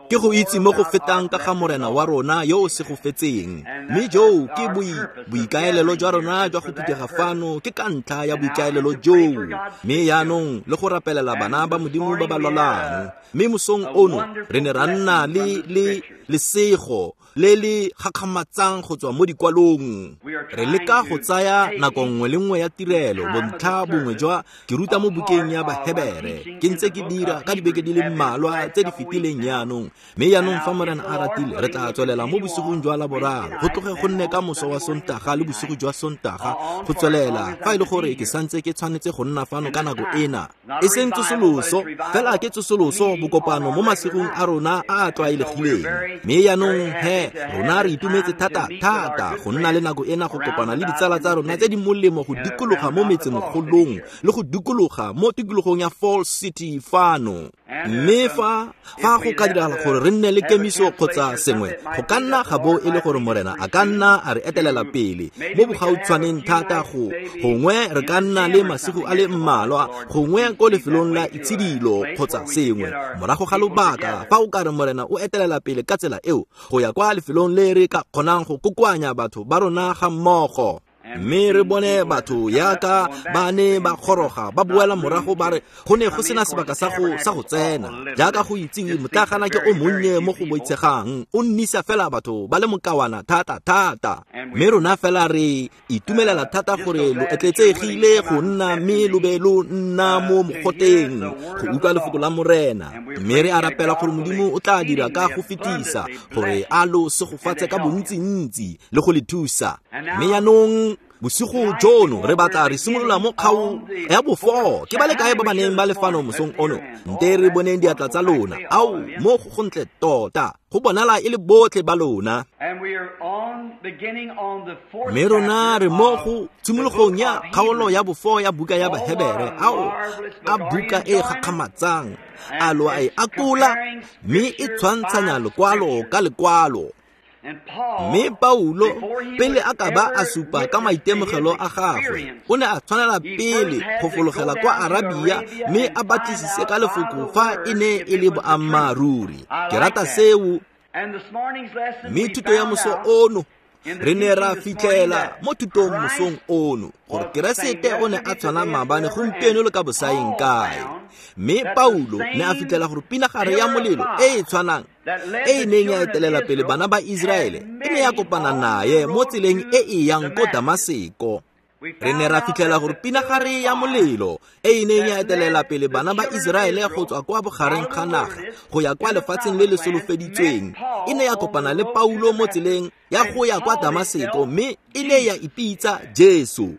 Ke go itse mo go fetang ka ga Morena wa rona yo o segofetseng. Mme joo ke boikaelelo jwa rona jwa go phuthega fano, ke ka ntlha ya boikaelelo joo. Mme yaanong le go rapelela bana ba Modimo ba ba lwalang. Mme mosong ono re ne ra nna le lesego le le gakgamatsang go tswa mo dikwalong. Re leka go tsaya nako nngwe le nngwe ya tirelo, bontlha bongwe jwa ke ruta mo bukeng ya Bahebere. Ke ntse ke dira ka dibeke di le mmalwa tse di fetileng jaanong. Mme jaanong fa Morena a ratile, re tla tswelela mo bosigong jwa Laboraro, go tloge go nne ka moso wa Sontaga le bosigo jwa Sontaga, go tswelela fa e le gore ke santse ke tshwanetse go nna fano ka nako ena. E seng tsosoloso, fela ke tsosoloso bokopano mo masigong a rona a a tlwaelegileng. Mme jaanong he, rona re itumetse thata thata go nna le nako ena go kopana le ditsala tsa rona tse di molemo go dikologa mo metsemogolong le go dikologa mo tikologong ya Falls City fano. Mme fa go ka diragala gore re nne le kemiso kgotsa sengwe, go ka nna ga bo e le gore Morena a ka nna a re etelela pele mo bogautshwaneng thata, go gongwe re ka nna le masigo a le mmalwa, gongwe ko lefelong la itshidilo kgotsa sengwe morago ga lobaka, fa o ka re Morena o etelela pele ka tsela eo go ya kwa lefelong le re ka kgonang go kokoanya batho ba rona ga mmogo. Mme re bone batho yaka ba ne ba goroga ba boela morago ba re go ne go sena sebaka sa go tsena. Jaaka go itsiwe, motlagana ke o monnye mo go boitshegang, o nnisa fela batho ba le mokawana thata thata. Mme rona fela re itumelela thata gore lo etletsegile go nna mme lo be lo nna mo mogoteng go utlwa lefoko la Morena. Mme re a rapela gore Modimo o tla dira ka go fetisa gore a lo segofatse ka bontsintsi le go le thusa. Mme jaanong bosigo jono re batla re simolola mo kgaong ya bofo. Ke ba le kae ba ba neng ba le fano mosong ono? Nte re boneng diatla tsa lona. Ao, mo go gontle tota, go bonala e le botlhe ba lona. Mme rona re mo go tshimologong ya kgaolo ya bofo ya buka ya Bahebere. Ao, a buka e gakgamatsang, a lo a e akola, mme e tshwantshanya lekwalo ka lekwalo. Mme Paulo, pele a ka ba a supa ka maitemogelo a gagwe, o ne a tshwanela pele go fologela kwa Arabia mme a batlisise ka lefoko fa e ne e le boammaaruri. Ke rata seo. Mme thuto ya moso ono, re ne ra fitlhela mo thutong mosong ono gore Keresete o ne a tshwana maabane, gompieno le ka bosaeng kae. Mme Paulo ne a fitlhela gore pinagare ya molelo e e tshwanang e e neng ya etelela pele bana ba Iseraele e ne ya kopana naye mo tseleng e e yang ko Damaseko. Re ne ra fitlhela gore pinagare ya molelo e e neng ya etelela pele bana ba Iseraele go tswa kwa bogareng ga naga go ya kwa lefatsheng le le solofeditsweng e ne ya kopana le Paulo mo tseleng ya go ya kwa Damaseko, mme e ne ya ipitsa Jesu.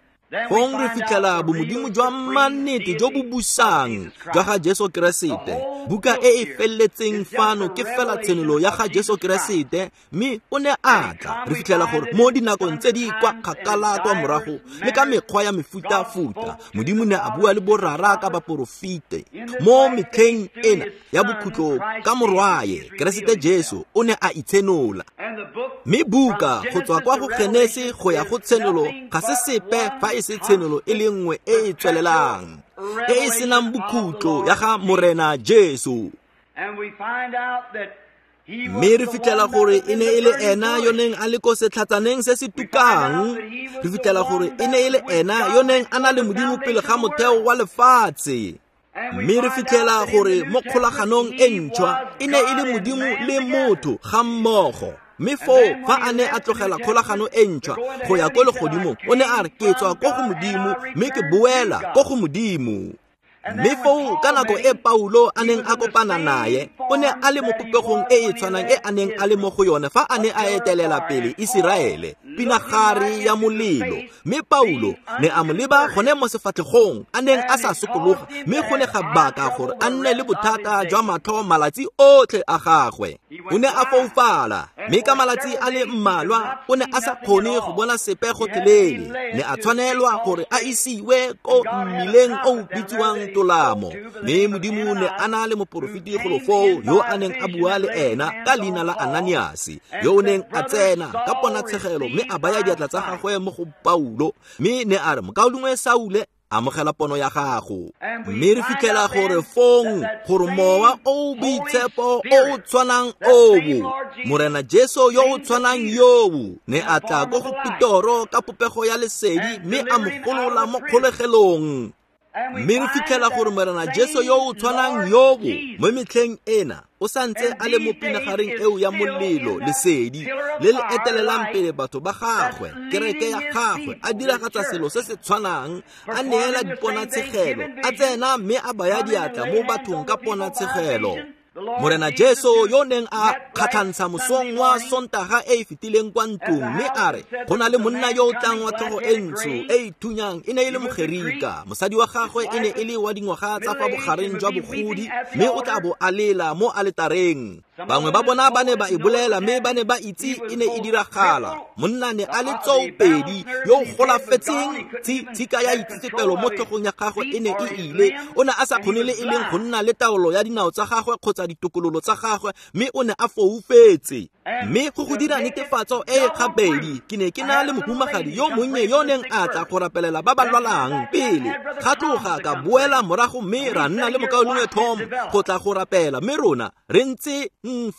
Fong re fitlhela bomodimo jwa mannete jo bo busang jwa ga Jesu Keresete. Buka e e feleletseng fano ke fela tshenolo ya ga Jesu Keresete, mme o ne a tla. Re fitlhela gore mo dinakong tse di kwa kgakala kwa morago le ka mekgwa ya mefutafuta, Modimo ne a bua le borara ka baporofete. Mo metlheng ena ya bokhutlo ka morwaye Keresete Jesu o ne a itshenola. Mme buka go tswa kwa go Genese go ya go Tshenolo ga se sepe fa e se tshenolo e le nngwe e e tswelelang, e e senang bokhutlo ya ga Morena Jesu. Mme re fitlhela gore e ne e le ena yo neng a le ko setlhatsaneng se se tukang. Re fitlhela gore e ne e le ena yo neng a na le Modimo pele ga motheo wa lefatshe. Mme re fitlhela gore mo kgolaganong e ntšhwa e ne e le Modimo le motho ga mmogo. Mme foo fa a ne a tlogela kgolagano e ntšhwa go ya ko legodimong, o ne a re ke tswa ko go Modimo mme ke boela ko go Modimo. Mme foo ka nako e Paulo a neng a kopana naye, o ne a le mo popegong e e tshwanang e a neng a le mo go yone fa a ne a etelela pele Iseraele, pinagare ya molelo. Mme Paulo ne a mo leba gone mo sefatlhegong a neng a sa sokologa, mme go ne ga baka gore a nne le bothata jwa matlho malatsi otlhe a gagwe. O ne a foufala, mme ka malatsi a le mmalwa o ne a sa kgone go bona sepe gotlhelele. Ne a tshwanelwa gore a isiwe ko mmileng o o bitsiwang Tolamo. Mme Modimo ne a na le moporofeti golo foo yo a neng a bua le ena ka leina la Ananiase, yo o neng a tsena ka ponatshegelo mme a baya diatla tsa gagwe mo go Paulo, mme ne a re, Mokaulengwe Saule. Amogela pono ya gago. Mme re fitlhela gore fong gore Mowa o Boitshepo o o tshwanang oo, Morena Jesu yo o tshwanang yoo, ne a tla ko go Petoro ka popego ya lesedi mme a mo golola mo kgolegelong. Mme re fitlhela gore Morena Jesu yo o tshwanang yoo mo metlheng ena o santse a le mo pinagareng eo ya molelo, lesedi le le etelelang pele batho ba gagwe, kereke ya gagwe, a diragatsa selo se se tshwanang, a neela diponatshegelo, a tsena mme a baya diatla mo bathong ka ponatshegelo. Morena Jesu yo neng a kgatlhantsha mosong wa Sontaga e e fetileng kwa ntlong mme a re go na le monna yo o tlang wa tlhogo e ntsho e e thunyang, e ne e le Mogerika, mosadi wa gagwe e ne e le wa dingwaga tsa fa bogareng jwa bogodi, mme o tla bo a lela mo aletareng. Bangwe ba bona ba ne ba e bolela mme ba ne ba itse e ne e diragala. Monna ne a le tsoopedi yo o golafetseng, tshika ya itsetsepelo mo tlhogong ya gagwe e ne e ile. O ne a sa kgone le e leng go nna le taolo ya dinao tsa gagwe kgotsa ditokololo tsa gagwe, mme o ne a foufetse. Mme go go dira netefatso e e gabedi, ke ne ke na le mohumagadi yo monnye yo neng a tla go rapelela ba ba lwalang pele. Ga tloga ka boela morago mme ra nna le mokaulengwe Tom go tla go rapela, mme rona re ntse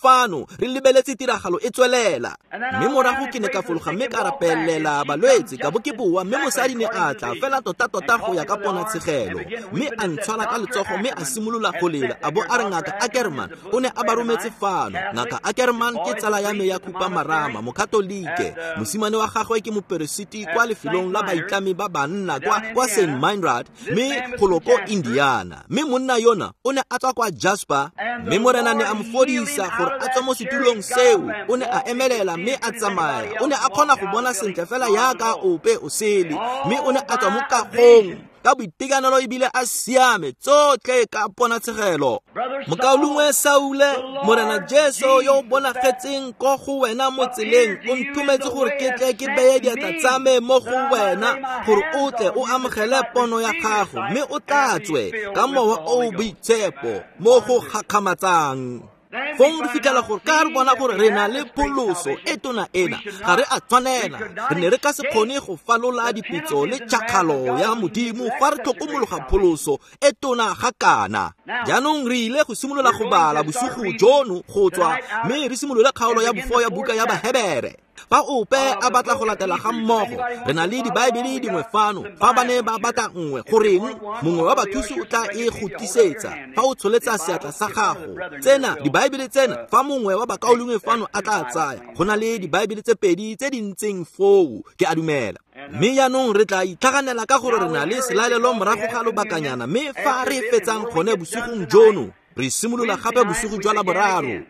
fano re lebeletse tiragalo e tswelela. Mme morago ke ne ka fologa mme ka rapelela balwetse, ka bo ke boa, mme mosadi ne a tla fela tota-tota go ya ka ponatshegelo, mme a ntshwara ka letsogo mme a simolola go lela, a bo a re Ngaka Ackerman o ne a ba rometse fano. Ngaka Ackerman ke tsala ya me ya khupamarama, Mokatolike. Mosimane wa gagwe ke moperesiti kwa lefelong la baitlami ba banna kwa St. Meinrad, mme golo ko Indiana. Mme monna yona o ne a tswa kwa Jasper, mme Morena ne a mo fodisa gore a tswe mo setulong seo. O ne a emelela mme a tsamaya. O ne a kgona go bona sentle fela yaka ope o sele, mme o ne a tswa mo kagong ka boitekanelo ebile a siame tsotlhe ka ponatshegelo. Mokaulengwe Saule, Morena Jesu yo o bonagetseng ko go wena mo tseleng o nthometse gore ke tle ke beye diatla tsa me mo go wena gore o tle o amogele pono ya gago mme o tlatswe ka Mowa o o Boitshepo mo go gakgamatsang. Fong re fitlhela gore ka re bona gore re na le pholoso e tona ena, ga re a tshwanela. Re ne re ka se kgone go falola dipetso le tšhakgalo ya Modimo fa re tlhokomologa pholoso e tona ga kana. Jaanong re ile go simolola go bala bosigo jono go tswa, mme re simolole kgaolo ya bofo ya buka ya Bahebere. Fa ope a batla go latela ga mmogo, re na le dibaebele dingwe fano. Fa ba ne ba batla nngwe, goreng mongwe wa bathusi o tla e go tlisetsa fa o tsholetsa seatla sa gago. Tsena dibaebele tsena, fa mongwe wa bakaulengwe fano a tla tsaya, go na le dibaebele tse pedi tse di ntseng foo, ke a dumela. Mme jaanong re tla itlhaganela ka gore re na le selalelo morago ga lobakanyana, mme fa re fetsang gone bosigong jono, re simolola gape bosigo jwa Laboraro.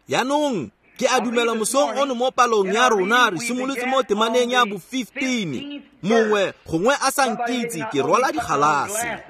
Jaanong ke a dumela mosong ono mo palong ya rona re simolotse mo temaneng ya bo 15. Mongwe gongwe a sa nkitse ke rwala digalase.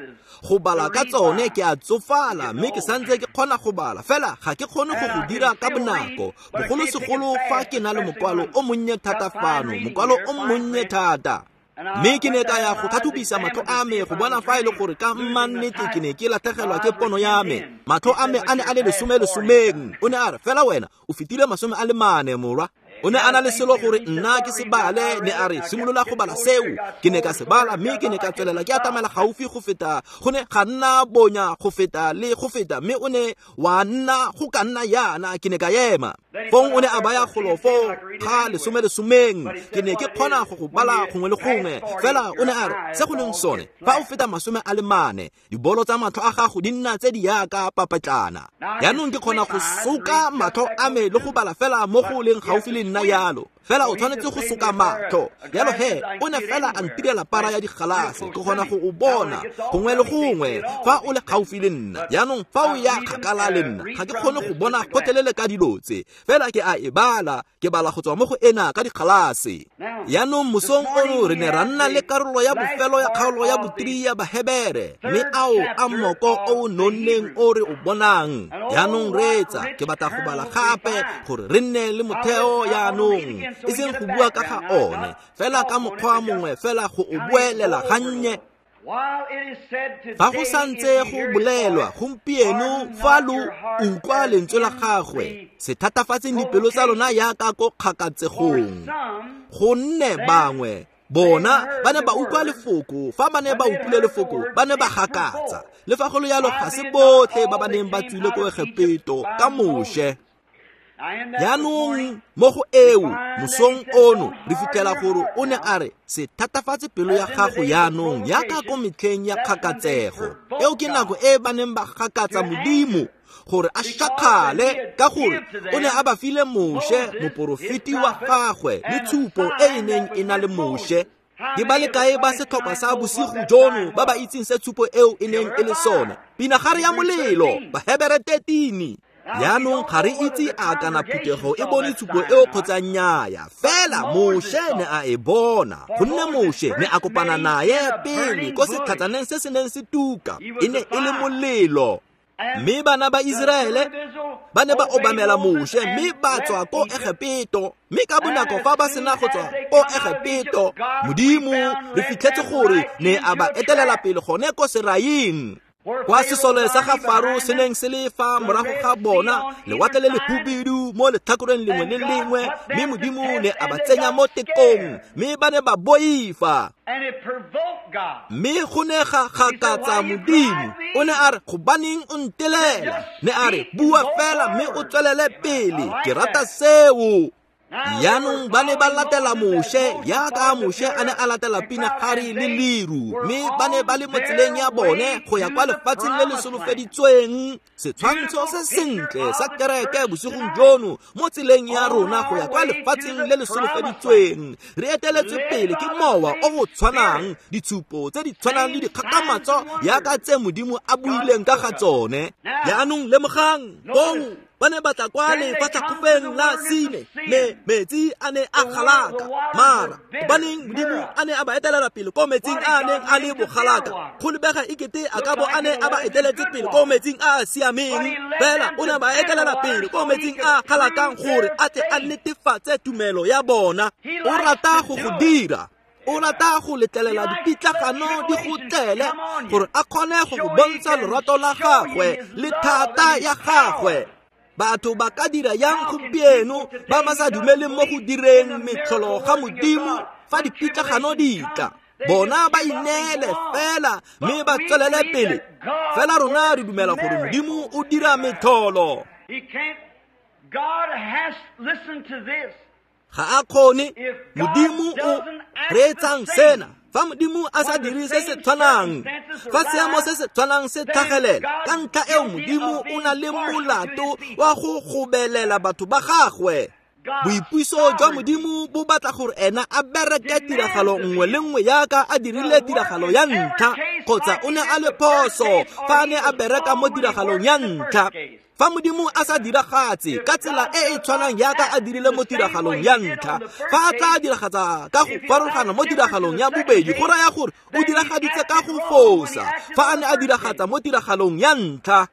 Go bala ka tsone ke a tsofala, mme ke santse ke kgona go bala, fela ga ke kgone go go dira ka bonako, bogolosegolo fa ke na le mokwalo o monnye thata fano, mokwalo o monnye thata. Mme ke ne ka ya go tlhatlhobisa matlho a me go bona fa e le gore ka mmannete ke ne ke latlhegelwa ke pono ya me. Matlho a me a ne a le 10-10. O ne a re, fela wena o fetile 44, morwa. O ne a na le selo gore nna ke se bale, ne a re simolola go bala seo. Ke ne ka se bala mme ke ne ka tswelela ke atamela gaufi go feta, go ne ga nna bonya go feta le go feta, mme o ne wa nna go ka nna yana, ke ne ka ema. Fong o ne a baya golofo ga 10-10, ke ne ke kgona go go bala gongwe le gongwe. Fela o ne a re se go leng sone, fa o feta 44, dibolo tsa matlho a gago di nna tse di yaka papetlana. Jaanong ke kgona go soka matlho a me le go bala fela mo go leng gaufi le nna yalo. Fela o tshwanetse go soka matlho. Jalo he, o ne fela a ntirela para ya digalase, ke kgona go o bona gongwe le gongwe fa o le gaufi le nna. Jaanong fa o ya kgakala le nna, ga ke kgone go bona gotlhelele ka dilo tse. Fela ke a e bala, ke bala go tswa mo go ena ka digalase. Jaanong mosong ono re ne ra nna le karolo ya bofelo ya kgaolo ya bo-3 ya Bahebere, mme ao a moko o nonneng o re o bonang. Jaanong reetsa, ke batla go bala gape gore re nne le motheo jaanong, e seng go bua ka ga one, fela ka mokgwa mongwe fela go o boelela gannye. Fa go santse go bolelwa gompieno, fa lo utlwa lentswe la gagwe, se thatafatseng dipelo tsa lona yaka ko kgakatsegong. Gonne bangwe Bona ba ne ba utlwa lefoko, fa ba ne ba utlwile lefoko ba ne ba gakatsa. Le fa go le jalo ga se botlhe ba ba neng ba tswile ko Egepeto ka Moshe. Jaanong mo go eo mosong ono re fitlhela gore o ne a re se thatafatse pelo ya gago jaanong yaka ko metlheng ya kgakatsego. Eo ke nako e ba neng ba gakatsa Modimo gore a shakgale, ka gore o ne a ba file Moshe moporofeti wa gagwe le tshupo e e neng e na le Moshe. Ke ba le kae ba setlhopha sa bosigo jono ba ba itseng se tshupo eo e neng e le sone? Pinagare ya molelo, Bahebere 13. Jaanong ga re itse a kana phuthego e bone tshupo eo kgotsa nnyaya, fela Moshe ne a e bona, gonne Moshe ne a kopana naye pele ko setlhatsaneng se se neng se tuka, e ne e le molelo. Mme bana ba Iseraele ba ne ba obamela Moshe mme ba tswa ko Egepeto. Mme ka bonako fa ba sena go tswa ko Egepeto, Modimo re fitlhetse gore ne a ba etelela pele gone ko Seraing, kwa sesole sa ga Faro se neng se le fa morago ga bona, lewatle le lehubidu mo letlhakoreng lengwe le lengwe, mme Modimo ne a ba tsenya mo tekong, mme ba ne ba boifa. Mme go ne ga gakatsa Modimo. O ne a re, gobaneng o ntelela? Ne a re, bua fela mme o tswelele pele. Ke rata seo. Jaanong ba ne ba latela Moshe yaka Moshe a ne a latela pinagare le leru, mme ba ne ba le mo tseleng ya bone go ya kwa lefatsheng le le solofeditsweng. Setshwantsho se sentle sa kereke bosigong jono mo tseleng ya rona go ya kwa lefatsheng le le solofeditsweng. Re eteletswe pele ke mowa o o tshwanang, ditshupo tse di tshwanang le dikgakgamatso yaka tse Modimo a buileng ka ga tsone. Jaanong lemogang, bong ba ne ba tla kwa lefatlhakgofeng la Sine, mme metsi a ne a galaka. Mara gobaneng Modimo a ne a ba etelela pele ko metsing a a neng a le bogalaka? Go lebega ekete a ka bo a ne a ba eteletse pele ko metsing a a siameng, fela o ne a ba etelela pele ko metsing a a galakang gore a tle a netefatse tumelo ya bona. O rata go go dira. O rata go letlelela dipitlagano di go tlele gore a kgone go go bontsha lorato la gagwe le thata ya gagwe. Batho ba ka dira yang gompieno ba ba sa dumeleng mo go direng metlholo ga Modimo fa dipitlagano di tla? Bona ba ineele fela mme ba tswelele pele. Fela rona re dumela gore Modimo o dira metlholo. Ga a kgone. Modimo o reetsang sena. Fa Modimo a sa dire se se tshwanang, fa seemo se se tshwanang se tlhagelela, ka ntlha eo Modimo o na le molato wa go gobelela batho ba gagwe. Boipuso jwa Modimo bo batla gore ena a bereke tiragalo nngwe le nngwe yaka a dirile tiragalo ya ntlha, kgotsa o ne a le phoso fa a ne a bereka mo tiragalong ya ntlha. Fa Modimo a sa diragatse ka tsela e e tshwanang yaka a dirile mo tiragalong ya ntlha, fa a tla diragatsa ka go farologana mo tiragalong ya bobedi, go raya gore o diragaditse ka go fosa fa a ne a diragatsa mo tiragalong ya ntlha.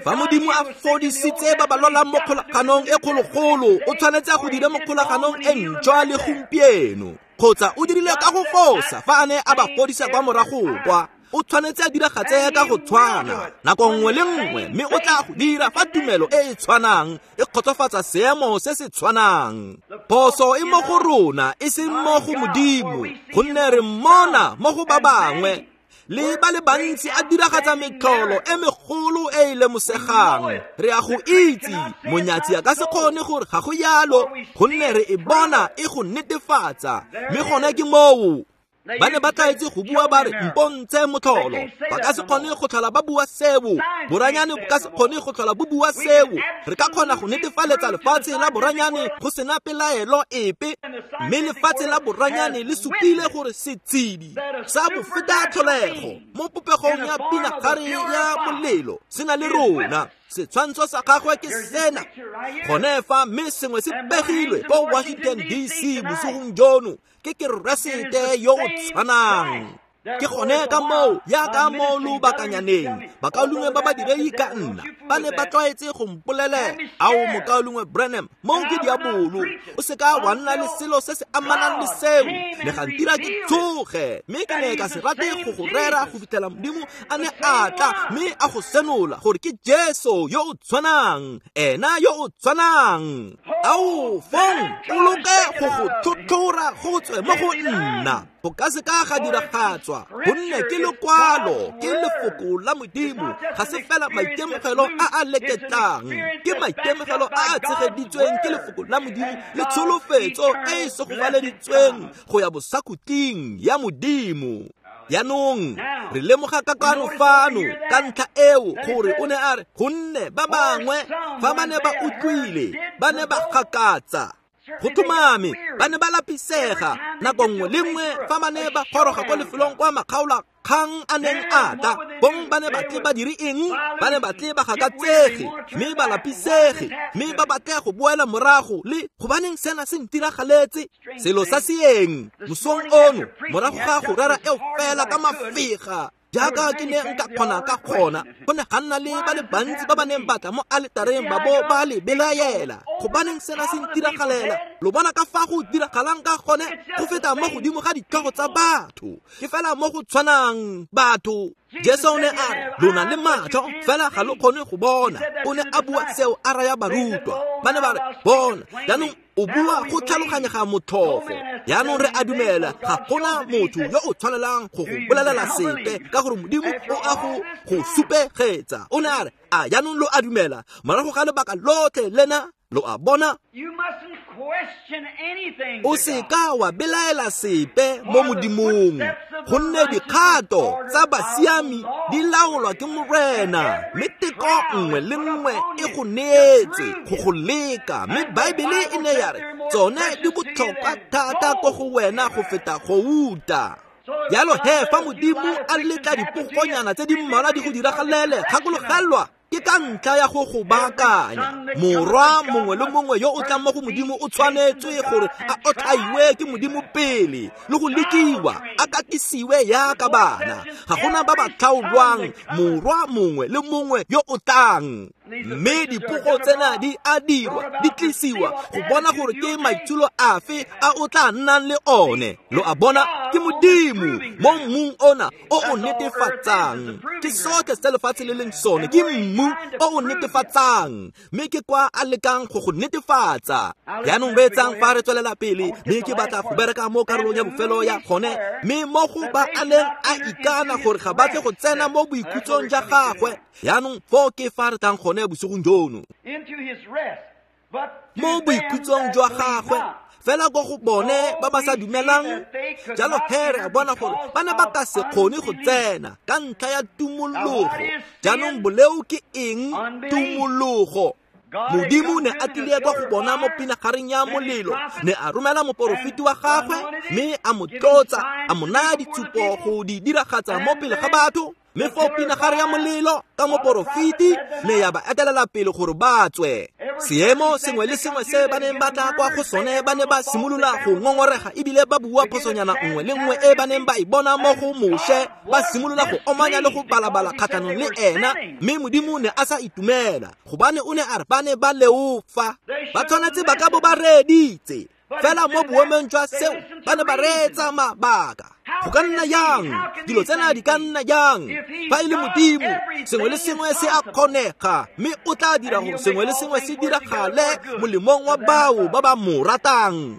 Fa Modimo a fodisitse ba ba lwalang mo kgolaganong e kgologolo, o tshwanetse a go dire mo kgolaganong e ntšhwa le gompieno, kgotsa o dirile ka go fosa fa a ne a ba fodisa kwa morago kwa. O tshwanetse a diragatse ka go tshwana nako nngwe le nngwe, mme o tla go dira fa tumelo e e tshwanang e kgotsofatsa seemo se se tshwanang. Phoso e mo go rona e seng mo go Modimo, gonne re mmona mo go ba bangwe le ba le bantsi a diragatsa metlholo e megolo e e lemosegang. Re a go itse, monyatsi a ka se kgone gore ga go yalo, gonne re e bona e go netefatsa, mme gone ke moo. Ba ne ba tlaetse go bua ba re mpontshe motlholo. Ba ka se kgone go tlhola ba bua seo. Boranyane bo ka se kgone go tlhola bo bua seo. Re ka kgona go netefaletsa lefatshe la boranyane go sena pelaelo epe, mme lefatshe la boranyane le supile gore setshedi sa bofeta tlholego mo popegong ya pinagare ya molelo se na le rona. Setshwantsho sa gagwe ke sena gone fa, mme sengwe se pegilwe ko Washington DC bosigong jono ke Keresete yo o tshwanang. Ke gone ka moo yaka mo lobakanyaneng bakaulengwe ba badiredi ka nna ba ne ba tlwaetse go mpolelela, ao mokaulengwe Branham, moo ke diabolo, o se ka wa nna le selo se se amanang le seo. Ne ga ntira ke tsoge, mme ke ne ka se rate go go rera go fitlhela Modimo a ne a tla mme a go senola gore ke Jesu yo o tshwanang, ena yo o tshwanang. Ao fong o loke go go tlhotlhora go tswe mo go nna. Go ka se ka ga diragatswa, gonne ke lekwalo, ke lefoko la Modimo. Ga se fela maitemogelo a a leketlang, ke maitemogelo a a tshegeditsweng ke lefoko la Modimo le tsholofetso e e segofaleditsweng go ya bosakhutleng ya Modimo. Jaanong re lemoga kakano fano ka ntlha eo gore o ne a re, gonne ba bangwe fa ba ne ba utlwile ba ne ba gakatsa. Go tlhomame ba ne ba lapisega nako nngwe le nngwe fa ba ne ba goroga kwa lefelong kwa makgaola kgang a neng a tla, bong ba ne batle ba dire eng? Ba ne batle ba gakatsege mme ba lapisege mme ba batle go boela morago le gobaneng sena se ntiragaletse. Selo sa seeng mosong ono morago ga go rera eo fela ka mafega jaaka ke ne nka kgona ka gona, go ne ga nna le ba le bantsi ba ba neng ba tla mo aletareng ba bo ba le belaela, gobaneng sena se ntiragalela? Lo bona ka fa go diragalang ka gone go feta mo godimo ga ditlhogo tsa batho. Ke fela mo go tshwanang batho. Jesu o ne a re, lona le matlho fela ga lo kgone go bona. O ne a bua seo a raya barutwa. Ba ne ba re, bona jaanong o bua go tlhaloganyega motlhofo. Jaanong re a dumela ga gona motho yo o tshwanelang go go bolelela sepe ka gore Modimo o a go go supegetsa. O ne a re, a jaanong lo a dumela morago ga lebaka lotlhe lena? Lo a bona? O se ka wa belaela sepe mo Modimong, gonne dikgato tsa basiami di laolwa ke Morena, mme teko nngwe le nngwe e go neetse go go leka. Mme Baebele e ne ya re tsone di botlhokwa thata ko go wena go feta gouta. Jalo he fa Modimo a letla dipogonyana tse di mmalwa di go diragalele, gakologelwa ke ka ntlha ya go go baakanya. Morwa mongwe le mongwe yo o tlang mo go Modimo o tshwanetswe gore a otlhaiwe ke Modimo pele le go lekiwa, a katisiwe yaka bana. Ga gona ba ba tlhaolwang, morwa mongwe le mongwe yo o tlang. Mme dipogo tsena di a dirwa, di tlisiwa go bona gore ke maitsholo afe a o tla nnang le one. Lo a bona, ke Modimo mo mmung ona o o netefatsang. Ke sotlhe se lefatshe le leng sone, ke mmu o o netefatsang, mme ke kwa a lekang go go netefatsa. Jaanong reetsang fa re tswelela pele, mme ke batla go bereka mo karolong ya bofelo ya gone, mme mo go ba a neng a ikana gore ga batle go tsena mo boikhutsong ja gagwe. Jaanong foo ke fa re tlang gone bosigong jono, mo boikhutsong jwa gagwe, fela ko go bone ba ba sa dumelang. Jalo he re a bona gore ba ne ba ka se kgone go tsena ka ntlha ya tumologo. Jaanong boleo ke eng? Tumologo. Modimo ne a tlile kwa go bona mo pinagareng ya molelo, ne a romela moporofeti wa gagwe mme a mo tlotsa, a mo naya ditshupo go di diragatsa mo pele ga batho. Mme foo pinagare ya molelo ka moporofeti ne ya ba etelela pele gore ba tswe. Seemo sengwe le sengwe se ba neng ba tla kwa go sone, ba ne ba simolola go ngongorega ebile ba bua phosonyana nngwe le nngwe e ba neng ba e bona mo go Moshe. Ba simolola go omanya le go balabala kgatlhanong le ena, mme Modimo ne a sa itumela, gobane o ne a re ba ne ba leofa. Ba tshwanetse ba ka bo ba reeditse, fela mo boemong jwa seo ba ne ba reetsa mabaka. Go ka nna yang? Dilo tsena di ka nna yang? Fa e le Modimo, sengwe le sengwe se a kgonega, mme o tla dira gore sengwe le sengwe se diragale molemong wa bao ba ba mo ratang.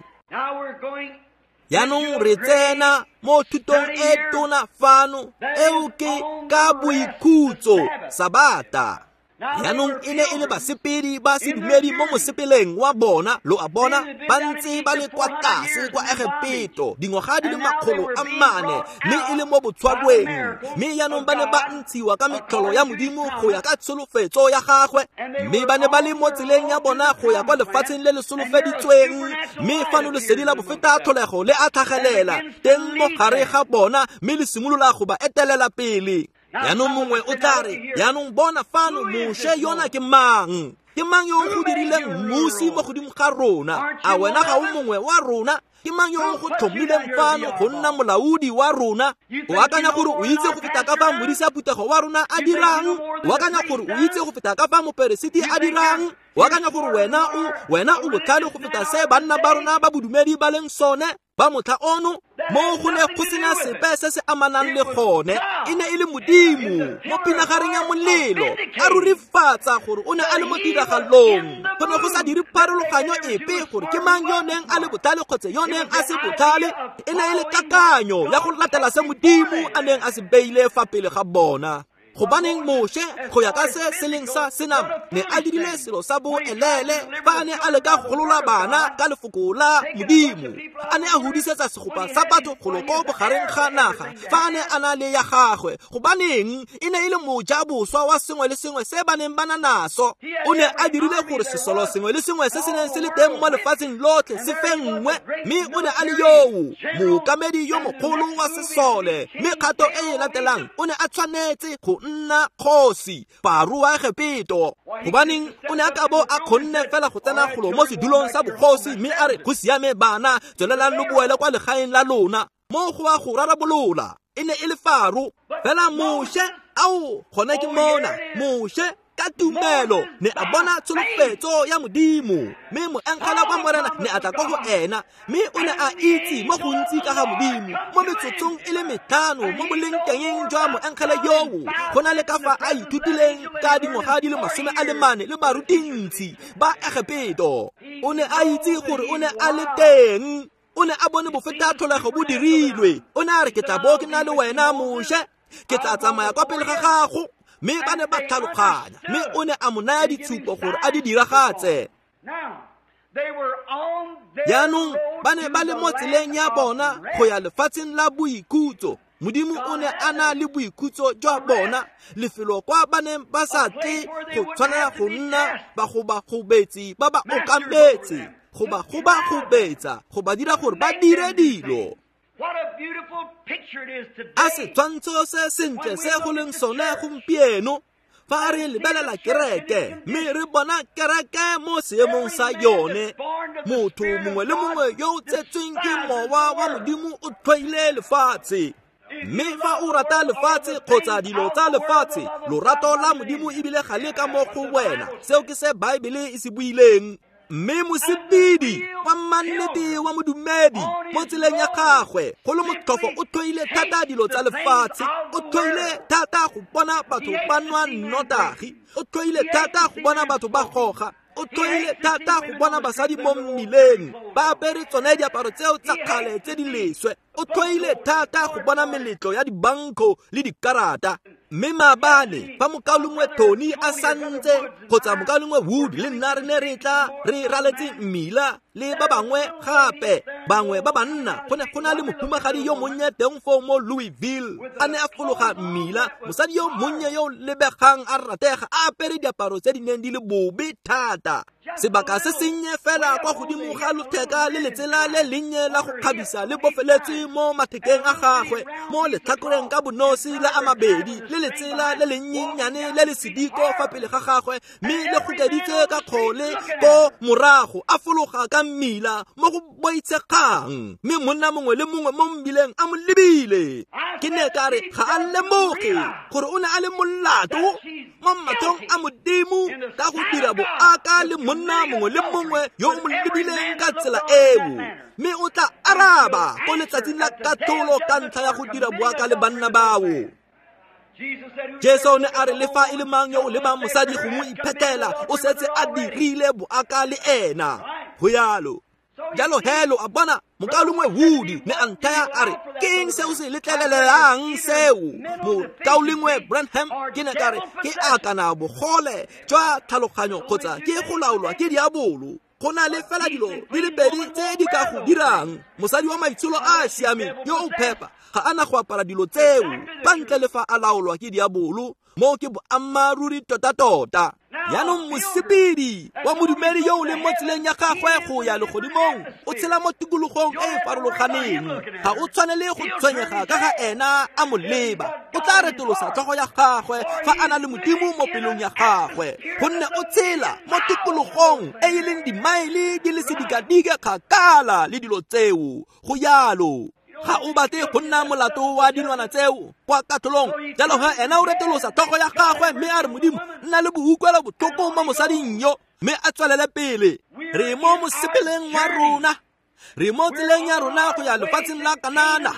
Jaanong re tsena mo thutong e tona fano, eo ke ka boikhutso, Sabata. Jaanong e ne e le basepedi ba sedumedi mo mosepeleng wa bona, lo a bona, ba ntse ba le kwa tlase kwa Egepeto dingwaga di le 400, mme e le mo botshwarweng. Mme jaanong ba ne ba ntshiwa ka metlholo ya Modimo go ya ka tsholofetso ya gagwe, mme ba ne ba le mo tseleng ya bona go ya kwa lefatsheng le le solofeditsweng. Mme fano lesedi la bofeta tlholego le a tlhagelela teng mo gare ga bona, mme le simolola go ba etelela pele. Jaanong mongwe o tla re, jaanong bona fano Moshe yona ke mang? Ke mang yo o go dirileng mmusi mo godimo ga rona? A wena ga o mongwe wa rona? Ke mang yo o go tlhomileng fano go nna molaodi wa rona? O akanya gore o itse go feta ka fa modisa phuthego wa rona a dirang? O akanya gore o itse go feta ka fa moperesiti a dirang? O akanya gore wena o botlhale go feta se banna ba rona ba bodumedi ba leng sone ba motlha ono? Mo go ne go sena sepe se se amanang le gone. E ne e le Modimo mo pinagareng ya molelo a rurifatsa gore o ne a le mo tiragalong. Go ne go sa dire pharologanyo epe gore ke mang yo neng a le botlhale kgotsa yo neng a se botlhale. E ne e le kakanyo ya go latela se Modimo a neng a se beile fa pele ga bona. Gobaneng Moshe go ya ka se se leng sa senama ne a dirile selo sa boelele fa a ne a leka go golola bana ka lefoko la Modimo. A ne a hudisetsa segopa sa batho golo ko bogareng ga naga fa a ne a na le ya gagwe. Gobaneng e ne e le mojaboswa wa sengwe le sengwe se ba neng ba na naso. O ne a dirile gore sesolo sengwe le sengwe se se neng se le teng mo lefatsheng lotlhe se fenngwe, mme o ne a le yoo mookamedi yo mogolo wa sesole. Mme kgato e e latelang o ne a tshwanetse go nna kgosi Faro wa Egepeto. Gobaneng o ne a ka bo a kgonne fela go tsena golo mo sedulong sa bogosi mme a re go siame bana, tswelelang lo boele kwa legaeng la lona. Mo go a go rarabolola e ne e le Faro. Fela Moshe, ao gone ke mona, Moshe ka tumelo ne a bona tsholofetso ya Modimo, mme moengele wa Morena ne a tla kwa go ena, mme o ne a itse mo gontsi ka ga Modimo mo metsotsong e le 5 mo bolengtengeng jwa moengele yoo, go na le ka fa a ithutileng ka dingwaga di le 40 le barutintsi ba Egepeto. O ne a itse gore o ne a le teng. O ne a bone bofeta tlholego bo dirilwe. O ne a re ke tla bo ke na le wena Moshe, ke tla tsamaya kwa pele ga gago. Mme ba ne ba tlhaloganya, mme o ne a mo naya ditshupo gore a di diragatse. Jaanong ba ne ba le mo tseleng ya bona go ya lefatsheng la boikhutso. Modimo o ne a na le boikhutso jwa bona, lefelo kwa ba neng ba sa tle go tshwanela go nna bagobagobetsi ba ba okametse, go ba gobagobetsa, go ba dira gore ba dire dilo. A setshwantsho se sentle se go leng sone gompieno fa re lebelela kereke, mme re bona kereke mo seemong sa yone. Motho mongwe le mongwe yo o tsetsweng ke mowa wa Modimo o tlhoile lefatshe. Mme fa o rata lefatshe kgotsa dilo tsa lefatshe, lorato la Modimo ebile ga le ka mo go wena. Seo ke se Baebele e se buileng. Mme mosepedi wa mannete wa modumedi mo tseleng ya gagwe go le motlhofo o tlhoile thata dilo tsa lefatshe, o tlhoile thata go bona batho ba nwa nnotagi, o tlhoile thata go bona batho ba goga, o tlhoile thata go bona basadi mo mmileng ba apere tsone diaparo tseo tsa kgale tse di leswe, o tlhoile thata go bona meletlo ya dibanko le dikarata. Mme maabane fa mokaulengwe Tony a santse kgotsa mokaulengwe Wood le nna re ne re tla re raletse mmila le ba bangwe gape, bangwe ba banna, go ne go na le mohumagadi yo monnye teng foo mo Louisville, a ne a fologa mmila, mosadi yo monnye yo lebegang a ratega a apere diaparo tse di neng di le bobe thata. Sebaka se sennye fela kwa godimo ga lotheka le letsela le lennye la go kgabisa le bofeletswe mo mathekeng a gagwe, mo letlhakoreng ka bonosi la a mabedi, le letsela le lennyenyane le le sediko fa pele ga gagwe, mme le gokeditswe ka kgole ko morago, a fologa ka mmila mo go boitshegang, mme monna mongwe le mongwe mo mmileng a mo lebile. Ke ne ka re ga a lemoge gore o ne a le molato mo matlhong a Modimo ka go dira boaka le monna mongwe le mongwe yo o mo lebileng ka tsela eo, mme o tla araba ko letsatsing la katlholo ka ntlha ya go dira boaka le banna bao. Jesu o ne a re le fa e le mang yo o lebang mosadi go mo iphetela, o setse a dirile boaka le ena. Go yalo. Jalo helo a bona mokaulengwe Wood ne a nthaya a re ke eng se o se letlelelelang seo? Mokaulengwe Branham, ke ne ka re ke akana bogole jwa tlhaloganyo kgotsa ke go laolwa ke diabolo. Go na le fela dilo di le pedi tse di ka go dirang. Mosadi wa maitsholo a a siameng yo o phepa ga a na go apara dilo tseo ka ntle le fa a laolwa ke diabolo. Mo ke boammaaruri tota-tota. Jaanong mosepedi wa modumedi yo o leng mo tseleng ya gagwe go ya legodimong o tshela mo tikologong e e farologaneng. Ga o tshwanele go tshwenyega ka ga ena a mo leba. O tla retolosa tlhogo ya gagwe fa a na le Modimo mo pelong ya gagwe, gonne o tshela mo tikologong e e leng dimaele di le sedikadike kgakala le dilo tseo. Go jalo. Ga o batle go nna molato wa dilwana tseo kwa katlholong. Jalo ge ena o retolosa tlhogo ya gagwe mme a re, Modimo, nna le boutlwelo botlhoko mo mosading yo, mme a tswelele pele. Re mo mosepeleng wa rona, re mo tseleng ya rona go ya lefatsheng la Kanana,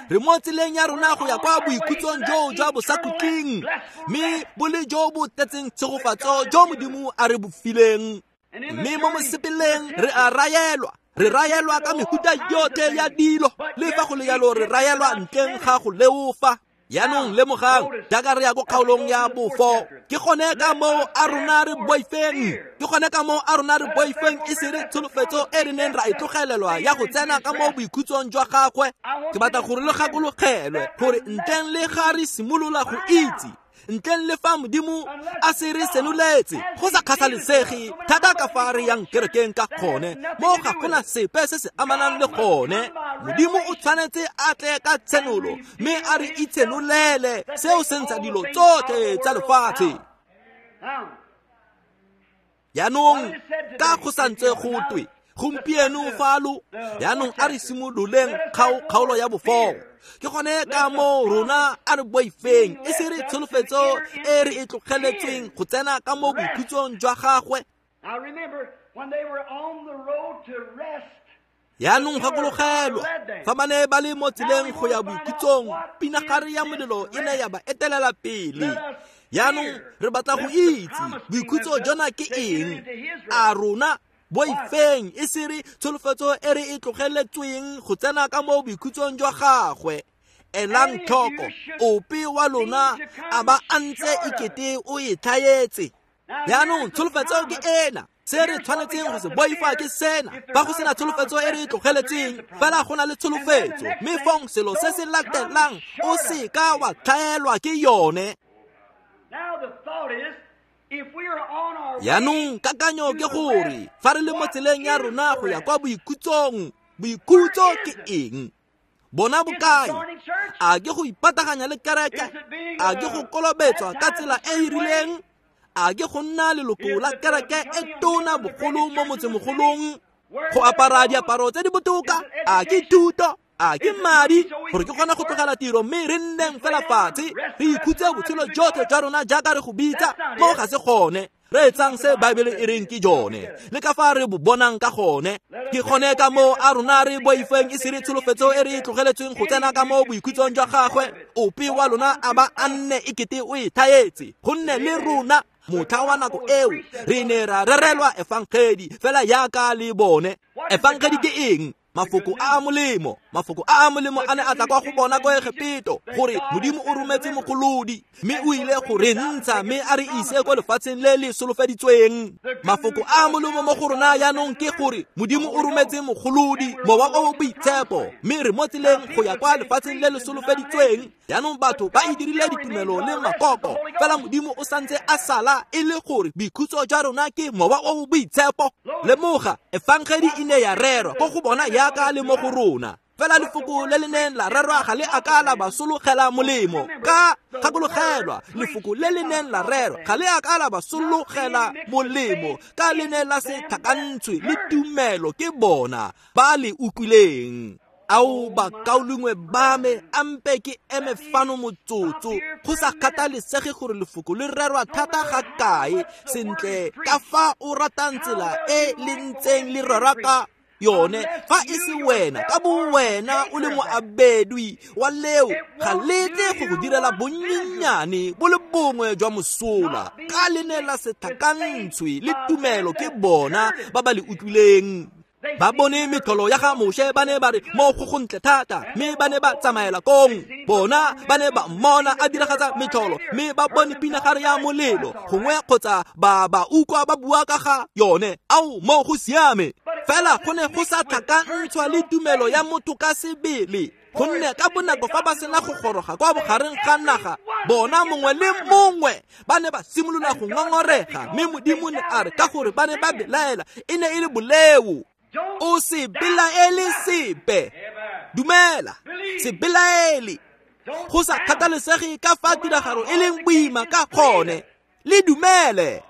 re mo tseleng ya rona go ya kwa boikhutsong joo jwa bosakhutleng, mme bo le jo bo tletseng tshegofatso jo Modimo a re bo fileng. Mme mo mosepeleng re a raelwa, re raelwa ka mehuta yotlhe ya dilo, le fa go le jalo re raelwa ntleng ga go leofa. Jaanong lemogang, jaaka re ya ko kgaolong ya bofo, ke gone ka moo a rona re boifeng, ke gone ka moo a rona re boifeng e se re tsholofetso e re neng ra e tlogelelwa ya go tsena ka mo boikhutsong jwa gagwe. Ke batla gore le gakologelwe gore ntleng le ga re simolola go itse, ntleng le fa Modimo a se re senoletse, go sa kgathalesege thata ka fa re yang kerekeng ka gone, mo ga gona sepe se se amanang le gone. Modimo o tshwanetse a tle ka tshenolo mme a re itshenolele seo se ntsha dilo tsotlhe tsa lefatshe. Jaanong ka go santse go twe gompieno falo, jaanong a re simololeng kgaolo ya bofo. Ke gone ka moo rona a re boifeng e se re tsholofetso e re e tlogeletsweng go tsena ka mo boikhutsong jwa gagwe. Jaanong gakologelwa, fa ba ne ba le mo tseleng go ya boikhutsong, pinagare ya molelo e ne ya ba etelela pele. Jaanong re batla go itse boikhutso jona ke eng. A rona boifeng e se re tsholofetso e re e tlogeletsweng go tsena ka mo boikhutsong jwa gagwe. Elang tlhoko, ope wa lona a ba a ntse ekete o e tlhaetse. Jaanong tsholofetso ke ena, se re tshwanetseng go se boifa ke sena. Fa go sena tsholofetso e re e tlogeletseng, fela go na le tsholofetso, mme fong selo se se latelang o se ka wa tlhaelwa ke yone. Jaanong kakanyo ke gore fa re le mo tseleng ya rona go ya kwa boikhutsong, boikhutso ke eng? Bona bokae? A ke go ipataganya le kereke? A ke go kolobetswa ka tsela e e rileng? A ke go nna leloko la kereke e tona bogolo mo motsemogolong? Go apara diaparo tse di botoka? A ke thuto? A ke madi gore ke kgone go tlogela tiro mme re nneng fela fatshe re ikhutse botshelo jotlhe jwa rona jaaka re go bitsa? Mo ga se gone. Re etsang se Baebele e reng ke jone, le ka fa re bo bonang ka gone. Ke gone ka moo a rona re boifeng e se re tsholofetso e re e tlogeletsweng go tsena ka mo boikhutsong jwa gagwe. Ope wa lona a ba a nne ekete o e thaetse, gonne le rona motlha wa nako eo re ne ra rerelwa efangedi fela jaaka le bone. Efangedi ke eng? Mafoko a a molemo. Mafoko a a molemo a ne a tla kwa go bona kwa Egepeto, gore Modimo o rometse mogolodi mme o ile go re ntsha mme a re ise kwa lefatsheng le le solofeditsweng. Mafoko a a molemo mo go rona jaanong ke gore Modimo o rometse mogolodi, Mowa o o Boitshepo, mme re mo tseleng go ya kwa lefatsheng le le solofeditsweng. Jaanong batho ba e dirile ditumelo le makoko, fela Modimo o santse a sala e le gore boikhutso jwa rona ke Mowa o o Boitshepo. Lemoga, efangedi e ne ya rerwa ko go bona jaaka le mo go rona, fela lefoko le le neng la rerwa ga le a ka la ba sologela molemo. Ka gakologelwa, lefoko le le neng la rerwa ga le a ka la ba sologela molemo, ka le ne la se tlhakantshwe le tumelo ke bona ba le utlwileng. Ao bakaulengwe ba me, ampe ke eme fano motsotso. Go sa kgathalesege gore lefoko le rerwa thata ga kae, sentle ka fa o ratang tsela e le ntseng le rerwa ka yone, fa e se wena ka bo wena o le moabedwi wa leo, ga le tle go go direla bonnyenyane bo le bongwe jwa mosola, ka le ne la se tlhakantshwe le tumelo ke bona ba ba le utlwileng. Ba bone metlholo ya ga Moshe, ba ne ba re mo go gontle thata, mme ba ne ba tsamaela kong. Bona ba ne ba mmona a diragatsa metlholo, mme ba bone pinagare ya molelo gongwe kgotsa ba ba utlwa ba bua ka ga yone. Ao, mo go siame. Fela go ne go sa tlhakantshwa le tumelo ya motho ka sebele. Gonne ka bonako fa ba sena go goroga kwa bogareng ga naga, bona mongwe le mongwe ba ne ba simolola go ngongorega, mme Modimo ne a re ka gore ba ne ba belaela, e ne e le boleo. O se belaele sepe. Dumela, se belaele. Go sa kgathalesege ka fa tiragalo e leng boima ka gone, le dumele.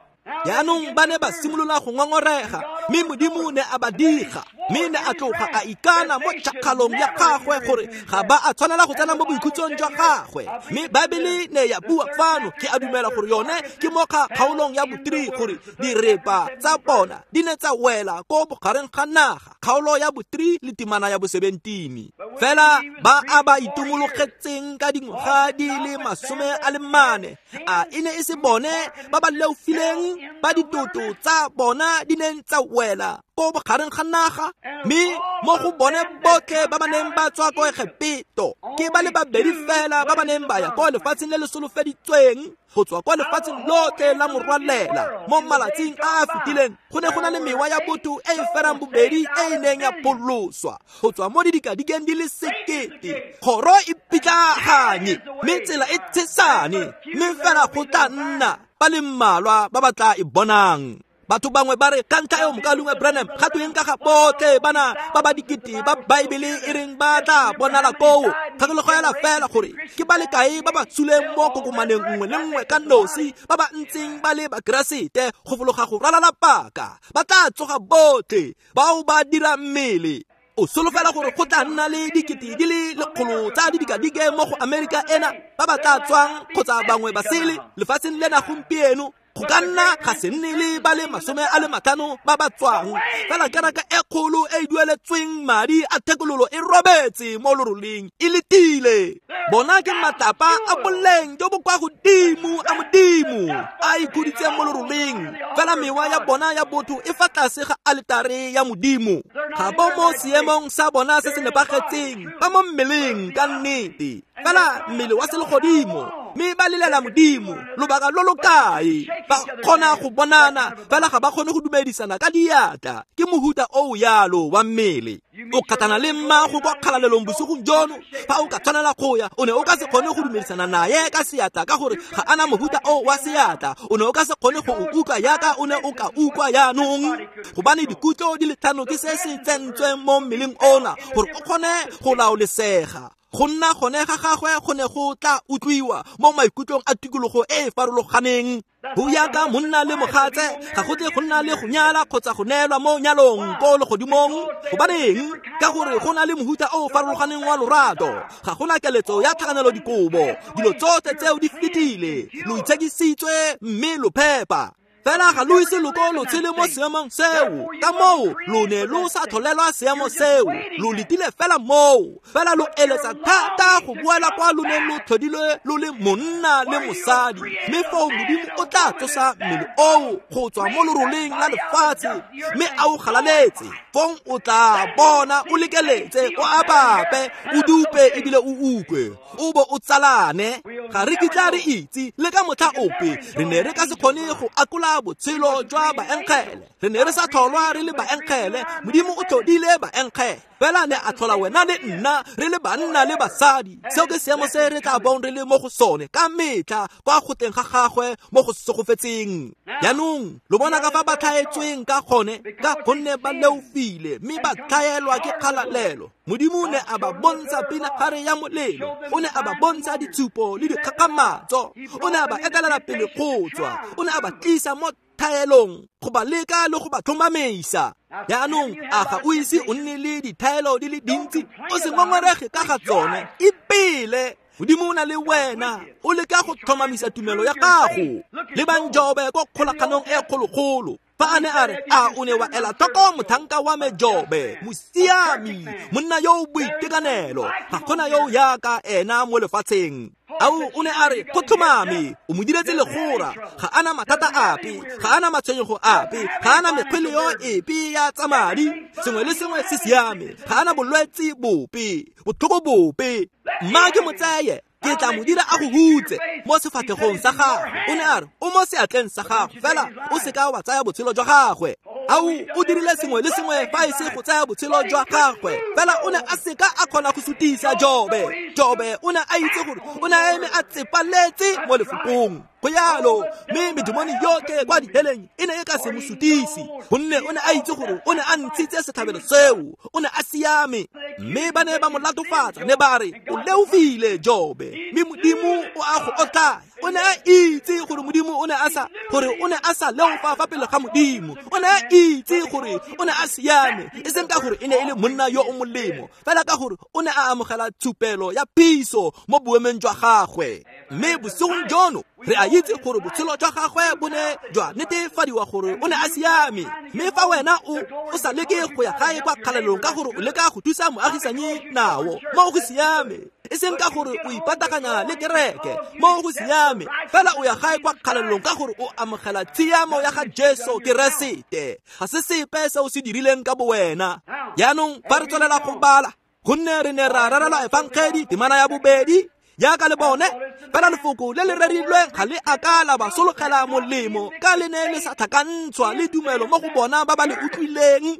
Jaanong ba ne ba simolola go ngongorega, mme Modimo ne a ba diga, mme ne a tloga a ikana mo tšhakgalong ya gagwe gore ga ba a tshwanela go tsena mo boikhutsong jwa gagwe. Mme Baebele ne ya bua fano, ke a dumela gore yone ke mo kgaolong ya bo-3, gore direpa tsa bona di ne tsa wela ko bogareng ga naga, kgaolo ya bo-3 le temana ya bo-17. Fela ba a ba itomologetseng ka dingwaga di le 40, a e ne e se bone ba ba leofileng ba ditoto tsa bona di neng tsa wela ko bogareng ga naga? Mme mo go bone botlhe ba ba neng ba tswa ko Egepeto, ke ba le babedi fela ba ba neng ba ya ko lefatsheng le le solofeditsweng go tswa kwa lefatsheng lotlhe la morwalela. Mo malatsing a a fetileng go ne go na le mewa ya botho e e ferang bobedi e e neng ya pholoswa go tswa mo didikadikeng di le 1,000. Kgoro e pitlaganye, mme tsela e tshesane, mme fela go tla nna ba le mmalwa ba ba tla e bonang. Batho bangwe ba re ka ntlha eo mokalungwe Branham ga tweng ka ga botlhe bana ba ba dikete ba Baebele e reng ba tla bonala koo? Kgakologela fela gore ke ba le kae ba ba suleng mo kokomaneng nngwe le nngwe ka nosi, ba ba ntseng ba le Bakeresete go fologa go ralala paka, ba tla tsoga botlhe bao ba dira mmele. O solofela gore go tla nna le dikete di le 100 tsa didikadike mo go Amerika ena ba ba tla tswang kgotsa bangwe ba sele lefatsheng lena gompieno? Go ka nna ga se nne le ba le 50 ba ba tswang, fela kereke e kgolo e e dueletsweng madi a thekololo e robetse mo loroleng e letile. Bona ke matlapa a boleng jo bo kwa godimo a Modimo a ikhuditseng mo loroleng, fela mewa ya bona ya botho e fa tlase ga aletare ya Modimo. Ga bo mo seemong sa bona se se nepagetseng, ba mo mmeleng ka nnete, fela mmele wa selegodimo, mme ba lelela Modimo lobaka lo lo kae? Ba kgona go bonana, fela ga ba kgone go dumedisana ka diatla. Ke mohuta o yalo wa mmele. O kgatlhana le mmago kwa kgalalelong bosigong jono, fa o ka tshwanela go ya, o ne o ka se kgone go dumedisana naye ka seatla ka gore ga ana mohuta o wa seatla. O ne o ka se kgone go o utlwa yaka o ne o ka utlwa jaanong, gobane dikutlo di le 5 ke se se tsentsweng mo mmeleng ona gore o kgone go laolesega. Go nna gone ga gagwe go ne go tla utlwiwa mo maikutlong a tikologo e e farologaneng. Go yaka monna le mogatse ga go tle go nna le go nyala kgotsa go neelwa mo nyalong ko legodimong. Gobaneng? Ka gore go na le mohuta o farologaneng wa lorato. Ga gona keletso ya tlhakanelo dikobo. Dilo tsotlhe tseo di fetile, lo itshekisitswe mme lo phepa. Fela ga lo ise lo ko lo tshele mo seemong seo, ka moo lo ne lo sa tlholelwa seemo seo, lo letile fela moo, fela lo eletsa thata go boela kwa lo neng lo tlhodilwe lo le monna le mosadi. Mme foo Modimo o tla tsosa mmele oo go tswa mo loroleng la lefatshe, mme a o galaletse. Fong o tla bona o lekeletse, o apape, o dupe ebile o utlwe, o bo o tsalane. Ga re kitla re itse le ka motlha ope, re ne re ka se kgone go akola botshelo jwa baenkgele. Re ne re sa tlholwa re le baenkgele, Modimo o tlhodile baenkgele, fela ne a tlhola wena le nna re le banna le basadi. Seo ke seemo se re tla bong re le mo go sone ka metlha kwa go teng ga gagwe mo go segofetseng. Jaanong lo bona ka fa ba tlhaetsweng ka gone, ka gonne ba leofile mme ba tlhaelwa ke kgalalelo. Modimo ne a ba bontsha pinagare ya molelo, o ne a ba bontsha ditshupo le dikgakgamatso, o ne a ba etelela pele go tswa, o ne a ba tlisa mo thaelong go ba leka le go ba tlhomamisa. Jaanong a ga o ise o nne le dithaelo di le dintsi? O se ngongorege ka ga tsone, ipele. Modimo o na le wena, o leka go tlhomamisa tumelo ya gago. Lebang Jobe ko kgolaganong e kgologolo, fa a ne a re, a o ne wa ela tlhoko mothanka wa me Jobe, mosiami, monna yo o boitekanelo, ga gona yo o yaka ena mo lefatsheng. Ao o ne a re, go tlhomame, o mo diretse legora, ga ana mathata ape, ga ana matshwenyego ape, ga ana mekgweleo epe ya tsa madi, sengwe le sengwe se siame, ga ana bolwetse bope, botlhoko bope. Mma ke mo tseye, ke tla mo dira a go hutse mo sefatlhegong sa gagwe. O ne a re, o mo seatleng sa gagwe, fela o seka wa tsaya botshelo jwa gagwe. Ao, o dirile sengwe le sengwe fa e se go tsaya botshelo jwa gagwe, fela o ne a seka a kgona go sutisa Jobe. Jobe o ne a itse gore o ne a eme a tsepaletse mo lefokong. Go yalo, mme medimoni yotlhe kwa diheleng e ne e ka se mo sutise, gonne o ne a itse gore o ne a ntshitse setlhabelo seo, o ne a siame. Mme ba ne ba mo latofatsa, ne ba re o leofile Jobe, mme Modimo o a go otlaya. O ne a itse gore Modimo o ne a sa, gore o ne a sa leofa fa pele ga Modimo. O ne a itse gore o ne a siame, e seng ka gore e ne e le monna yo o molemo, fela ka gore o ne a amogela tshupelo ya phiso mo boemeng jwa gagwe. Mme bosigong jono re a itse gore botshelo jwa gagwe bo ne jwa netefadiwa gore o ne a siame. Mme fa wena o sa leke go ya gae kwa kgalalelong ka gore o leka go thusa moagisanyi nao, mo go siame, e seng ka gore o ipataganya le kereke, mo go siame, fela o ya gae kwa kgalalelong ka gore o amogela tshiamo ya ga Jesu Keresete. Ga se sepe se o se dirileng ka bowena. Jaanong fa re tswelela go bala, gonne re ne ra rerelwa efangedi temana ya bobedi, jaaka le bone, fela lefoko le le rerilweng ga le a ka la ba sologela molemo, ka le ne le sa tlhakantshwa le tumelo mo go bona ba ba le utlwileng.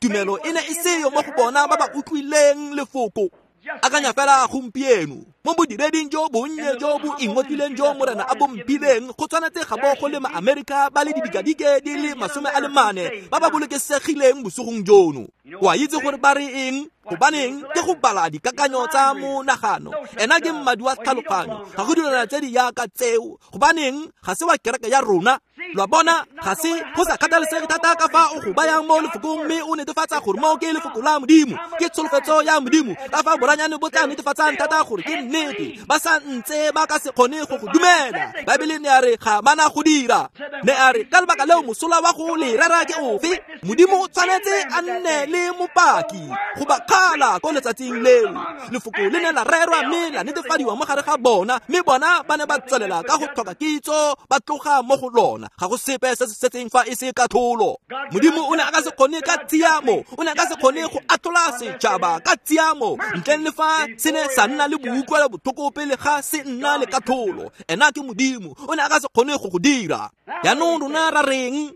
Tumelo e ne e seyo mo go bona ba ba utlwileng lefoko. Akanya fela gompieno mo bodireding jo bonnye jo bo ingotlileng jo Morena a bomphileng, go tshwanetse ga bo go le ma-Amerika ba le didikadike di le 44 ba ba bolokesegileng bosigong jono. O a itse gore ba re eng? Gobaneng ke go bala dikakanyo tsa monagano. Ena ke mmadi wa tlhaloganyo, ga go dilwana tse di yaka tseo. Gobaneng ga se wa kereke ya rona. Lwa bona, ga se go sa kgathalesege thata ka fa o go bayang mo lefokong, mme o netefatsa gore mo ke lefoko la Modimo, ke tsholofetso ya Modimo, ka fa boranyane bo tla netefatsang thata gore ke nnete, ba sa ntse ba ka se kgone go go dumela. Baebele ne a re ga bana go dira. Ne a re ka lebaka leo mosola wa go le rera ke ofe? Modimo o tshwanetse a nne le mopaki go ba kgala ko letsatsing leo. Lefoko le ne la rerwa mme la netefadiwa mo gare ga bona, mme bona ba ne ba tswelela ka go tlhoka kitso, ba tloga mo go lona. Ga go sepe se se setseng fa e se katlholo. Modimo o ne a ka se kgone ka tshiamo, o ne a ka se kgone go atlhola setšhaba ka tshiamo ntleng le fa se ne sa nna le boutlwelo botlhoko pele ga se nna le katlholo. Ena ke Modimo, o ne a ka se kgone go go dira. Jaanong rona ra reng?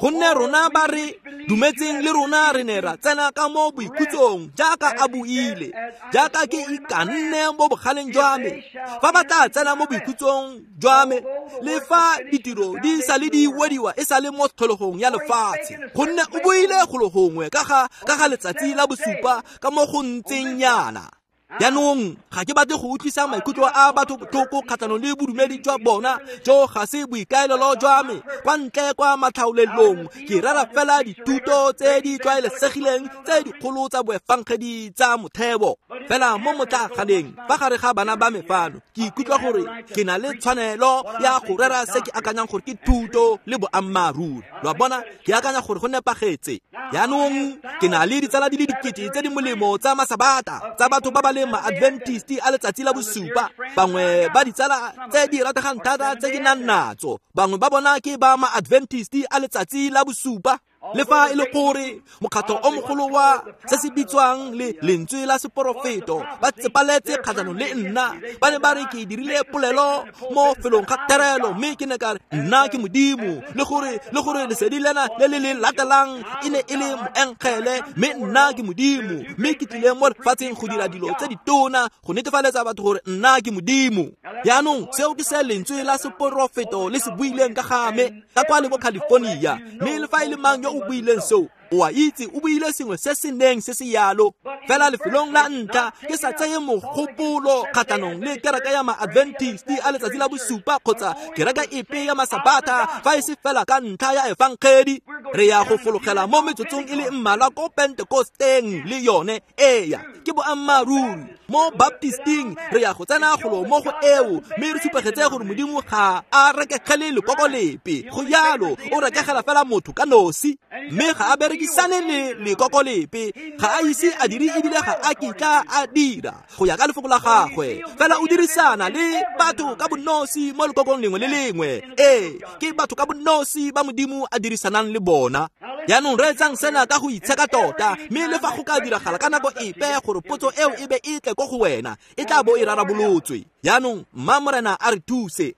Gonne rona ba re dumetseng le rona re ne ra tsena ka mo boikhutsong jaaka a buile, jaaka ke ikanne mo bogaleng jwa me, fa ba tla tsena mo boikhutsong jwa me, le fa ditiro di sa le di wediwa e sa le mo tlhologong ya lefatshe. Gonne o buile golo gongwe ka ga letsatsi la bosupa ka mo go ntseng yana. Jaanong ga ke batle go utlwisa maikutlo a batho botlhoko kgatlhanong le bodumedi jwa bona, jo ga se boikaelelo jwa me. Kwa ntle kwa matlhaolelong ke rera fela dithuto tse di tlwaelesegileng tse dikgolo tsa boefangedi tsa motheo. Fela mo motlaganeng fa gare ga bana ba me fano, ke ikutlwa gore ke na le tshwanelo ya go rera se ke akanyang gore ke thuto le boammaaruri. Lwa bona, ke akanya gore go nepagetse. Jaanong ke na le ditsala di le dikete tse di molemo tsa masabata, tsa batho ba ba leng ma-Adventist a letsatsi la bosupa. Bangwe ba ditsala tse di rategang thata tse ke nang natso, bangwe ba bona ke ba ma-Adventist a letsatsi la bosupa. Le fa e le gore mokgatlo o mogolo wa se se bitswang le lentswe la seporofeto ba tsepaletse kgatlhanong le nna, ba ne ba re ke dirile polelo mo felong ga terelo, mme ke ne ka re nna ke Modimo, le gore lesedi lena le le le latelang e ne e le moengele, mme nna ke Modimo, mme ke tlile mo lefatsheng go dira dilo tse ditona go netefaletsa batho gore nna ke Modimo. Jaanong seo ke se lentswe la seporofeto le se buileng ka ga me ka kwa le ko California, mme le fa e le mang yo o buileng seo, o a itse o buile sengwe se se neng se se yalo. Fela lefelong la ntlha ke sa tseye mogopolo kgatlhanong le kereke ya ma-Adventist a letsatsi la bosupa kgotsa kereke epe ya masabata, fa e se fela ka ntlha ya efangedi. Re ya go fologela mo metsotsong e le mmalwa ko Pentekosteng le yone. Eya, ke boammaaruri. Mo Baptisting re ya go tsena golo mo go eo, mme re supegetse gore Modimo ga a rekegele lekoko lepe. Go yalo, o rekegela fela motho ka nosi, mme ga a berekisane le lekoko lepe. Ga a ise a dire ebile ga a kitla a dira go ya ka lefoko la gagwe. Fela o dirisana le batho ka bonosi mo lekokong lengwe le lengwe. Ee, ke batho ka bonosi ba Modimo a dirisanang le bona. Jaanong reetsang sena ka go itsheka tota, mme le fa go ka diragala ka nako epe gore potso eo e be e tle ko go wena, e tla bo e rarabolotswe. Jaanong mma Morena a re thuse.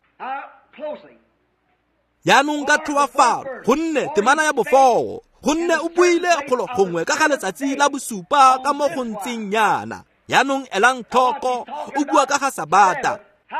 Jaanong ka tlhoafalo, gonne temana ya bofoo, gonne o buile golo gongwe ka ga letsatsi la bosupa ka mo go ntseng yana. Jaanong elang tlhoko, o bua ka ga Sabata.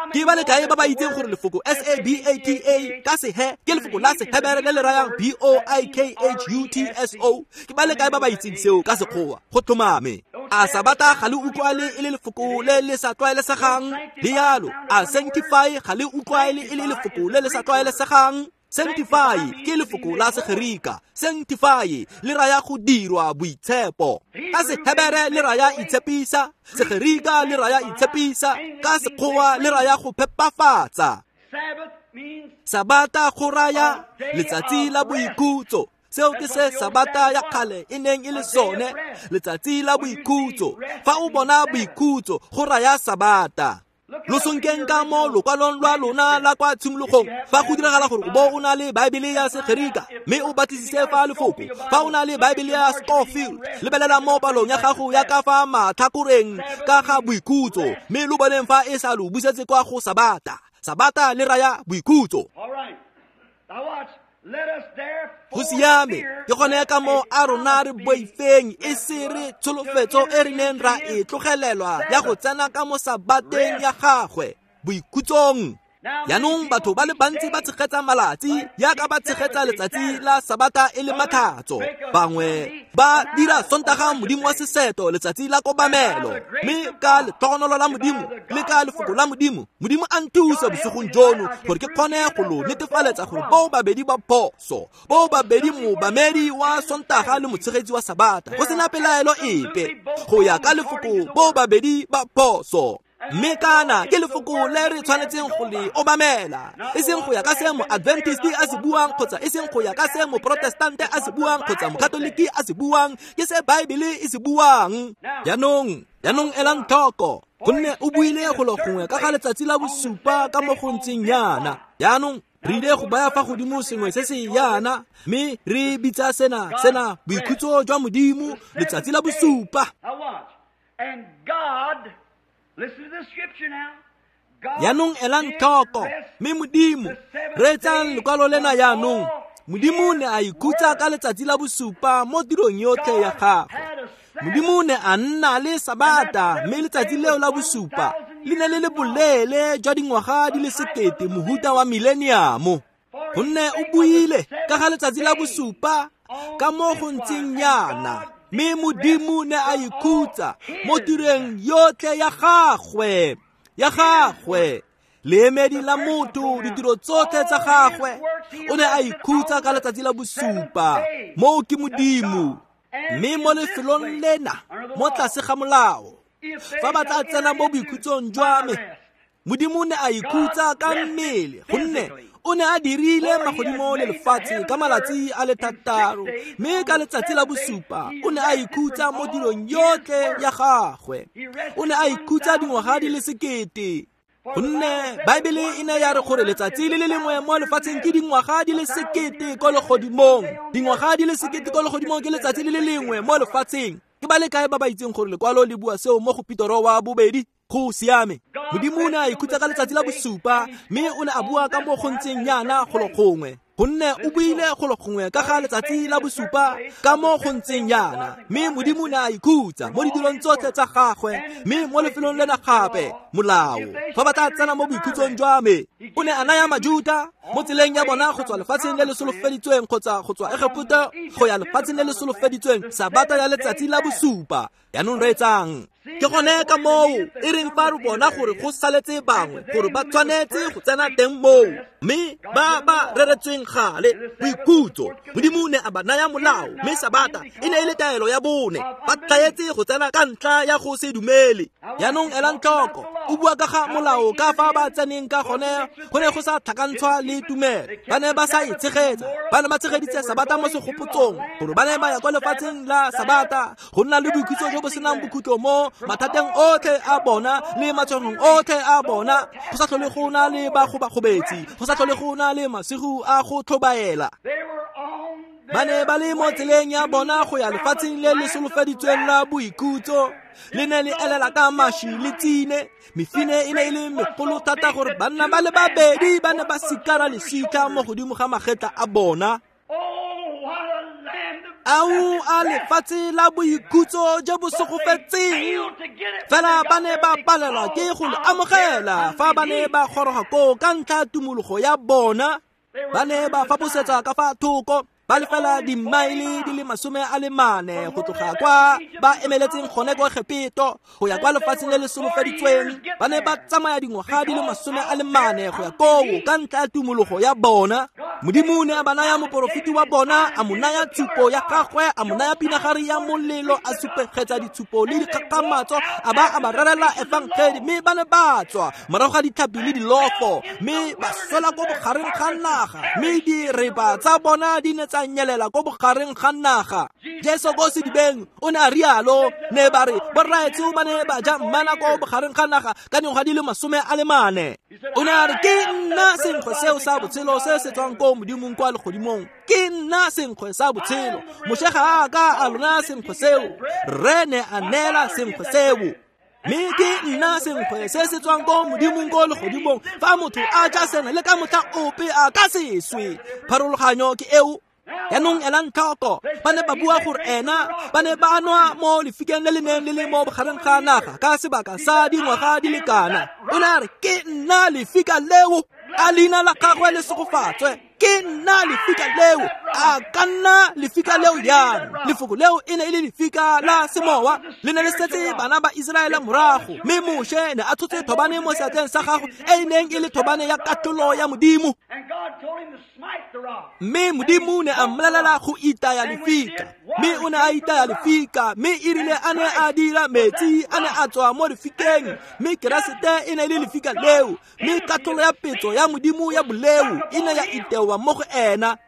Ke ba le kae ba ba itseng gore lefoko S-A-B-A-T-A ka sehe ke lefoko la Sehebere le le rayang B-O-I-K-H-U-T-S-O? Ke ba le kae ba ba itseng seo ka Sekgowa? Go tlhomame. A Sabata ga le utlwale e le lefoko le le sa tlwaelesegang? Le yalo. A sanctify ga le utlwale e le lefoko le le sa tlwaelesegang? Sanctify ke lefoko la Segerika. Sanctify le raya go dirwa boitshepo. Ka Sehebere le raya itshepisa, Segerika le raya itshepisa, ka Sekgowa le raya go phepafatsa. Sabata go raya letsatsi la boikhutso. Seo ke se Sabata ya kgale e neng e le sone, letsatsi la boikhutso. Fa o bona boikhutso go raya Sabata. Lo sonkeng ka mo lokwalong lwa lona la kwa tshimologong, fa go diragala gore o bo o na le Baebele ya Segerika mme o batlisise fa lefoko. Fa o na le Baebele ya Scofield, lebelela mo palong ya gago ya ka fa matlhakoreng ka ga boikhutso, mme lo boneng fa e sa lo busetse kwa go Sabata. Sabata le raya boikhutso. Go siame, ke gone ka moo a rona re boifeng e se re tsholofetso e re neng ra e tlogelelwa ya go tsena ka mo Sabateng ya gagwe, boikhutsong. Jaanong batho ba le bantsi ba tshegetsa malatsi yaka ba tshegetsa letsatsi la Sabata e le matlhatso. Bangwe ba dira Sontaga modimo wa seseto letsatsi la kobamelo, mme ka letlhogonolo la Modimo le ka lefoko la Modimo, Modimo a nthusa bosigong jono gore ke kgone go lo netefaletsa gore boo babedi ba phoso, boo babedi moobamedi wa Sontaga le motshegetsi wa Sabata, go sena pelaelo epe. Go ya ka lefoko boo babedi ba phoso. Mme kana ke lefoko le re tshwanetseng go le obamela, e seng go ya ka se mo-Adventist a se buang, kgotsa e seng go ya ka se mo-Protestante a se buang, kgotsa mo-Katoliki a se buang, ke se Baebele e se buang. Jaanong elang tlhoko, gonne o buile golo gongwe ka ga letsatsi la bosupa ka mo go ntseng yana. Jaanong re ile go baya fa godimo sengwe se se yana, mme re bitsa sena boikhutso jwa Modimo, letsatsi la bosupa. Jaanong elang tlhoko, mme Modimo, reetsang lekwalo lena jaanong. Modimo ne a ikhutsa ka letsatsi la bosupa mo tirong yotlhe ya gagwe. Modimo ne a nna le Sabata, mme letsatsi leo la bosupa le ne le le boleele jwa dingwaga di le 1000, mohuta wa mileniamo. Gonne o buile ka ga letsatsi la bosupa ka mo go ntseng yana, mme Modimo ne a ikhutsa mo tirong yotlhe ya gagwe, leemedi la motho, ditiro tsotlhe tsa gagwe. O ne a ikhutsa ka letsatsi la bosupa. Moo ke Modimo. Mme mo lefelong lena, mo tlase ga molao, fa ba tla tsena mo boikhutsong jwa me, Modimo ne a ikhutsa ka mmele, gonne o ne a dirile magodimo le lefatshe ka malatsi a le 6, mme ka letsatsi la bosupa o ne a ikhutsa mo tirong yotlhe ya gagwe. O ne a ikhutsa dingwaga di le 1000. Gonne Baebele e ne ya re gore letsatsi le le lengwe mo lefatsheng ke dingwaga di le 1000 ko legodimong. Dingwaga di le 1000 ko legodimong ke letsatsi le le lengwe mo lefatsheng. Ke ba le kae ba ba itseng gore lekwalo le bua seo mo go Petoro wa bobedi? Go siame. Modimo o ne a ikhutsa ka letsatsi la bosupa, mme o ne a bua ka mo go ntseng yana golo gongwe. Gonne o buile golo gongwe ka ga letsatsi la bosupa ka mo go ntseng yana, mme Modimo ne a ikhutsa mo ditirong tsotlhe tsa gagwe. Mme mo lefelong lena gape, molao, fa ba tla tsena mo boikhutsong jwa me, o ne a naya Majuta mo tseleng ya bona go tswa lefatsheng le le solofeditsweng, kgotsa go tswa Egepeta go ya lefatsheng le le solofeditsweng, Sabata ya letsatsi la bosupa. Jaanong reetsang. Ke gone ka moo e reng fa re bona gore go saletse bangwe gore ba tshwanetse go tsena teng moo, mme ba ba reretsweng gale boikhutso. Modimo ne a ba naya molao, mme Sabata e ne e le taelo ya bone. Ba tlaetse go tsena ka ntlha ya go se dumele. Jaanong elang tlhoko, o bua ka ga molao ka fa ba tseneng ka gone, go ne go sa tlhakantshwa le tumelo. Ba ne ba sa e tshegetsa, ba ne ba tshegeditse Sabata mo segopotsong, gore ba ne ba ya kwa lefatsheng la Sabata go nna le boikhutso jo bo senang bokhutlo mo mathateng otlhe a bona le matshwenyegong otlhe a bona. Go sa tlhole go na le bagobagobetsi, go sa tlhole go na le masigo a go tlhobaela. Ba ne ba le mo tseleng ya bona go ya lefatsheng le le solofeditsweng la boikhutso. Le ne le elela ka maši le tsine. Mefine e ne e le megolo thata gore banna ba le babedi ba ne ba sikara lesika mo godimo ga magetla a bona. Ao a lefatshe la boikhutso jo bo segofetseng. Fela ba ne ba palelwa ke go le amogela fa ba ne ba goroga koo ka ntlha ya tumologo ya bona. Ba ne ba faposetsa ka fa thoko, ba lefela dimaele di le 44 go tloga kwa ba emeletseng gone kwa Egepeto go ya kwa lefatsheng le le solofeditsweng. Ba ne ba tsamaya dingwaga di le 44 go ya koo ka ntlha ya tumologo ya bona. Modimo ne a ba naya moporofeti wa bona, a mo naya tshupo ya gagwe, a mo naya pinagare ya molelo, a supegetsa ditshupo le dikgakgamatso, a ba a ba rerela efangedi, mme ba ne ba tswa morago ga ditlhapi le dilofo, mme ba swela ko bogareng ga naga, mme direba tsa bona di ne tsa nyelela ko bogareng ga naga. Jesu ko sedibeng o ne a rialo, ne ba re borraetsho ba ne ba ja mmana ko bogareng ga naga ka dingwaga di le 44. O ne a re ke nna senkgwe seo sa botshelo se se tswang ko Modimong kwa legodimong. Ke nna senkgwe sa botshelo. Moshe ga a ka a lona senkgwe seo, rre ne a neela senkgwe seo. Mme ke nna senkgwe se se tswang ko Modimong ko legodimong. Fa motho a ja sena le ka motlha ope a ka se swe. Pharologanyo ke eo. Yaanong elang tlhoko, ba ne ba bua gore ena ba ne ba nwa mo lefikeng le le neng le le mo bogareng ga naga ka sebaka sa dingwaga di le kana. O ne a re ke nna lefika leo, a leina la gagwe le segofatswe. Ke nna lefika leo, a ka nna lefika leo yang. Lefoko leo e ne e le lefika la semowa, le ne le setse bana ba Iseraele morago. Mme Moshe ne a tshotse thobane mo seatleng sa gagwe e e neng e le thobane ya katlholo ya Modimo. Mme Modimo ne a mmolelela go itaya lefika, mme o ne a itaya lefika, mme e rile a ne a dira metsi a ne a tswa mo lefikeng, mme Keresete e ne e le lefika leo, mme katlholo ya petso ya Modimo ya boleo e ne ya itewa mo go ena.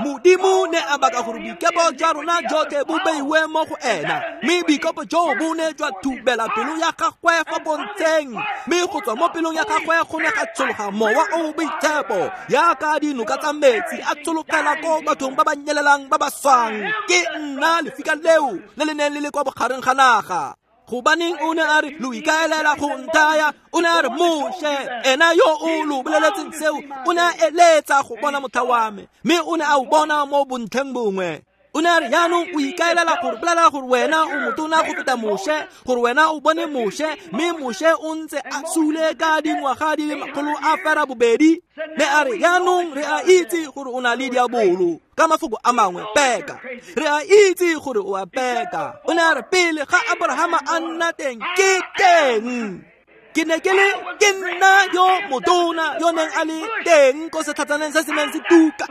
Modimo ne a baka gore boikepo jwa rona jotlhe bo beiwe mo go ena, mme boikepo joo bo ne jwa thubela pelo ya gagwe fa pontsheng, mme go tswa mo pelong ya gagwe go ne ga tshologa mowa o o boitshepo yaka dinoka tsa metsi a tshologela ko bathong ba ba nyelelang ba ba swang. Ke nna lefika leo le le neng le le kwa bogareng ga naga. Gobaneng o ne a re lo ikaelela go nthaya? O ne a re Moshe ena yo o lo boleletseng seo o ne a eletsa go bona motlha wa me, mme o ne a o bona mo bontlheng bongwe. O ne a re jaanong o ikaelela gore bolela gore wena o motona go feta Moshe, gore wena o bone Moshe, mme Moshe o ntse a sule ka dingwaga di le 802. Ne a re jaanong re a itse gore o na le diabolo. Ka mafoko a mangwe, peka. Re a itse gore o a peka. O ne a re pele ga Abrahama a nna teng, ke teng. Ke ne ke le ke nna yo motona yo neng a le teng ko setlhatsaneng se se neng se tuka.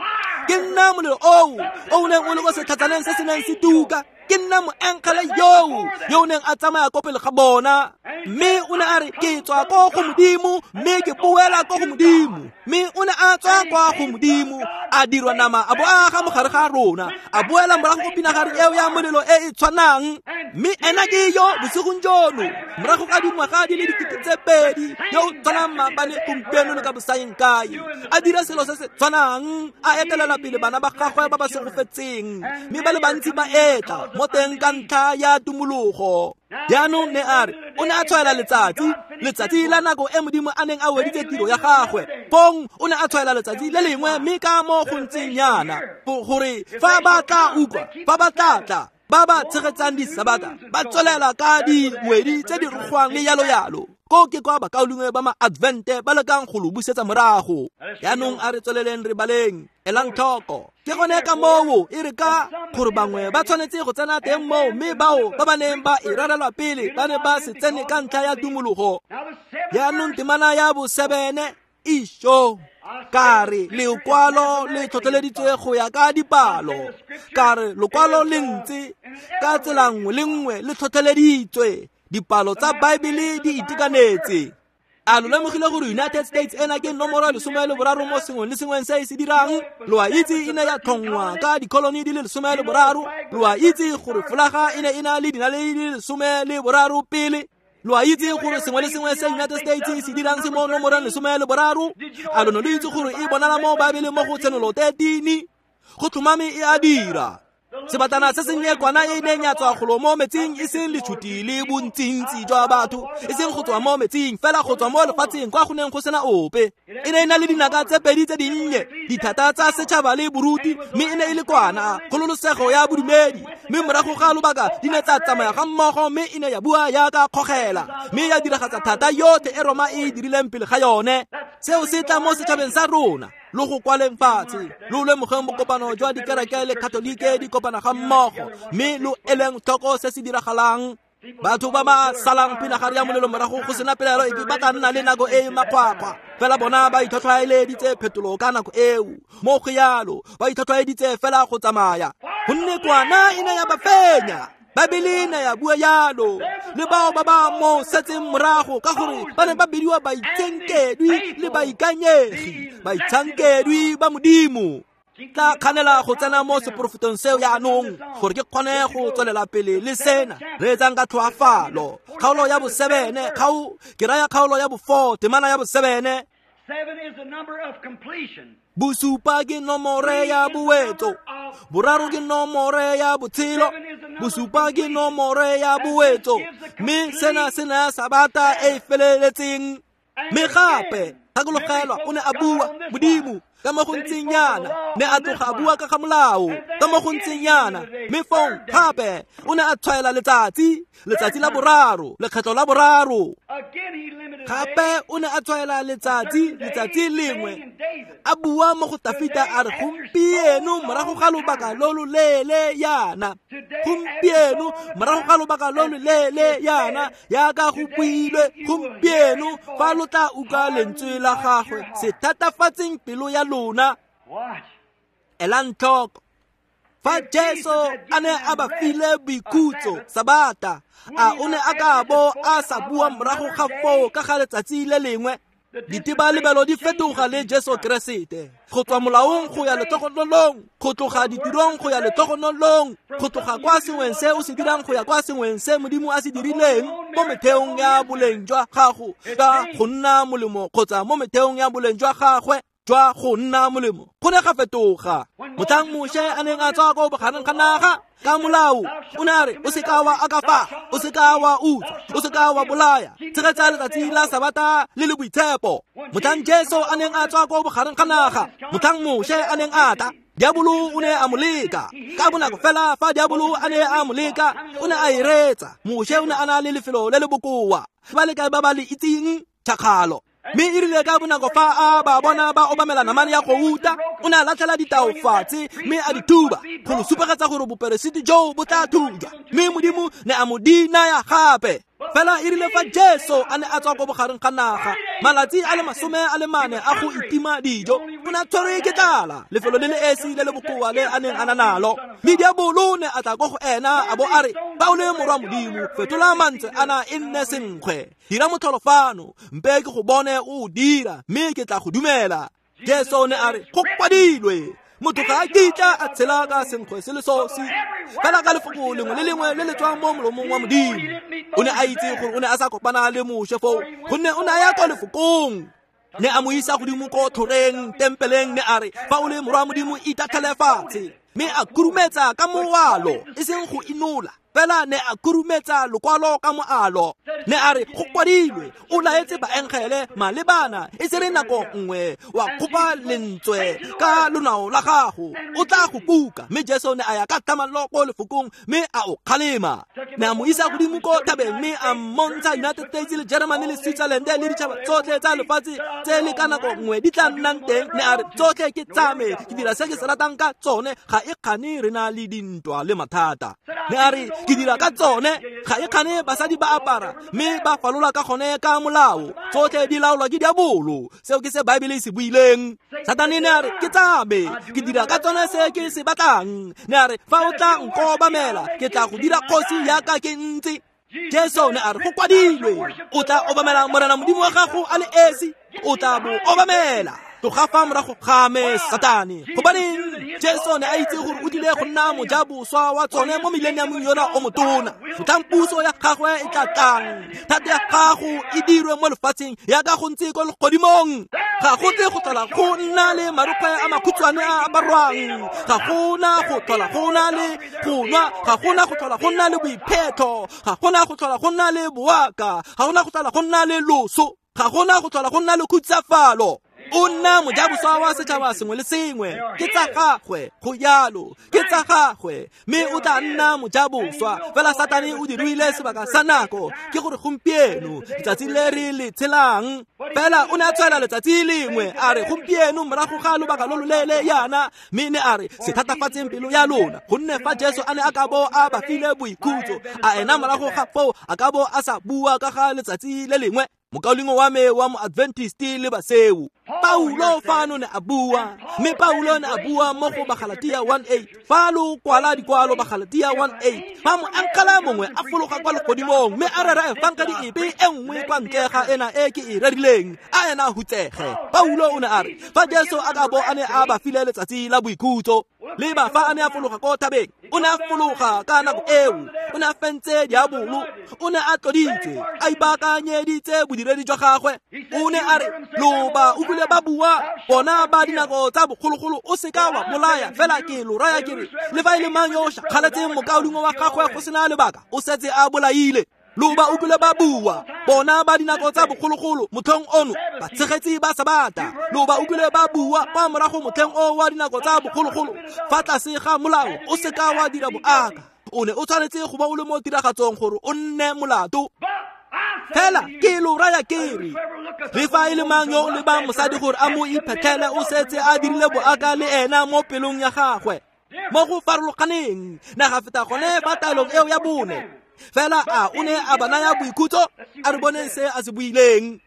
Ke nna molelo oo o neng o le ko setlhatsaneng se se neng se tuka. Ke nna moengele yoo yo o neng a tsamaya ko pele ga bona. Mme o ne a re ke tswa ko go Modimo, mme ke boela ko go Modimo. Mme o ne a tswa kwa go Modimo, a dirwa nama, a bo aga mo gare ga rona, a boela morago go pinagare eo ya molelo e e tshwanang. Mme ena ke yo bosigong jono, morago ga dingwaga di le 2000, yo o tshwanang maabane, gompieno le ka bosaeng kae, a dira selo se se tshwanang, a etelela pele bana ba gagwe ba ba segofetseng, mme ba le bantsi ba etla mo teng ka ntlha ya tumologo. Jaanong ne a re o ne a tshwaela letsatsi, letsatsi la nako e Modimo a neng a weditse tiro ya gagwe. Fong o ne a tshwaela letsatsi le lengwe, mme ka mo go ntseng yana gore fa ba tla utlwa, fa ba tla tla, ba ba tshegetsang disabata ba tswelela ka dingwedi tse di rogwang le yalo yalo. Ko ke kwa bakaulengwe ba ma-Advente ba lekang go lo busetsa morago. Jaanong a re tsweleleng re baleng. Elang tlhoko. Ke gone ka moo e re ka gore bangwe ba tshwanetse go tsena teng moo, mme bao ba ba neng ba e rerelwa pele ba ne ba se tsene ka ntlha ya tumologo. Jaanong temana ya bo-7 išo ka re lekwalo le tlhotlheleditswe go ya ka dipalo. Ka re lokwalo le ntse ka tsela nngwe le nngwe le tlhotlheleditswe. Dipalo tsa Baebele di itekanetse. A lo lemogile gore United States ena ke nomoro 13 mo sengweng le sengweng se e se dirang? Lo a itse e ne ya tlhongwa ka dikoloni di le 13. Lo a itse gore folaga e ne e na le dinaledi di le 13 pele. Lo a itse gore sengwe le sengwe se United States se dirang se mo nomorong 13. A lo ne lo itse gore e bonala mo Baebeleng mo go Tshenolo 13? Go tlhomame e a dira. Sebatana se sennye kwana e neng ya tswa golo mo metsing, e seng letshuti le bontsintsi jwa batho, e seng go tswa mo metsing, fela go tswa mo lefatsheng kwa go neng go sena ope. E ne e na le dinaka tse pedi tse dinnye, dithata tsa setšhaba le boruti, mme e ne e le kwana, kgololosego ya bodumedi. Mme morago ga lobaka di ne tsa tsamaya ga mmogo, mme e ne ya bua yaka kgogela, mme ya diragatsa thata yotlhe e Roma e dirileng pele ga yone. Seo se tla mo setšhabeng sa rona, lo go kwaleng fatshe, lo lemogeng bokopano jwa dikereke le Katolike di kopana ga mmogo, mme lo eleng tlhoko se se diragalang. Batho ba ba salang pinagare ya molelo morago go sena pelaelo epe ba tla nna le nako e e makgwakgwa, fela bona ba itlhotlhwaeleditse phetolo ka nako eo. Mo go yalo ba itlhotlhwaeditse fela go tsamaya, gonne kwana e ne ya ba fenya. Babele e ne ya bua yalo le bao ba ba mo setseng morago, ka gore ba ne ba bidiwa baitsenkedwi le baikanyegi, baitshankedwi ba Modimo. Tla kganela go tsena mo seporofetong seo yaanong gore ke kgone go tswelela pele le sena. Re etsang ka tlhoafalo. Kgaolo ya bo-7, ke raya kgaolo ya bo-4, temana ya bo-7. Bosupa ke nomore ya bowetso, boraro ke nomore ya botshelo, bosupa ke nomore ya bowetso, mme sena se naya sabata e e feleletseng. Mme gape gakologelwa, o ne a bua Modimo ka mo go ntseng yana, ne a tloga a bua ka ga molao ka mo go ntseng yana, mme fong gape o ne a tshwaela letsatsi, letsatsi la boraro, lekgetlo la boraro. Gape o ne a tshwaela letsatsi, letsatsi lengwe, a bua mo go Tafita a re, gompieno morago ga lobaka lo lo leele yana, gompieno morago ga lobaka lo lo leele yana, yaka go builwe, gompieno fa lo tla utlwa lentswe la gagwe, se thatafatseng pelo ya lona. Elang tlhoko, fa Jesu a ne a ba file boikhutso sabata, a o ne a ka bo a sa bua morago ga foo ka ga letsatsi le lengwe? Ditebalebelo di fetoga le Jesu Keresete, go tswa molaong go ya letlhogonolong, go tloga ditirong go ya letlhogonolong, go tloga kwa sengweng se o se dirang go ya kwa sengweng se Modimo a se dirileng, mo metheong ya boleng jwa gago ka go nna molemo kgotsa mo metheong ya boleng jwa gagwe jwa go nna molemo. Go ne ga fetoga. Motlhang Moshe a neng a tswa ko bogareng ga naga ka molao, o ne a re, o seka wa akafa, o seka wa utswa, o seka wa bolaya, tshegetsa letsatsi la sabata le le boitshepo. Motlhang Jesu a neng a tswa ko bogareng ga naga, motlhang Moshe a neng a tla, diabolo o ne a mo leka. Ka bonako fela fa diabolo a ne a mo leka, o ne a e reetsa. Moshe o ne a na le lefelo le le bokoa, ba le kae ba ba le itseng? Tšhakgalo. Mme e rile ka bonako fa a ba bona ba obamela namane ya gouta, o ne a latlhela ditao fatshe mme a di thuba go lo supegetsa gore boperesiti joo bo tla thujwa, mme Modimo ne a mo di naya gape. Fela e rile fa Jesu a ne a tswa ko bogareng ga naga, malatsi a le 44 a go itima dijo, o ne a tshwerwe ke tlala, lefelo le le esi le le bokoa le a neng a na nalo. Mme diabolo ne a tla ko go ena a bo a re, fa o le morwa Modimo, fetola mantswe ana e nne senkgwe, dira motlholo fano, mpe ke go bone o dira, mme ke tla go dumela. Jesu ne a re, go kwadilwe, motho ga a kitla a tshela ka senkgwe se le sosi, fela ka lefoko lengwe le lengwe le le tswang mo molomong wa Modimo. O ne a itse gore o ne a sa kopana le Moshe foo, gonne o ne a ya kwa lefokong. Ne a mo isa godimo ko tlhoreng tempeleng, ne a re, fa o le morwa Modimo, itatlhele fatshe. Mme a khurumetsa ka moalo, e seng go inola, fela ne a khurumetsa lokwalo ka moalo. Ne a re, go kwadilwe, o laetse baengele malebana, e se re nako nngwe wa kgopa lentswe ka lonao la gago, o tla go kuka. Mme Jesu ne a ya ka thamallo ko lefokong, mme a o kgalema. Ne a mo isa godimo ko thabeng, mme a mmontsha United States le Germany le Switzerland le ditšhaba tsotlhe tsa lefatshe tse le ka nako nngwe di tla nnang teng. Ne a re, tsotlhe ke tsa me, ke dira se ke se ratang ka tsone, ga e kgane re na le dintwa le mathata. Ne a re, ke dira ka tsone, ga e kgane basadi ba apara mme ba falola ka gone ka molao, tsotlhe di laolwa ke diabolo. Seo ke se Baebele e se buileng. Satane ne a re, ke tsa me, ke dira ka tsone se ke se batlang. Ne a re, fa o tla nkobamela, ke tla go dira kgosi yaka ke ntse. Jesu ne a re, go kwadilwe, o tla obamela Morena Modimo wa gago a le esi, o tla bo obamela. Tloga fa morago ga me, Satane. Gobaneng? Jesu ne a itse gore o tlile go nna mojaboswa wa tsone mo mileniamong yona o motona. Motlhang puso ya gagwe e tla tlang, thata ya gago e dirwe mo lefatsheng yaka go ntse ko legodimong. Ga go tle go tlhola go nna le marokgwe a makhutshwane a aparwang, ga gona go tlhola go na le go nwa, ga gona go tlhola go nna le boiphetho, ga gona go tlhola go nna le boaka, ga gona go tlhola go nna le loso, ga gona go tlhola go nna le khutsafalo. O nna mojaboswa wa setšhaba sengwe le sengwe, ke tsa gagwe, go jalo, ke tsa gagwe, mme o tla nna mojaboswa. Fela Satane o dirile sebaka sa nako, ke gore gompieno letsatsi le re le tshelang. Fela o ne a tshwaela letsatsi lengwe, a re gompieno morago ga lobaka lo loleele yana, mme ne a re se thatafatseng pelo ya lona, gonne fa Jesu a ne a ka bo a ba file boikhutso, a ena morago ga foo a ka bo a sa bua ka ga letsatsi le lengwe. Mokaulengwe wa me wa moadventist le baseu, Paulo fano ne a bua, mme Paulo ne a bua mo go Bagalatia 1:8. Fa lo kwala dikwalo Bagalatia 1:8, fa moankala mongwe a fologa kwa legodimong mme a rera efangedi epe e nngwe kwa ntle ga ena e ke e rerileng, a ena hutsege. Paulo o ne a re fa Jesu a ka bo a ne a ba file letsatsi la boikhutso, le ba fa a ne a fologa ko thabeng, o ne a fologa ka nako eo, o ne a fentse diabolo, o ne a tloditswe, a ipaakanyeditse bodiredi jwa gagwe. O ne a re lo ba utlwile ba bua bona ba dinako tsa bogologolo, o seka wa bolaya, fela ke lo raya ke re le fa e le mang yo o šakgaletseng mokaulengwe wa gagwe go sena lebaka, o setse a bolaile. Lo ba utlwile ba bua bona ba dinako tsa bogologolo motlhong ono, batshegetsi ba Sabata. Lo ba utlwile ba bua kwa morago motlheng o wa dinako tsa bogologolo, fa tlase ga molao o seka wa dira boaka, o ne o tshwanetse go ba o le mo tiragatsong gore o nne molato. Fela ke lo raya ke re le fa e le mang yo o lebang mosadi gore a mo iphetlhele, o setse a dirile boaka le ena mo pelong ya gagwe. Mo go farologaneng naga feta gone fa taelong eo ya bone. Fela a o ne a ba naya boikhutso? A re boneng se a se buileng.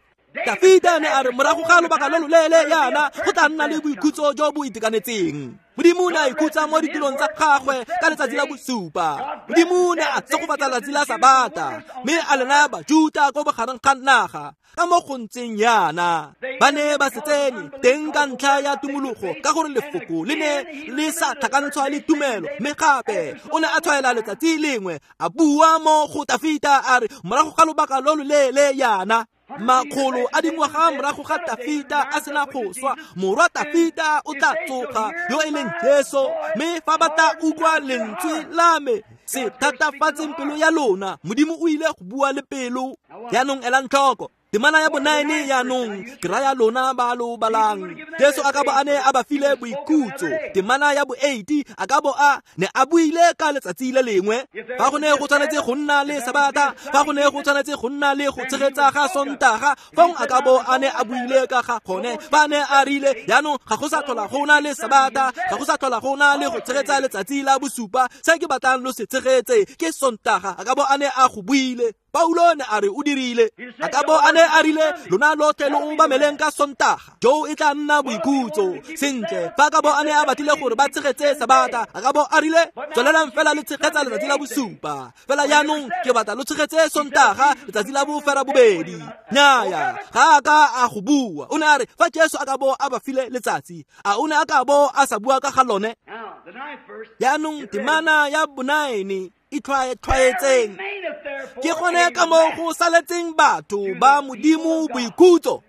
Dafita ne a re morago ga lobaka lo loleele yana go tla nna le boikhutso jo bo itekanetseng. Modimo ne a ikhutsa mo ditirong tsa gagwe ka letsatsi la bosupa. Modimo ne a tshegofatsa letsatsi la Sabata, mme a le naya Bajuta ko bogareng ga naga. Ka mo go ntseng yana ba ne ba se tsene teng ka ntlha ya tumologo, ka gore lefoko le ne le sa tlhakantshwa le tumelo. Mme gape o ne a tshwaela letsatsi lengwe, a bua mo go Tafita a re morago ga lobaka lo loleele yana, makgolo a dingwaga morago ga Tafita a sena go swa, morwa Tafita o tla tsoga, yo e leng Jesu. Mme fa ba tla utlwa lentswe la me, se thatafatseng pelo ya lona. Modimo o ile go bua le pelo. Jaanong elang tlhoko temana ya bo-9 yaanong, ke raya lona ba lo balang. Jesu a ka bo a ne a ba file boikhutso. Temana ya bo-8 a ka bo a ne a buile ka letsatsi le lengwe. Fa go ne go tshwanetse go nna le Sabata, fa go ne go tshwanetse go nna le go tshegetsa ga Sontaga, fong a ka bo a ne a buile ka ga gone. Fa ne a rile jaanong ga go sa tlhola go na le Sabata, ga go sa tlhola go na le go tshegetsa letsatsi la bosupa, se ke batlang lo se tshegetse ke Sontaga, a ka bo a ne a go buile. Paulo ne a re o dirile. A ka bo a ne a rile lona lotlhe lo obameleng ka Sontaga, jo e tla nna boikhutso. Sentle, fa ka bo a ne a batlile gore ba tshegetse Sabata, a ka bo a rile tswelelang fela le tshegetsa letsatsi la bosupa, fela jaanong ke batla lo tshegetse Sontaga letsatsi la bofera bobedi. Nnyaya, ga a ka a go bua. O ne a re fa Jesu a ka bo a ba file letsatsi, a o ne a ka bo a sa bua ka ga lone? Jaanong temana ya bo-9 e tlhwaetseng, ke gone ka moo go saletseng batho ba Modimo boikhutso,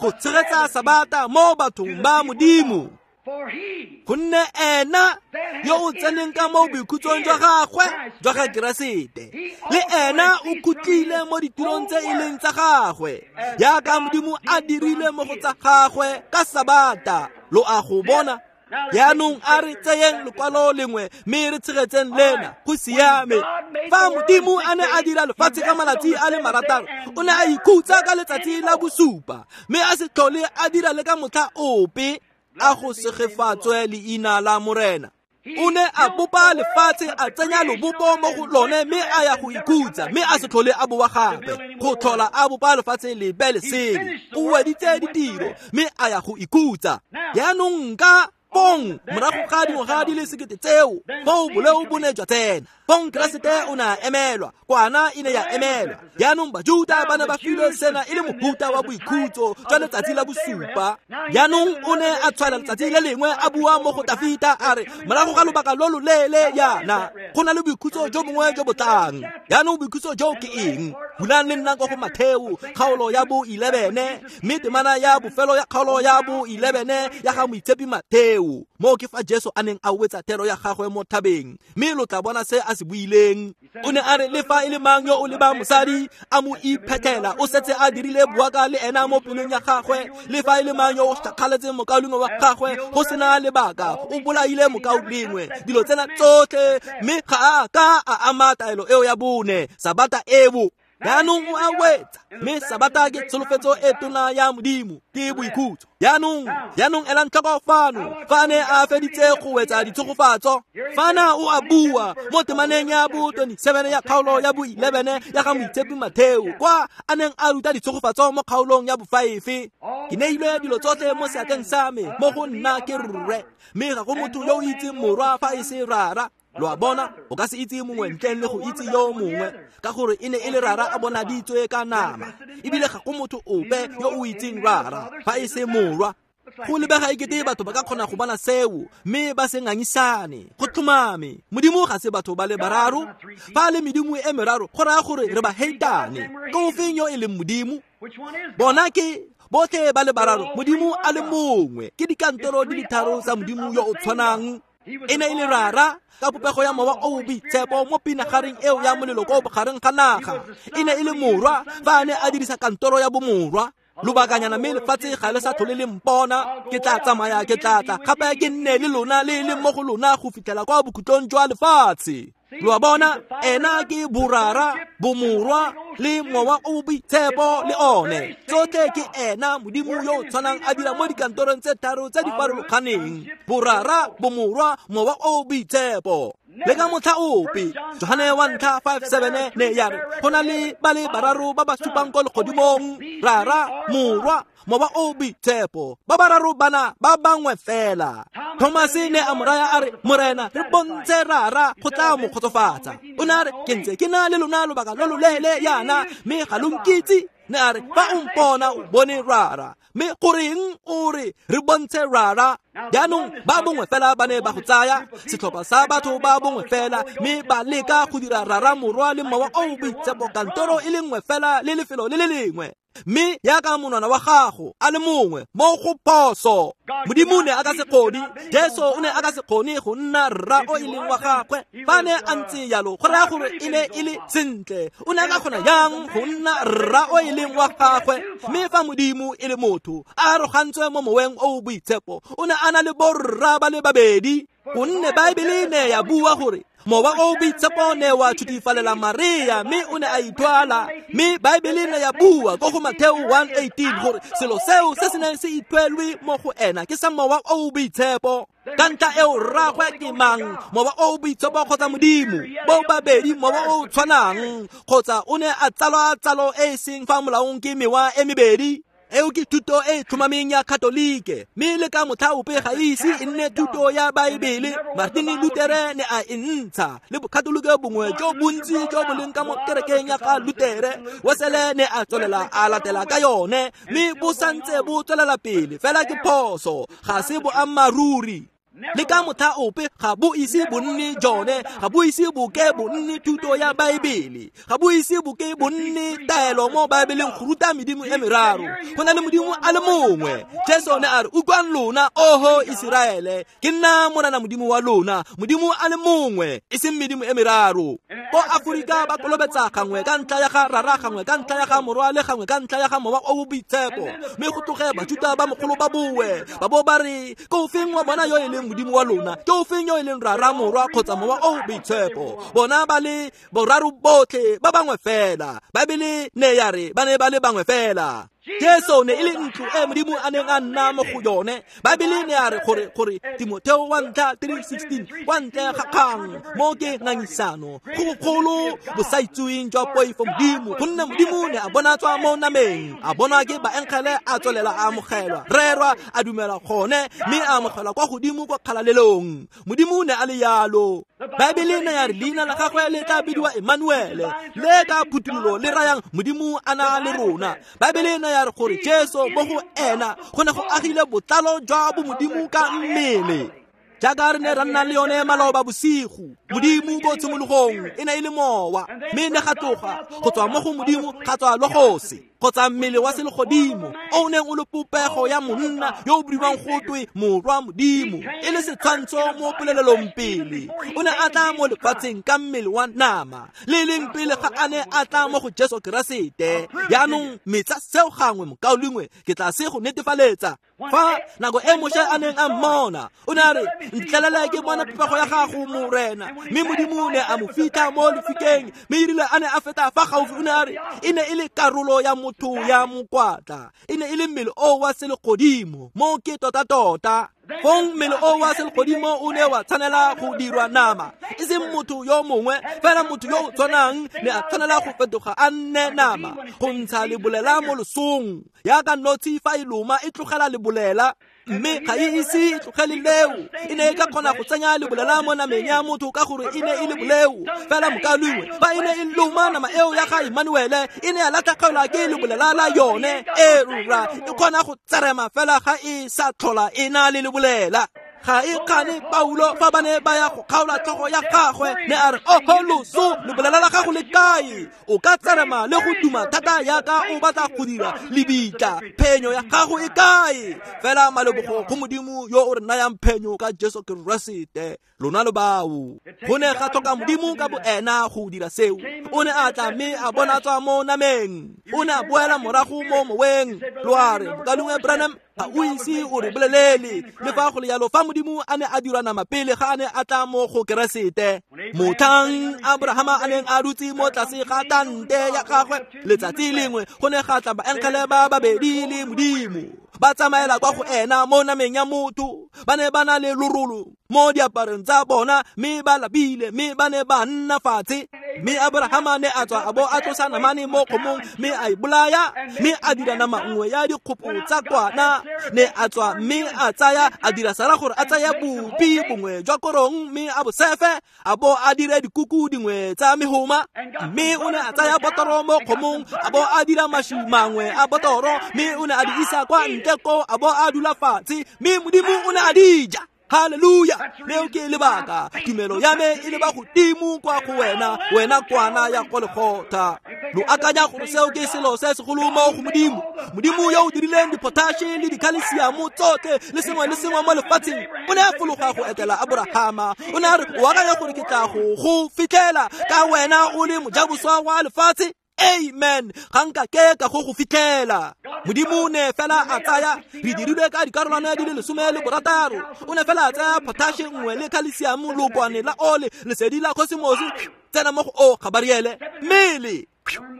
go tshegetsa Sabata mo bathong ba Modimo. Gonne ena yo o tseneng ka mo boikhutsong jwa gagwe jwa ga Keresete, le ena o khutlile mo ditirong tse e leng tsa gagwe, jaaka Modimo a dirile mo go tsa gagwe ka Sabata. Lo a go bona? Jaanong a re tseyeng lekwalo lengwe mme re tshegetseng lena. Go siame. Fa Modimo a ne a dira lefatshe ka malatsi a le 6, o ne a ikhutsa ka letsatsi la bosupa, mme a se tlhole a dira le ka motlha ope. A go segefatswe leina la Morena. O ne a bopa lefatshe, a tsenya lobopo mo go lone, mme a ya go ikhutsa, mme a se tlhole a boa gape go tlhola a bopa lefatshe lebe lesele. O weditse ditiro mme a ya go ikhutsa. Jaanong ka Fong morago ga dingwaga di le sekete tseo foo boleo bo ne jwa tsena. Fong Keresete o ne a emelwa, kwana e ne ya emelwa. Jaanong Bajuta ba ne ba filwe sena e le mohuta wa boikhutso jwa letsatsi la bosupa. Jaanong o ne a tshwaela letsatsi le lengwe a bua mo go Tafita a re morago ga lobaka lo lo leele jaana go na le boikhutso jo bongwe jo bo tlang. Jaanong boikhutso jo ke eng? Bulang le nna kwa go Matheo kgaolo ya bo 11 mme temana ya bofelo ya kgaolo ya bo 11 ya ga moitshepi Matheo. Moo ke fa Jesu a neng a wetsa thero ya gagwe mo thabeng, mme lo tla bona se a se buileng. O ne a re le fa e le mang yo o lebang mosadi a mo iphethela o setse a dirile boaka le ena mo pelong ya gagwe. Le fa e le mang yo o šakgaletseng mokaulengwe wa gagwe go sena lebaka o bolaile mokaulengwe. Dilo tsena tsotlhe mme ga a ka a ama taelo eo ya bone, Sabata eo. Jaanong o a wetsa, mme Sabata ke tsholofetso e tona ya Modimo, ke boikhutso. Jaanong elang tlhoko fano fa ne a feditse go wetsa ditshegofatso. Fana o a bua mo temaneng ya bo 27 ya kgaolo ya bo 11 ya ga moitshepi Matheo, kwa a neng a ruta ditshegofatso mo kgaolong ya bo 5. Ke neilwe dilo tsotlhe mo seatleng sa me, mo go nna ke rre, mme ga go motho yo o itseng morwa fa e se rara. Lo a bona, o ka se itse mongwe ntleng le go itse yo mongwe, ka gore e ne e le rara a bonaditswe ka nama, ebile ga go motho ope yo o itseng rara fa e se morwa. Go lebega ekete batho ba ka kgona go bona seo mme ba se ngangisane. Go tlhomame, Modimo ga se batho ba le bararo. Fa le medimo e meraro go raya gore re ba heitane. Ke ofeng yo e leng Modimo? Bona ke botlhe ba le bararo, Modimo a le mongwe. Ke dikantoro di le tharo tsa Modimo yo o tshwanang. E ne e le rara ka popego ya mowa o boitshepo mo pinagareng eo ya molelo ko bogareng ga naga. E ne e le morwa fa a ne a dirisa kantoro ya bomorwa. Lobakanyana mme lefatshe ga le sa tlhole le mpona, ke tla tsamaya, ke tla tla gape ke nne le lona le le mo go lona go fitlhela kwa bokhutlong jwa lefatshe. Lo a bona, ena ke borara, bomorwa le mowa o boitshepo le one. Tsotlhe ke ena Modimo yo o tshwanang a dira mo dikantorong tse tharo tse di farologaneng, borara, bomorwa, mowa o boitshepo. Le ka motlha ope, Johane wa ntlha 5:7 ne ya re go na le ba le bararo ba ba supang ko legodimong, rara, morwa, mowa o boitshepo. Ba bararo bana ba bangwe fela. Thomase ne a mo raya a re, Morena, re bontshe rara go tla mo kgotsofatsa. O ne a re, ke ntse ke na le lona lobaka lo lo leele yana, mme ga lo nkitse. Ne a re, fa o mpona o bone rara, mme goreng o re re bontshe rara? Jaanong ba bongwe fela ba ne ba go tsaya, setlhopha sa batho ba bongwe fela, mme ba leka go dira rara, morwa le mowa o boitshepo kantoro e le nngwe fela le lefelo le le lengwe. Mme yaka monwana wa gago a le mongwe mo go phoso. Modimo ne a ka se kgone, Jesu o ne a ka se kgone go nna rra o e leng wa gagwe. Fa ne a ntse jalo, go raya gore e ne e le sentle. O ne a ka kgona yang go nna rra o e leng wa gagwe? Mme fa Modimo e le motho, a arogantswe mo moweng o o boitshepo, o ne a na le borra ba le babedi. Gonne Baebele ne ya bua gore mowa o boitshepo ne wa thutifalela Maria, mme o ne a ithwala. Mme Baebele ne ya bua ko go Matheo 1:18 gore selo seo se se neng se ithwelwe mo go ena ke sa mowa o boitshepo. Ka ntlha eo rragwe ke mang, mowa o boitshepo kgotsa Modimo? Bo babedi mowa o tshwanang, kgotsa o ne a tsalwa tsalo e e seng fa molaong ke mewa e mebedi? Eo ke thuto e tlhomameng ya Katolike, mme le ka motlha ope ga ise e nne thuto ya Baebele. Martin Luther ne a e ntsha, le bokatolike bongwe jo bontsi jo bo leng ka mo kerekeng ya ga Luther. Wesele ne a tswelela a latela ka yone, mme bo santse bo tswelela pele. Fela ke phoso, ga se boammaaruri. Le ka motlha ope ga bo ise bo nne jone, ga bo ise bo ke bo nne thuto ya Baebele, ga bo ise bo ke bo nne taelo mo Baebeleng go ruta medimo e meraro. Go na le Modimo a le mongwe. Jesu ne a re, utlwang lona, oho Iseraele, ke nna Morena Modimo wa lona, Modimo a le mongwe, e seng medimo e meraro. Ko Aforika ba kolobetsa gangwe ka ntlha ya ga rara, gangwe ka ntlha ya ga morwa, le gangwe ka ntlha ya ga mowa o boitshepo. Mme go tloge Bajuta ba mogolo ba boe, ba bo ba re, ke ofeng wa bona yo e leng Modimo wa lona? Ke ofeng yo e leng rara, morwa kgotsa mowa o boitshepo? Bona ba le boraro botlhe ba bangwe fela. Baebele ne ya re ba ne ba le bangwe fela. Jesu ne e le ntlo e Modimo a neng a nna mo go yone. Baebele ne a re gore Timotheo 1:3-16 kwa ntle ga kgang mo ke ngangisano go bogolo bosaitseweng jwa poifo Modimo, gonne Modimo ne a bonatswa mo nameng, a bonwa ke baengele, a tswelela a amogelwa, rerwa, a dumela gone, mme a amogelwa kwa godimo kwa kgalalelong. Modimo ne a le yalo. Baebele ne ya re leina la gagwe le tla bidiwa Emmanuele, le ka phuthololo le rayang Modimo a na le rona. Baebele ne ya re gore Jesu mo go ena go ne go agile botlalo jwa bomodimo ka mmele. Jaaka re ne ra nna le yone maloba bosigo, Modimo ko tshimologong e ne e le mowa, mme ne ga tloga go tswa mo go Modimo ga tswa logose, kgotsa mmele wa selegodimo o neng o le popego ya monna yo o bidiwang go twe morwa Modimo, e le setshwantsho mo polelelong pele. O ne a tla mo lefatsheng ka mmele wa nama, le leng pele ga a ne a tla mo go Jesu Keresete. Jaanong metsa seo gangwe, mokaulengwe, ke tla se go netefaletsa. Fa nako e Moshe a neng a mmona, o ne a re, ntlelele ke bona popego ya gago, Morena. Mme Modimo ne a mo fitlha mo lefikeng, mme erile a ne a feta fa gaufi, o ne a re e ne e le karolo ya motho ya mokwatla, e ne e le mmele o wa selegodimo. Mo ke tota-tota. Fong mmele o wa selegodimo o ne wa tshwanela go dirwa nama, e seng motho yo mongwe, fela motho yo o tshwanang ne a tshwanela go fetoga a nne nama, go ntsha lebolela mo losong. Yaka notshi fa e loma e tlogela lebolela, mme ga e ise e tlogele leo. E ne e ka kgona go tsenya lebolela mo nameng ya motho ka gore e ne e le boleo. Fela mokaulengwe, fa e ne e loma nama eo ya ga Emmanuele, e ne ya latlhegelwa ke lebolela la yone. E rura e kgona go tserema fela ga e sa tlhola e na le lebolela. Ga e kgane Paulo fa ba ne ba ya go kgaola tlhogo ya gagwe, ne a re, oho loso, lebolela la gago le kae? O ka tserema le go duma thata yaka o batla go dira lebitla, phenyo ya gago e kae? Fela malebogo go Modimo yo o re nayang phenyo ka Jesu Keresete. Lona lo bao. Go ne ga tlhoka Modimo ka boena go dira seo. O ne a tla mme a bonatswa mo nameng, o ne a boela morago mo moweng. Lo a re, mokaulengwe Branham, ga o ise o re bolelele. Le fa go le yalo, fa Modimo a ne a dirwa nama pele ga a ne a tla mo go Keresete, motlhang Abrahama a neng a dutse mo tlase ga tante ya gagwe, letsatsi lengwe go ne ga tla baengele ba babedi le Modimo, ba tsamaela kwa go ena mo nameng ya motho. Ba ne ba na le lorolo mo diaparong tsa bona, mme ba lapile, mme ba ne ba nna fatshe. Mme Abrahama ne a tswa a bo a tlosa namane mo kgomong, mme a e bolaya, mme a dira nama nngwe ya dikgopo tsa kwana. Ne a tswa mme a tsaya, a dira Sara gore a tsaya bopi bongwe jwa korong mme a bo sefe, a bo a dire dikuku dingwe tsa mehoma. Mme o ne a tsaya botoro mo kgomong, a bo a dira mašwi mangwe a botoro, mme o ne a di isa kwa ntle ko, a bo a dula fatshe, mme Modimo o ne a di ja. Haleluya! Leo ke lebaka tumelo ya me e leba godimo kwa go wena, wena kwana ya Golgotha. Lo akanya gore seo ke selo se segolo mo go Modimo? Modimo yo o dirileng dipotashe le dikhalesiamo tsotlhe le sengwe le sengwe mo lefatsheng, o ne a fologa go etela Abrahama. O ne a re, o akanya gore ke tla go fitlhela ka wena o le mojaboswa wa lefatshe? Amen. Ga nka ke ka go fitlhela. Modimo ne fela a tsaya, re dirilwe ka dikarolwana di le 16. O ne fela a tsaya potashe nngwe le khalesiamo, lokwane la ole, lesedi la kosimosi, tsena mo go o Gabariele, mmele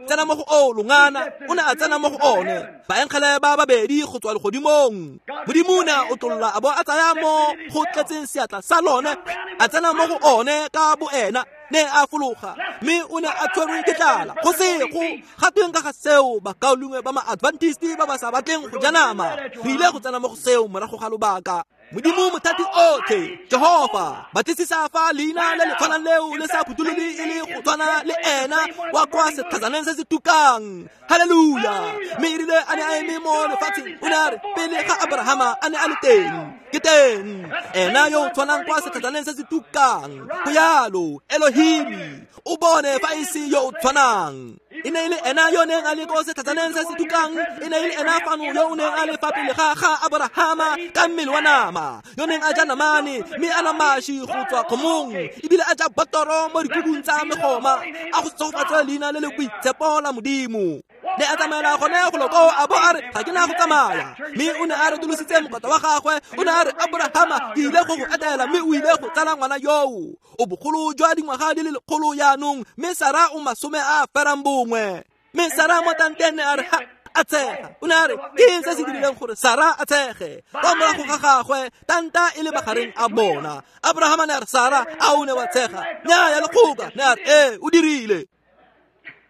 tsena mo go o longana, o ne a tsena mo go one. Baengele ba babedi go tswa legodimong. Modimo ne a otlolla a bo a tsaya mo go tletseng seatla sa lone, a tsena mo go one ka boena. Ne a fologa, mme o ne a tshwerwe ke tlala. Go sego ga tweng ka ga seo, bakaulengwe ba ma-Adventist ba ba sa batleng go ja nama? Re ile go tsena mo go seo morago ga lobaka. Modimo mothati otlhe, Jehova, batlisisa fa leina le le tshwanang leo le sa phutholole e le go tshwana le ena wa kwa setlhatsaneng se se tukang. Haleluya! Mme erile a ne a eme mo lefatsheng, o ne a re, pele ga Abrahama a ne a le teng, ke teng ena yo o tshwanang kwa setlhatsaneng se se tukang. Go yalo, Elohim, o bone fa e se yo o tshwanang. E ne e le ena yo neng a le ko setlhatsaneng se se tukang, e ne e le ena fano yo o neng a le fa pele ga ga Abrahama ka mmele wa nama, yo neng a ja namane mme a na mašwi go tswa kgomong, ebile a ja botoro mo dikubung tsa megoma. A go tsofatse leina le le boitshepo la Modimo. Ne a tsamaela gone go lo ko, a bo a re, ga ke na go tsamaya. Mme o ne a retolositse mokota wa gagwe, o ne a re, Abrahama, ke ile go go etela, mme o ile go tsala ngwana yoo. O bogolo jwa dingwaga di le 100 jaanong, mme Sara o 91. Mme Sara mo tanteng ne a re, ha, A tshega. O ne a re ke eng se se dirileng gore Sara a tshege kwa morago ga gagwe tanta e le magareng a bona. Abrahama ne a re, Sara, a o ne wa tshega? Nnyaya lekgoka. Ne a re, ee, o dirile.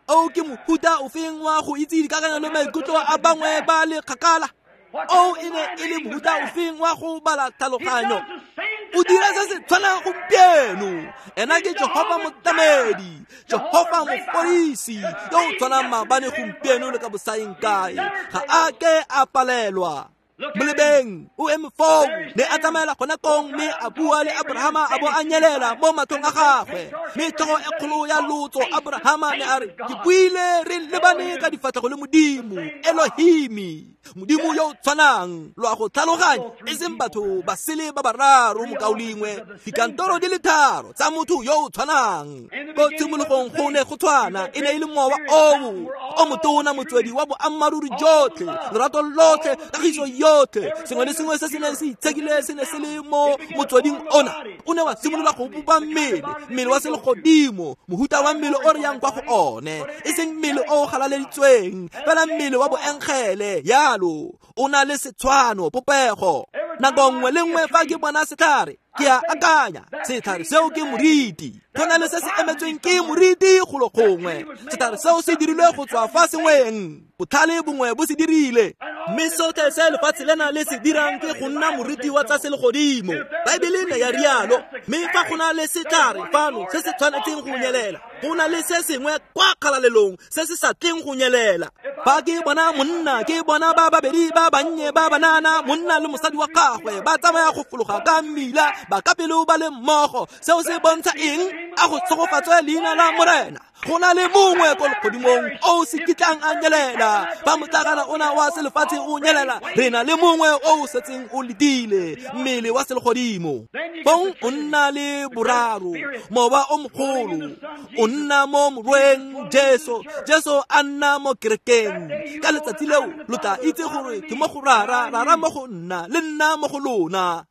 O ke mohuta ofeng wa go itse dikakanyo le maikutlo a bangwe ba le kgakala? O e ne e le mohuta ofeng wa go bala tlhaloganyo? O dira se se tshwanang gompieno. Ena ke Jehofa Motlamedi, Jehofa Mofodisi, yo o tshwanang maabane, gompieno le ka bosaeng kae. Ga a ke a palelwa. Molebeng o eme foo, ne a tsamaela gone kong mme a bua le Abrahama, a bo a nyelela mo matlhong a gagwe. Mme tlhogo e kgolo ya lotso Abrahama ne a re, ke buile re lebane ka difatlhego le Modimo, Elohimi, Modimo yo o tshwanang. Lo a go tlhaloganya, e seng batho ba sele ba bararo, mokaulengwe, dikantoro di le tharo tsa motho yo o tshwanang. Ko tshimologong go ne go tshwana, e ne e le mowa oo o motona, motswedi wa boammaaruri jotlhe, lerato lotlhe, kagiso yotlhe, sengwe le sengwe se se neng se itshekile se ne se le mo motsweding ona. O ne wa simolola go bopa mmele, mmele wa selegodimo, mohuta wa mmele o re yang kwa go one, e seng mmele o o galaleditsweng, fela mmele wa boengele. Yalo o na le setshwano, popego. Nako nngwe le nngwe fa ke bona setlhare, ke a akanya setlhare seo ke moriti. Go na le se se emetsweng ke moriti golo gongwe. Setlhare seo se dirilwe go tswa fa sengweng, botlhale bongwe bo se dirile. Mme sotlhe se lefatshe lena le se dirang ke go nna moriti wa tsa selegodimo. Baebele ne ya rialo. Mme fa go na le setlhare fano se se tshwanetseng go nyelela, go na le se sengwe kwa kgalalelong se se sa tleng go nyelela. Fa ke bona monna, ke bona ba babedi ba bannye ba banana, monna le mosadi wa gagwe, ba tsamaya go fologa ka mmila, ba ka pelo ba le mmogo, seo se bontsha eng? A go tshegofatswe leina la Morena. Go na le mongwe ko legodimong o se kitlang a nyelela. Fa motlakana ona wa selefatshe o nyelela, re na le mongwe o o setseng o letile, mmele wa selegodimo. Fong o nna le boraro, mowa o mogolo o nna mo morweng Jesu, Jesu a nna mo kerekeng. Ka letsatsi leo lo tla itse gore ke mo go Rara, Rara mo go nna, le nna mo go lona.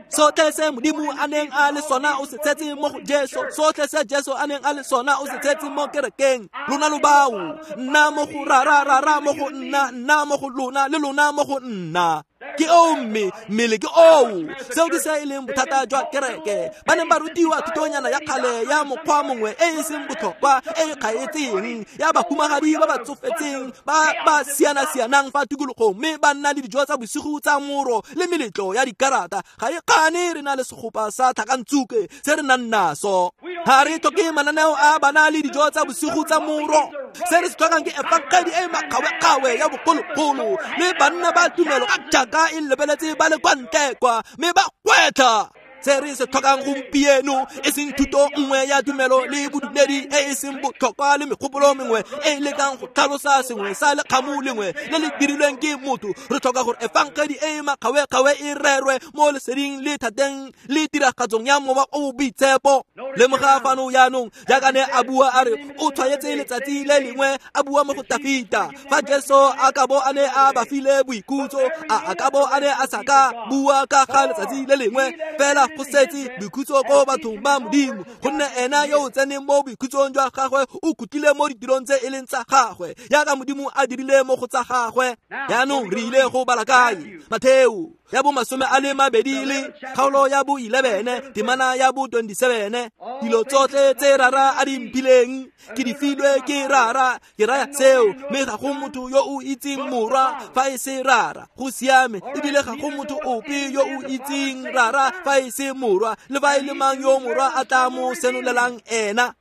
Sotlhe se Modimo a neng a le sona o se tshetse mo go Jesu. Sotlhe se Jesu a neng a le sona o se tshetse mo kerekeng. Lona lo bao, nna mo go Rara, Rara mo go nna, nna mo go lona, le lona mo go nna. Ke oo mme mmele ke oo. Seo ke se e leng bothata jwa kereke. Ba neng ba rutiwa thutonyana ya kgale ya mokgwa mongwe e e seng botlhokwa, e e kgaetseng, ya bahumagadi ba ba tsofetseng ba ba siana-sianang fa tikologong, mme ba nna le dijo tsa bosigo tsa moro le meletlo ya dikarata. Ga e kgane re na le segopa sa tlhakantsuke se re nang naso. Ga re tlhoke mananeo a bana le dijo tsa bosigo tsa moro. Se re se tlhokang ke efangedi e makgawe-kgawe ya bogologolo le banna ba tumelo ka jaaka e lebeletse ba le kwa ntle kwa, mme ba gwetlha. Se re se tlhokang gompieno e seng thuto nngwe ya tumelo le bodumedi e e seng botlhokwa le megopolo mengwe e e lekang go tlhalosa sengwe sa lekgamu lengwe le le dirilweng ke motho. Re tlhoka gore efangedi e e makgawe-kgawe e rerwe mo leseding le thateng le tiragatsong ya mowa o boitshepo. Lemoga fano jaanong, jaaka ne a bua a re o tshwaetse letsatsi le lengwe, a bua mo go Tafita. Fa Jesu a ka bo a ne a ba file boikhutso, a ka bo a ne a sa ka bua ka ga letsatsi le lengwe, fela go setse boikhutso ko bathong ba Modimo, gonne ena yo o tseneng mo boikhutsong jwa gagwe o khutlile mo ditirong tse e leng tsa gagwe, jaaka Modimo a dirile mo go tsa gagwe. Jaanong re ile go bala kae? Matheo ya bo 22 le kgaolo ya bo 11 temana ya bo 27. Dilo tsotlhe tse Rara a di mphileng ke di filwe ke Rara, ke raya seo, mme ga go motho yo o itseng Morwa fa e se Rara. Go siame, ebile ga go motho ope yo o itseng Rara fa e se Morwa, le fa e le mang yo Morwa a tla mo senolelang ena.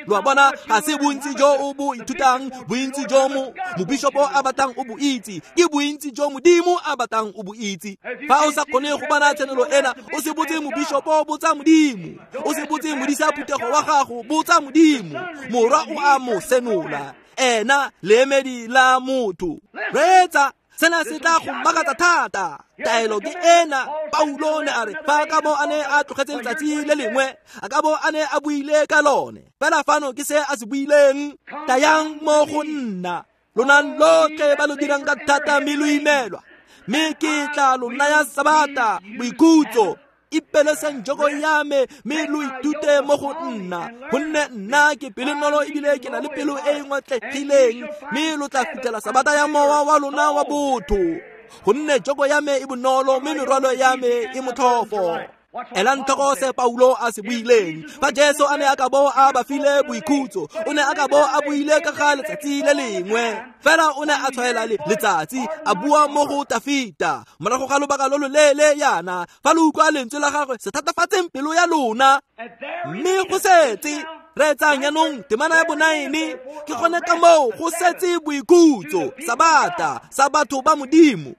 Lo a bona, ga se bontsi jo o bo ithutang, bontsi jo mobishopo a batlang o bo itse, ke bontsi jo Modimo a batlang o bo itse. Fa o sa kgone go bona tshenolo ena, o se botse mobishopo, botsa Modimo. O se botse modisa phuthego wa gago, botsa Modimo. Morwa o a mo senola, ena leemedi la motho. Reetsa, sena se tla go makatsa thata. Taelo ke ena. Paulo ne a re fa a ka bo a ne a tlogetse letsatsi le lengwe, a ka bo a ne a buile ka lone. Fela fano ke se a se buileng: tayang mo go nna, lona lotlhe ba lo dirang ka thata mme lo imelwa, mme ke tla lo naya sabata, boikhutso. Ipeleseng joko ya me mme lo ithute mo go nna, gonne nna ke pelonolo ebile ke na le pelo e e ngotlegileng, mme lo tla fitlhela sabata ya mowa wa lona wa botho, gonne joko ya me e bonolo mme merwalo ya me e motlhofo. Elang tlhoko se Paulo a se buileng. Fa Jesu a ne a ka bo a ba file boikhutso, o ne a ka bo a buile ka ga letsatsi le lengwe. Fela o ne a tshwaela letsatsi, a bua mo go Tafita. Morago ga lobaka lo loleele yana, fa lo utlwa lentswe la gagwe, se thatafatseng pelo ya lona. Mme go setse reetsang jaanong temana ya bonaene, ke gone ka moo go setse boikhutso, sabata sa batho ba Modimo.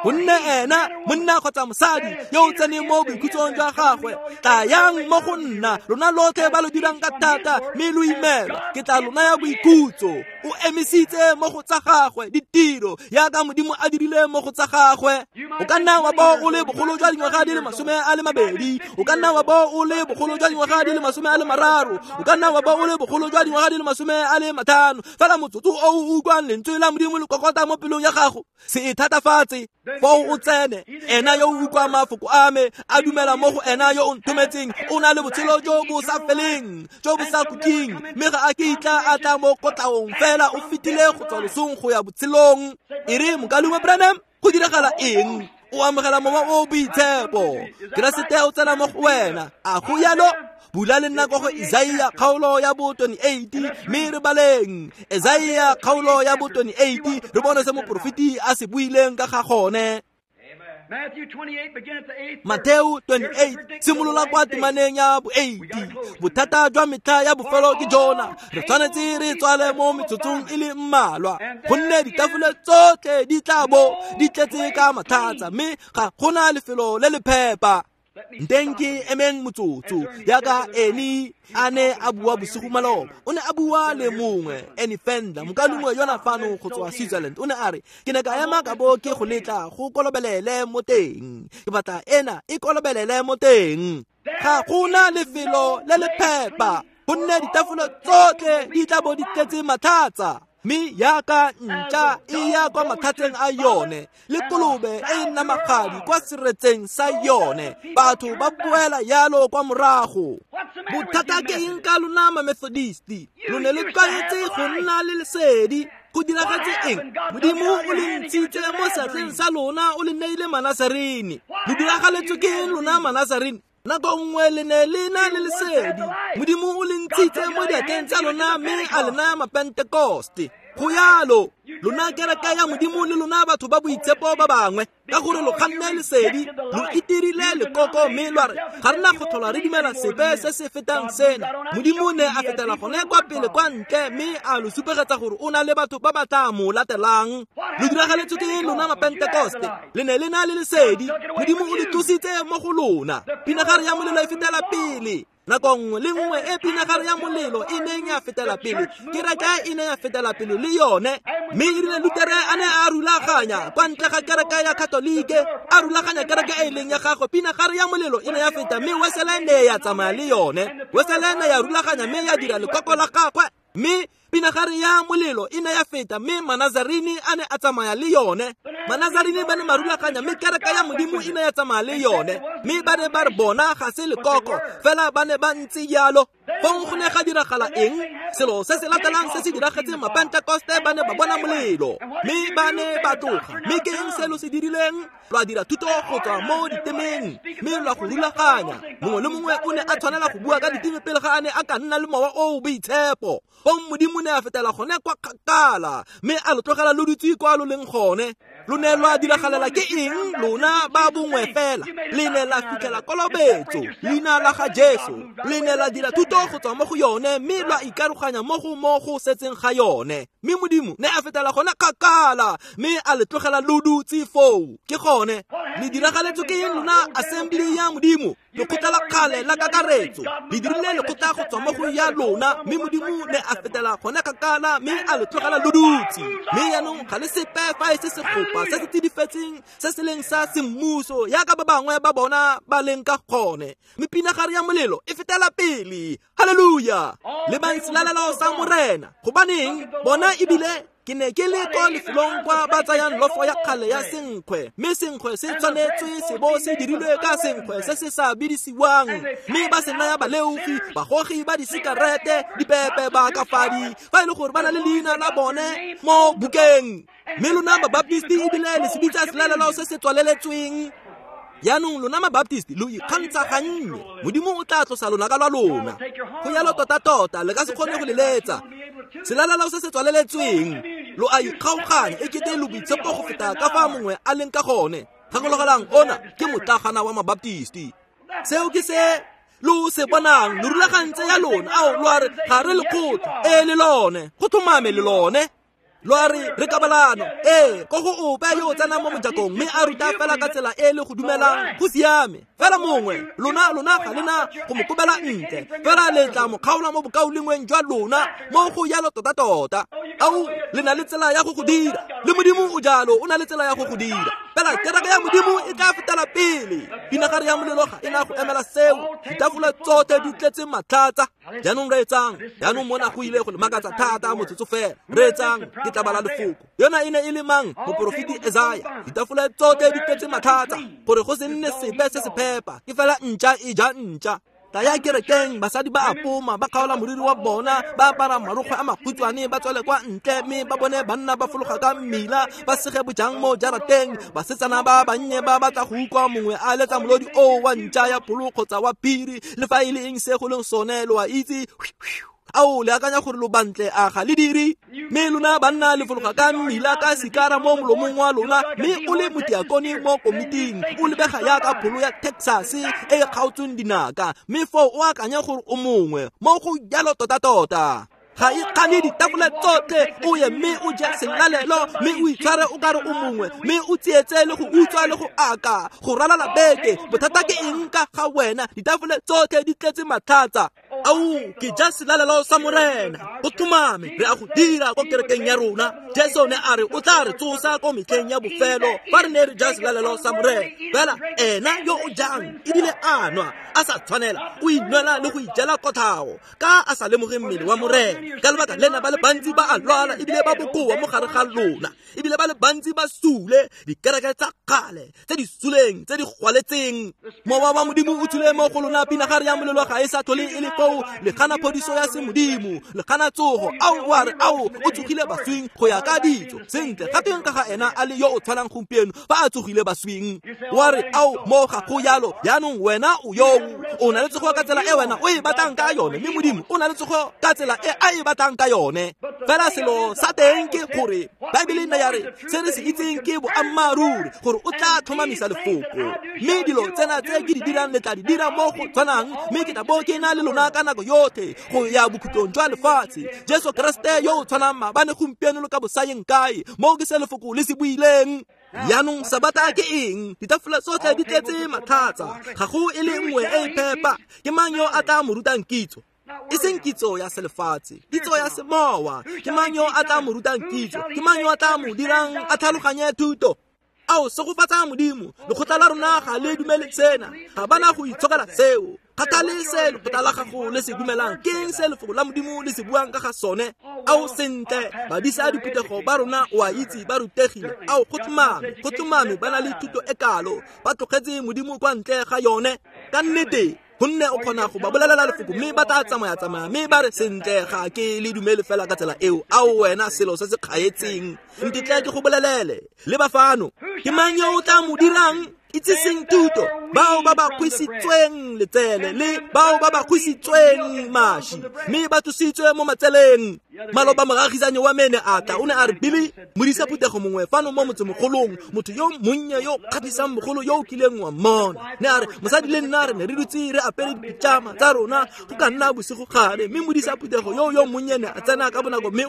Gonne ena monna kgotsa mosadi yo o tseneng mo boikhutsong jwa gagwe, tlayang mo go nna lona lotlhe ba lo dirang ka thata mme lo imelwa, ke tla lo naya boikhutso. O emisitse mo go tsa gagwe ditiro yaka Modimo a dirile mo go tsa gagwe. O ka nna wa bo o le bogolo jwa dingwaga di le 20, o ka nna wa bo o le bogolo jwa dingwaga di le 30, o ka nna wa bo o le bogolo jwa dingwaga di le 50, fela motsotso o o utlwang lentswe la Modimo le kokota mo pelong ya gago, se e thatafatse. Foo o tsene. Ena yo o utlwang mafoko a me, a dumela mo go ena yo o nthometseng, o na le botshelo jo bo sa feleng, jo bo sa khutleng, mme ga a kitla a tla mo kotlaong, fela o fetile go tswa losong go ya botshelong. E re, Mokaulengwe Branham, go diragala eng? O amogela mowa o boitshepo, Keresete o tsena mo go wena. A go yalo? Bula le nna ko go Isaia kgaolo ya bo 28, mme re baleng Isaia kgaolo ya bo 28, re bone se moporofeti a se buileng ka ga gone. Mateo 28, simolola kwa temaneng ya bo 8. Bothata jwa metlha ya bofelo ke jona, re tshwanetse re tswale mo metsotsong e le mmalwa, gonne ditafole tsotlhe di tla bo di tletse ka matlhatsa, mme ga gona lefelo le le phepa. Nteng ke emeng motsotso, yaka Eni a ne a bua bosigo maloba. O ne a bua le mongwe, Eni Fender, mokalengwe yona fano go tswa Switzerland. O ne a re, ke ne ka ema ka bo ke go letla go kolobelele mo teng, ke batla ena e kolobelele mo teng. Ga gona lefelo le le phepa, gonne ditafole tsotlhe di tla bo di tletse matlhatsa, mme yaka ntša e ya kwa matlhatseng a yone, le kolobe e namagadi kwa seretseng sa yone, batho ba boela yalo kwa morago. Bothata ke eng ka lona ma-Methodisti? Lo ne le tlwaetse go nna le lesedi. Go diragetse eng? Modimo o le ntshitse mo seatleng sa lona, o le neile Manasarini. Lo diragaletswe ke eng lona Manasarini? Nako nngwe le ne le na le lesedi, Modimo o le ntshitse mo diatleng tsa lona mme a le naya Mapentekoste. Go yalo, lona kereke ya Modimo le lona batho ba boitshepo ba bangwe, ka gore lo kganne lesedi, lo itirile lekoko mme lwa re, ga re na go tlhola re dumela sepe se se fetang sena. Modimo ne a fetela gone kwa pele kwa ntle mme a lo supegetsa gore o na le batho ba ba tla mo latelang. Lo diragaletswe ke lona Mapentekoste, le ne le na le lesedi, Modimo o le tlositse mo go lona. Pinagare ya molelo e fetela pele. Nako nngwe le nngwe e pinagare ya molelo e neng ya fetela pele, kereke e ne ya fetela pele le yone. Mme e rile Lutere a ne a rulaganya kwa ntle ga kereke ya Katolike, a rulaganya kereke e leng ya gagwe, pinagare ya molelo e ne ya feta, mme Wesele ne ya tsamaya le yone. Wesele ne ya rulaganya mme ya dira lekoko la gagwe, mme pinagare ya molelo e ne ya feta, mme Manazarini a ne a tsamaya le yone. Manazarini ba ne ba rulaganya, mme kereke ya Modimo e ne ya tsamaya le yone. Mme ba ne ba re bona ga se lekoko, fela ba ne ba ntse jalo. Fong go ne ga diragala eng? Selo se se latelang se se diragetseng Mapentekoste, ba ne ba bona molelo, mme ba ne ba tloga. Mme ke eng se lo se dirileng? Lwa dira thuto go tswa mo ditemeng, mme lwa go rulaganya. Mongwe le mongwe o ne a tshwanela go bua ka diteme pele ga a ne a ka nna le mowa o o boitshepo. Fong Modimo ne a fetela gone kwa kgakala, mme a lo tlogela lo dutse kwa lo leng gone. Lo ne lwa diragalela ke eng lona ba bongwe fela? Le ne la fitlhela kolobetso, leina la ga Jesu. Le ne la dira thuto go tswa mo go yone, mme lwa ikaroganya mo go setseng ga yone. Mme Modimo ne a fetela gone kgakala, mme a le tlogela lo dutse foo. Ke gone le diragaletswe ke eng lona Assembly ya Modimo? Lekgotla la kgale la kakaretso le dirile lekgotla go tswa mo go ya lona, mme Modimo ne a fetela gone kgakala mme a le tlogela lo dutse. Mme jaanong ga le sepe fa e se segopa se se tsidifetseng se se leng sa semmuso yaka ba bangwe ba bona ba leng ka gone. Mme pinagare ya molelo e fetela pele. Haleluya! Lebang selalelo sa Morena. Gobaneng bona ebile Ke ne ke le ko lefelong kwa ba tsayang lofo ya kgale ya senkgwe, mme senkgwe se tshwanetswe se bo se dirilwe ka senkgwe se se sa bidisiwang, mme ba se naya baleofi, bagogi ba disikarete, dipepe, baakafadi, fa e le gore ba na le leina la bone mo bukeng. Mme lona Mabaptisti ebile le se bitsa selalelo se se tswaleletsweng. Jaanong lona Mabaptisti lo ikgantsha gannye, Modimo o tla tlosa lonaka lwa lona. Go yalo tota-tota, le ka se kgone go le letsa. Selalelo se se tswaleletsweng, lo a ikgaoganya e kete lo boitshepo go feta ka fa mongwe a leng ka gone. Gakologelang, ona ke motlagana wa Mabaptisti. Seo ke se lo se bonang, lo rulagantse ya lona. Ao, lo a re ga re lekgotla, ee le lone, go tlhomame le lone. Lo a re re kabalano, ee, ko go ope yo o tsenang mo mojakong mme a ruta fela ka tsela e le go dumelang, go siame. Fela mongwe, lona ga lena go mo kobela ntle, fela le tla mo kgaola mo bokaulengweng jwa lona, mo go yalo tota-tota. Ao, le na le tsela ya go go dira, le Modimo o jalo, o na le tsela ya go go dira. Fela kereke ya Modimo e tla fetela pele. Pinagare ya molelo ga e na go emela seo. Ditafola tsotlhe di tletse matlhatsa. Jaanong reetsang, jaanong mona go ile go le makatsa thata motsotso fela. Reetsang, ke tla bala lefoko. Yona e ne e le mang? Moporofeti Esaya. Ditafola tsotlhe di tletse matlhatsa, gore go se nne sepe se se phepa, ke fela ntša e ja ntša. Tla ya kerekeng, basadi ba apoma, ba kgaola moriri wa bona, ba apara marokgwe a makhutshwane, ba tswele kwa ntle, mme ba bone banna ba fologa ka mmila, ba sege bojang mo jarateng. Basetsana ba bannye ba batla go utlwa mongwe a letsa molodi o wa ntša ya pholo kgotsa wa phiri, le fa e le eng se go leng sone, lo a itse. Ao, le akanya gore lo bantle, a ga le dire? Mme lona banna le fologa ka mmila ka sikara mo molomong wa lona, mme o le motiakone mo komiting, o lebega yaka pholo ya Texas e e kgaotsweng dinaka, mme foo o akanya gore o mongwe, mo go jalo tota-tota. Ga e kgane ditafole tsotlhe, o ye mme o je selalelo, mme o itshware o kare o mongwe, mme o tsietse le go utswa le go aka, go ralala beke. Bothata ke eng ka ga wena? Ditafole tsotlhe di tletse matlhatsa. Ao, ke ja selalelo sa Morena, go tlhomame re a go dira ko kerekeng ya rona. Jesu ne a re o tla re tsosa ko metlheng ya bofelo fa re ne re ja selalelo sa Morena. Fela ena yo o jang ebile a nwa a sa tshwanela, o inwela le go ijela kotlhao ka a sa lemoge mmele wa Morena. Ka lebaka lena ba le bantsi ba a lwala ebile ba bokoa mo gare ga lona, ebile ba le bantsi ba sule, dikereke tsa kgale tse di suleng, tse di gwaletseng. Mowa wa Modimo o tswile mo go lona, pinagare ya molelo ga e sa tlhole e le foo. Le gana phodiso ya semodimo, le gana tsogo. Ao, wa re, ao, o tsogile baswing go ya ka ditso. Sentle, ga tweng ka ga ena a le yo o tshwanang gompieno fa a tsogile baswing? Wa re, ao, mo ga go yalo. Jaanong wena o yo o na le tsogo ka tsela e wena o e batlang ka yone, mme Modimo o na le tsogo ka tsela e a e batlang ka yone. Fela selo sa teng ke gore Baebele nna ya re se re se itseng ke boammaaruri, gore o tla tlhomamisa lefoko. Mme dilo tsena tse ke di dirang le tla di dira mo go tshwanang, mme ke tla bo ke na le lona ka nako yotlhe go ya bokhutlong jwa lefatshe. Jesu Keresete yo o tshwanang maabane, gompieno le ka bosayeng kae, mo ke se lefoko le se buileng. Jaanong Sabata ke eng? Ditafola tsotlhe di tletse matlhatsa, ga go e le nngwe e e phepa. Ke mang yo a tla mo rutang kitso? E seng kitso ya selefatshe, kitso ya semowa. Ke mang yo a tla mo rutang kitso? Ke mang yo a tla mo dirang a tlhaloganye thuto? Ao, segofatsa Modimo, lekgotla la rona ga le dumele sena, ga bana go itshokela seo. Kgathale se lekgotla la gago le se dumelang, ke eng se lefoko la Modimo le se buang ka ga sone? Ao, sentle, badisa diphuthego ba rona o a itse ba rutegile. Ao, go tlhomame ba na le thuto e kalo, ba tlogetse Modimo kwa ntle ga yone. Ka nnete, gonne o kgona go ba bolelela lefoko mme ba tla tsamaya-tsamaya mme ba re, sentle, ga ke le dumele fela ka tsela eo. Ao, wena selo se se kgaetseng, ntetle ke go bolelele. Le ba fano, ke mang yo o tla mo dirang itsiseng thuto? Bao ba ba kgwisitsweng letsele le bao ba ba kgwisitsweng mashi, mme ba tlositswe mo matseleng. Maloba moagisanyi wa mene a tla, o ne a re, Billy, modisa phuthego mongwe fano mo motsemogolong, motho yo monnye yo kgatlhisang bogolo yo o kileng wa mmona. Ne a re, mosadi le nna re ne re dutse re apere dipitšama tsa rona go ka nna bosigo gare, mme modisa phuthego yo monnye ne a tsena ka bonako, mme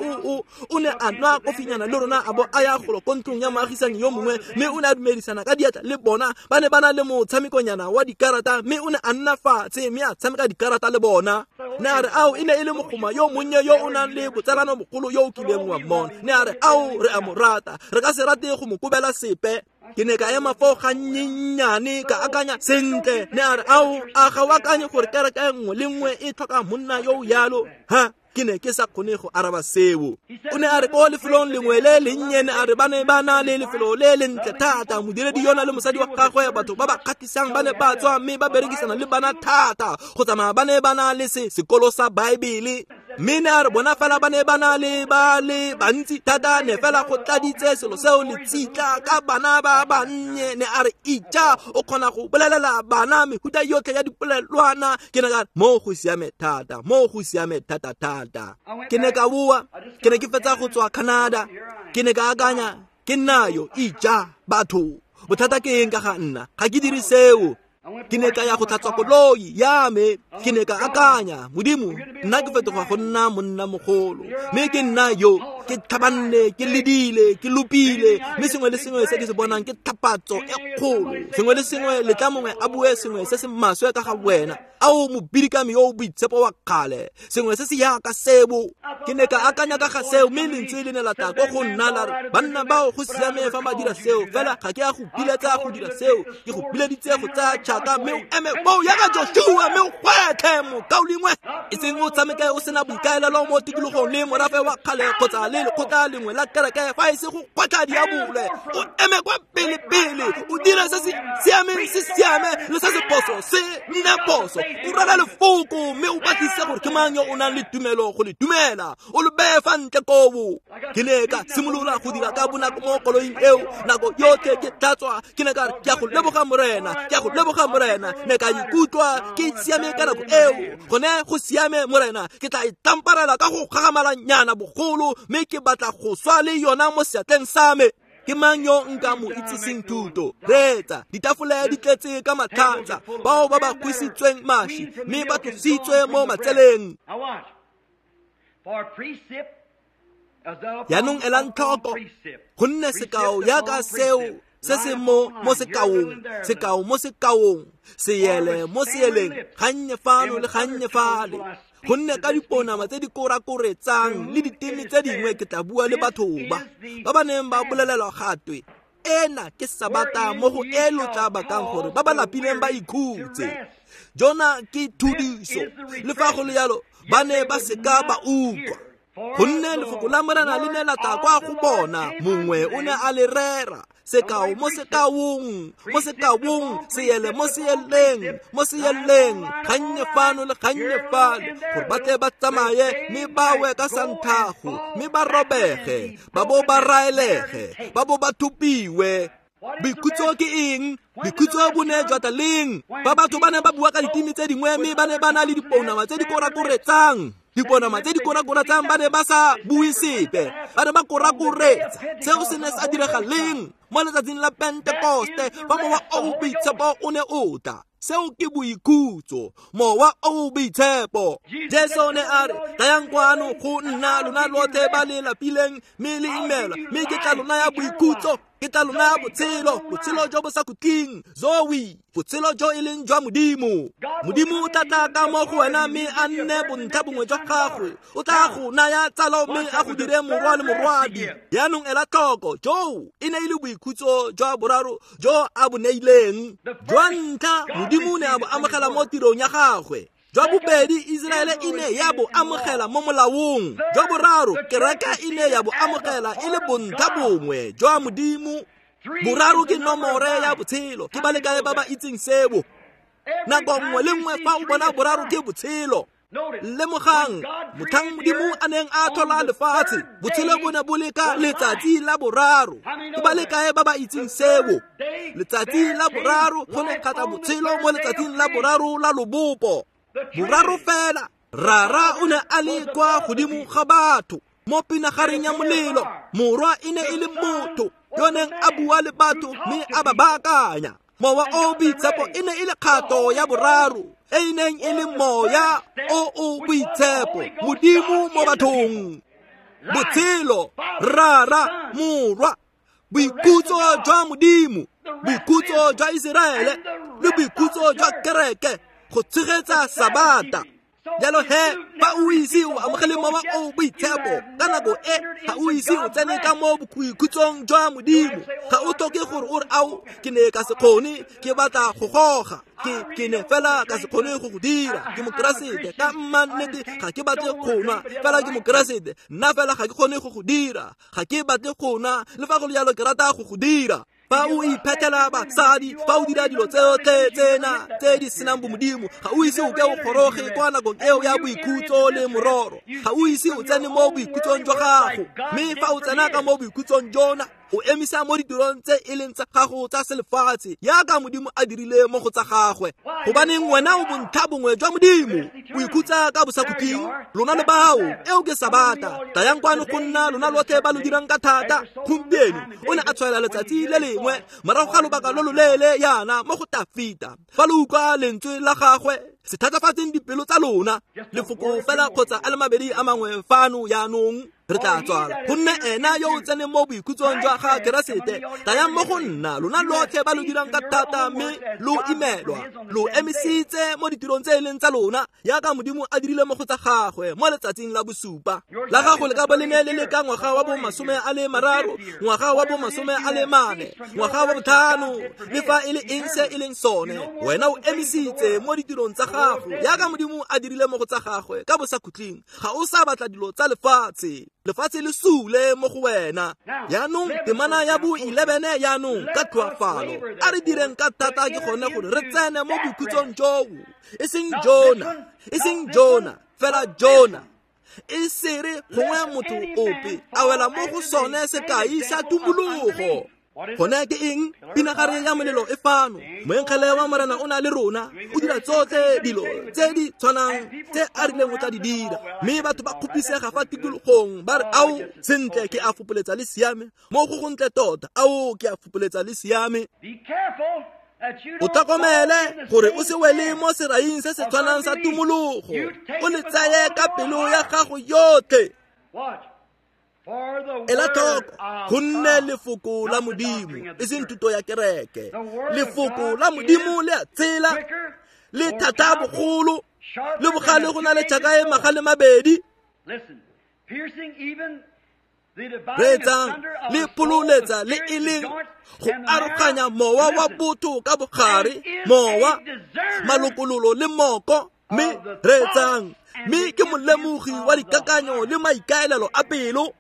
o ne a nwa kofinyana le rona, a bo a ya golo ko ntlong ya moagisanyi yo mongwe, mme o ne a dumedisana ka diatla le bona. Ba ne ba na le motshamekonyana wa dikarata, mme o ne a nna fatshe mme a tshameka dikarata le bona. Ne a re, ao, e ne e le mogoma yo monnye yo o nang le botsalano bogolo yo o kileng wa mmona. Ne a re, ao, re a mo rata, re ka se rate go mo kobela sepe. Ke ne ka ema foo gannyennyane ka akanya sentle, ne a re ao a ga o akanye gore kereke nngwe le nngwe e tlhoka monna yo o yalo? Ha, ke ne ke sa kgone go araba seo. O ne a re ko lefelong lengwe le lennye, ne a re ba ne ba na le lefelo le lentle thata, modiredi yona le mosadi wa gagwe, batho ba ba kgatlhisang ba ne ba tswa mme ba berekisana le bana thata go tsamaya ba ne ba na le sekolo sa Baebele. Mme ne a re bona fela ba ne ba na le ba le bantsi thata, ne fela go tladitse selo seo letsitla ka bana ba bannye. Ne a re ija o kgona go bolelela bana mehuta yotlhe ya dipolelwana. Ke ne ka re mo go siame thata, mo go siame thata thata. Ke ne ka boa, ke ne ke fetsa go tswa Canada. Ke ne ka akanya ke nna yo ija batho, bothata ke eng ka ga nna, ga ke dire seo. Ke ne ka ya go tlhatswa koloi ya me. Ke ne ka akanya, Modimo, nna ke fetoga go nna monna mogolo, mme ke nna yo ke tlhabanne, ke ledile, ke lopile, mme sengwe le sengwe se ke se bonang ke tlhapatso e kgolo. Sengwe le sengwe letla mongwe a bue sengwe se se maswe ka ga wena, ao mobidikami yo o boitshepo wa kgale, sengwe se se yaka sebo. Ke ne ka akanya ka ga seo, mme lentswe le ne la tla ko go nna la re, banna bao go siame fa ba dira seo, fela ga ke a go biletsa go dira seo, ke go bileditse go tsaya tšhaka mme o eme foo yaka Joshua mme o gwetlhe mokaulengwe, e seng o tshameke o sena boikaelelo mo tikologong le morafe wa kgale kgotsa le lekgotla lengwe la kereke, fa e se go gwetlha diabole. O eme kwa pele-pele, o dire se se siameng se siame le se se phoso se nne phoso, o rera lefoko mme o batlise gore ke mang yo o nang le tumelo go le dumela, o le beye fa ntle kobo. Ke ne ka simolola go dira ka bonako mo koloing eo nako yotlhe ke tlhatswa. Ke ne ka re ke a go leboga Morena, ke a go leboga Morena. Ne ka ikutlwa ke siame ka nako eo, gone go siame Morena, ke tla itamparela ka go gagamalanyana bogolo, mme ke batla go swa le yona mo seatleng sa me. Ke mang yo nka mo itsiseng thuto? Reetsa, ditafole di tletse ka matlhatsa, bao ba ba kgwisitsweng maši mme ba tlositswe mo matseleng. Jaanong elang tlhoko, gonne sekao yaka seo se se mo sekaong, sekao mo sekaong, seele mo seeleng, gannye fano le gannye fale. Gonne ka diponama tse di korakoretsang le diteme tse dingwe ke tla bua le batho ba ba ba neng ba bolelelwa gatwe, ena ke sabata mo go e lo tla bakang gore ba ba lapileng ba ikhutse. Jona ke thudiso, le fa go le yalo ba ne ba seka ba utlwa. Gonne lefoko la Morena le ne la tla kwa go bona, mongwe o ne a le rera, sekao mo sekaong, mo sekaong, seele mo seeleng, mo seeleng, gannye fano le gannye fale, gore ba tle ba tsamaye mme ba we ka santhago, mme ba robege, ba bo ba raelege, ba bo ba thopiwe. Boikhutso ke eng? Boikhutso bo ne jwa tla leng? Fa batho ba ne ba bua ka diteme tse dingwe mme ba ne ba na le dipounama tse di korakoretsang, diponama tse di korakoretsang, ba ne ba sa bue sepe, ba ne ba korakoretsa. Seo se ne sa direga leng? Mo letsatsing la Pentekoste, fa mowa o o boitshepo o ne o tla. Seo ke boikhutso, mowa o o boitshepo. Jesu ne a re, tlayang kwano go nna lona lotlhe ba le lapileng mme le imelwa, mme ke tla lo naya boikhutso, ke tla lo naya botshelo, botshelo jo bo sa khutleng, Zoe, botshelo jo e leng jwa Modimo. Modimo o tla tla ka mo go wena mme a nne bontlha bongwe jwa gago, o tla go naya tsalo mme a go dire morwa le morwadi. Jaanong ela tlhoko, joo e ne e le boikhutso jwa boraro jo a bo neileng. Jwa ntlha, Modimo ne a bo amogela mo tirong ya gagwe. Jwa bobedi, Iseraele e ne ya bo amogela mo molaong. Jwa boraro, kereke e ne ya bo amogela e le bontlha bongwe jwa Modimo. Boraro ke nomore ya botshelo. Ke ba le kae ba ba itseng seo? Nako nngwe le nngwe fa o bona boraro ke botshelo. Lemogang, motlhang Modimo a neng a tlhola lefatshe, botshelo bo ne bo le ka letsatsi la boraro. Ke ba le kae ba ba itseng seo? Letsatsi la boraro go ne ga tla botshelo mo letsatsing la boraro la lobopo. Boraro fela, Rara o ne a le kwa godimo ga batho mo pinagareng ya molelo, morwa e ne e le motho yo neng a bua le batho mme a ba baakanya. Mowa o boitshepo e ne e le kgato ya boraro e e neng e le moya o o boitshepo, Modimo mo bathong. Botshelo, Rara, Morwa, boikhutso jwa Modimo, boikhutso jwa Iseraele le boikhutso jwa kereke go tshegetsa Sabata. Jalo he, fa o ise o amogele Mowa o o Boitshepo ka nako e, ga o ise o tsene ka mo boikhutsong jwa Modimo. Ga o tlhoke gore o re, ao, ke ne ka se kgone, ke batla go goga, ke ne fela ka se kgone go go dira. Ke Mokeresete ka mma nnete, ga ke batle go nwa, fela ke Mokeresete. Nna fela ga ke kgone go go dira, ga ke batle go nwa, le fa go le jalo ke rata go go dira. Fa o iphetela basadi, fa o dira dilo tsotlhe tsena tse di senang bomodimo, ga o ise o ke o goroge kwa nakong eo ya boikhutso le mororo. Ga o ise o tsene mo boikhutsong jwa gago. Mme fa o tsena ka mo boikhutsong jona, o emisa mo ditirong tse e leng tsa gago tsa selefatshe, yaka Modimo a dirile mo go tsa gagwe. Gobaneng wena o bontlha bongwe jwa Modimo, o ikhutsa ka bosakhutleng, lona le bao. Eo ke Sabata. Tlayang kwano go nna, lona lotlhe ba lo dirang ka thata. Gompieno o ne a tshwaela letsatsi le lengwe morago ga lobaka lo loleele yana mo go Tafita. Fa lo utlwa lentswe la gagwe, se thatafatseng dipelo tsa lona. Lefoko fela kgotsa a le mabedi a mangwe fano yaanong, re tla tswala. Gonne ena yo o tseneng mo boikhutsong jwa ga Keresete, tlayang mo go nna, lona lotlhe ba lo dirang ka thata mme lo imelwa, lo emisitse mo ditirong tse e leng tsa lona, yaka Modimo a dirile mo go tsa gagwe mo letsatsing la bosupa. La gago le ka bo le ne le le ka ngwaga wa bo 30, ngwaga wa bo 40, ngwaga wa botlhano, le fa e le eng se e leng sone, wena o emisitse mo ditirong tsa gago, yaka Modimo a dirile mo go tsa gagwe ka bosakhutleng. Ga o sa batla dilo tsa lefatshe, lefatshe le sule mo go wena. Yaanong temana ya bo 11 yaanong ka tlhoafalo, a re direng ka thata ke gone gore re tsene mo boikhutsong joo. E seng Jona, e seng Jona, fela Jona. E sere gongwe motho ope a wela mo go sone sekai sa tumologo. Gone ke eng? Pinagare ya molelo e fano. Moengele wa Morena o na le rona, o dira tsotlhe dilo tse di tshwanang tse a rileng o tla di dira. Mme batho ba kgopisega fa tikologong, ba re, ao, sentle, ke a fopoletsa le siame. Mo go gontle tota, ao, ke a fopoletsa le siame. O tlhokomele gore o se wele mo seraing se se tshwanang sa tumologo, o le tsaye ka pelo ya gago yotlhe. Ela tlhoko, gonne lefoko la Modimo, e seng thuto ya kereke, lefoko la Modimo le a tshela, le thata bogolo, le bogale go na le tšhaka e magale mabedi. Reetsang, le phololetsa le e leng go aroganya mowa wa botho ka bogare, mowa, malokololo le moko. Mme reetsang, mme ke molemogi wa dikakanyo le maikaelelo a pelo.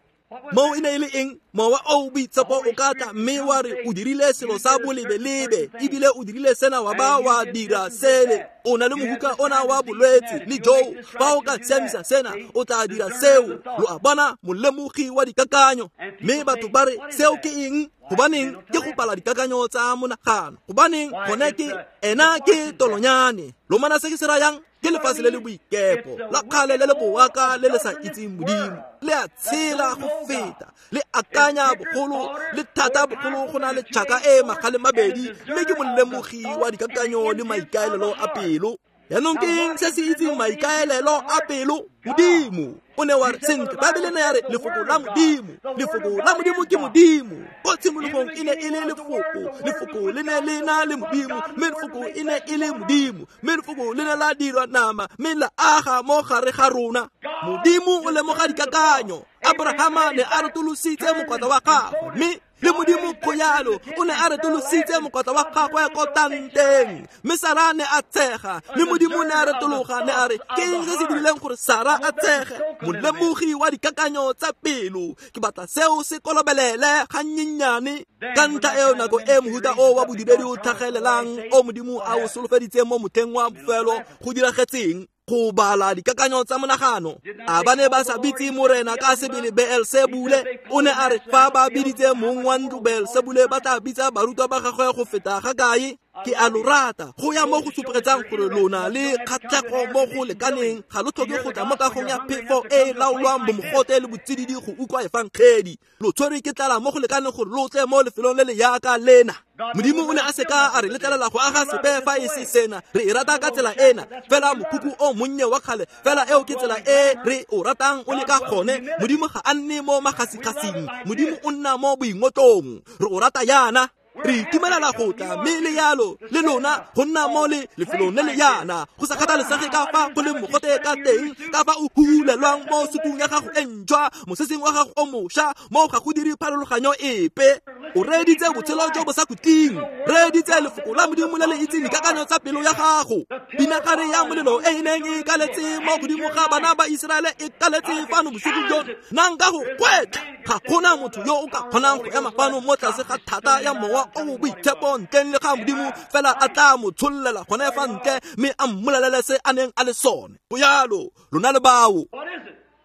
Moo e ne e le eng? Mowa o Boitshepo o ka tla mme wa re o dirile selo sa bolebelebe, ebile o dirile sena wa ba wa dira sele, o na le mohuka ona wa bolwetse le joo, fa o ka siamisa sena o tla dira seo. Lo a bona, molemogi wa dikakanyo. Mme batho ba re, seo ke eng? Gobaneng ke go bala dikakanyo tsa monagano? Gobaneng gone ke ena ke tolonyane. Lo mana se ke se rayang? Ke lefatshe le le boikepo la kgale le le boaka le le sa itseng Modimo. Le a tshela go feta, le akanya bogolo, le thata bogolo go na le tšhaka e magale mabedi, mme ke molemogi wa dikakanyo le maikaelelo a pelo. Yaanong ke eng se se itseng maikaelelo a pelo? Modimo. O ne wa re, sentle, Baebele ne ya re lefoko la Modimo. Lefoko la Modimo ke Modimo. Ko tshimologong e ne e le lefoko, lefoko le ne le na le Modimo, mme lefoko e ne e le Modimo, mme lefoko le ne la dirwa nama, mme la aga mo gare ga rona. Modimo o lemoga dikakanyo. Abrahama ne a retolositse mokwatla wa gagwe, mme le Modimo go yalo o ne a retolositse mokwatla wa gagwe ko tanteng, mme Sara ne a tshega, mme Modimo ne a retologa ne a re, ke eng se se dirileng gore Sara a tshege? Molemogi wa dikakanyo tsa pelo. Ke batla seo se kolobelele gannyenyane. Ka ntlha eo nako e mohuta o wa bodiredi o tlhagelelang o Modimo a o solofeditseng mo motlheng wa bofelo go diragetseng, go bala dikakanyo tsa monagano. A ba ne ba sa bitse Morena ka sebele Beelsebule? O ne a re fa ba biditse mong wa ntlo Beelsebule, ba tla bitsa barutwa ba gagwe go feta ga kae? Ke a lo rata go ya mo go supegetsang gore lona le kgatlhego mo go lekaneng, ga lo tlhoke go tla mo kagong ya phefo e e laolwang bomogote le botsididi go utlwa efangedi. Lo tshwerwe ke tlala mo go lekaneng gore lo tle mo lefelong le le yaka lena. Modimo o ne a seka a re letlelela go aga sepe fa e se sena. Re e rata ka tsela ena, fela mokhukhu o monnye wa kgale, fela eo ke tsela e re o ratang o le ka gone. Modimo ga a nne mo magasigasing, Modimo o nna mo boingotlong. Re o rata yana. Re itumelela go tla mme le yalo le lona go nna mo le lefelong le le yana go sa kgathalesege ka fa go leng mogote ka teng, ka fa o hulelwang mo sutung ya gago e ntšhwa, moseseng wa gago o mošwa, mo ga go dire pharologanyo epe. O reeditse botshelo jo bo sa khutleng, reeditse lefoko la Modimo le le itseng dikakanyo tsa pelo ya gago. Pinagare ya molelo e e neng e kaletse mo godimo ga bana ba Iseraele e kaletse fano bosigo jono. Nna nka go gwetlha, ga gona motho yo o ka kgonang go ema fano mo tlase ga thata ya Mowa o o Boitshepo ntleng le ga Modimo fela a tla mo tshollela gone fa ntle mme a mmolelele se a neng a le sone. Go yalo, lona le bao.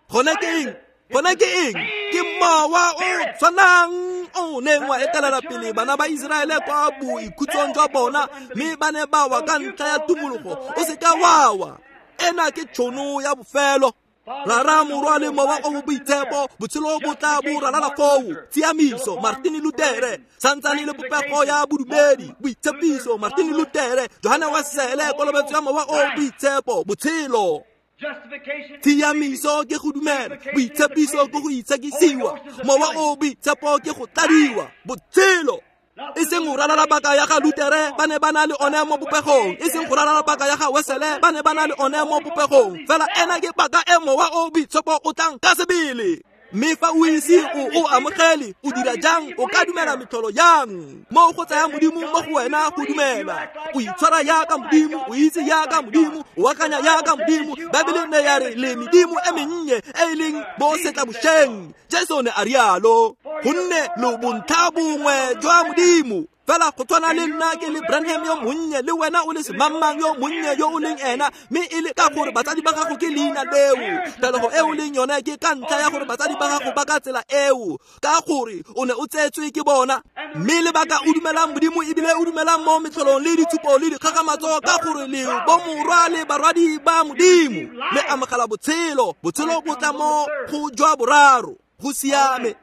Gone ke eng? Gone ke eng? Ke mowa o tshwanang o neng wa etelela pele bana ba Iseraele kwa boikhutsong jwa bona, mme ba ne ba wa ka ntlha ya tumologo. O seka wa wa. Ena ke tšhono ya bofelo. Rara, Morwa le Mowa o o Boitshepo, botshelo bo tla bo ralala foo. Tshiamiso, Martin Lutere, santsane le popego ya bodumedi. Boitshepiso, Martin Lutere, Johane Wesele, kolobetso ya Mowa o o Boitshepo, botshelo. Tshiamiso ke go dumela, boitshepiso ke go itshekisiwa, Mowa o o Boitshepo ke go tladiwa, botshelo. E seng go ralala paka ya ga Lutere, ba ne ba na le one mo popegong. E seng go ralala paka ya ga Wesele, ba ne ba na le one mo popegong. Fela ena ke paka e Mowa o Boitshepo o tlang ka sebele. Mme fa o ise o o amogele, o dira jang? O ka dumela metlholo yang? Mo go tsaya Modimo mo go wena go dumela. O itshwara yaka Modimo, o itse yaka Modimo, o akanya yaka Modimo. Baebele ne ya re le medimo e mennye e e leng bo setlabošeng. Jesu ne a rialo, gonne lo bontlha bongwe jwa Modimo. Fela go tshwana le nna ke le Branham yo monnye, le wena o le semangmang yo monnye yo o leng ena, mme e le ka gore batsadi ba gago ke leina leo. Tlholego e o leng yone ke ka ntlha ya gore batsadi ba gago ba ka tsela eo, ka gore o ne o tsetswe ke bona. Mme lebaka o dumelang Modimo ebile o dumelang mo metlholong le ditshupo le dikgakgamatso, ka gore le bomorwa le barwadi ba Modimo, le amogela botshelo. Botshelo bo tla mo go jwa boraro. Go siame.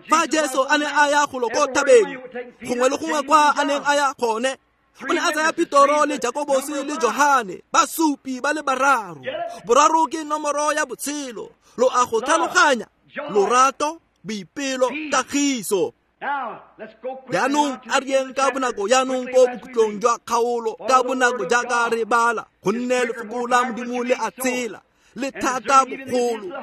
Fa Jesu a ne a ya golo ko thabeng, gongwe le gongwe kwa a neng a ya gone, o ne a tsaya Petoro le Jakobose le Johane, basupi ba le bararo. Boraro ke nomoro ya botshelo. Lo a go tlhaloganya? Lorato, boipelo, kagiso. Jaanong a re yeng ka bonako jaanong ko bokhutlong jwa kgaolo, ka bonako jaaka re bala, gonne lefoko la Modimo le a tshela, le thata bogolo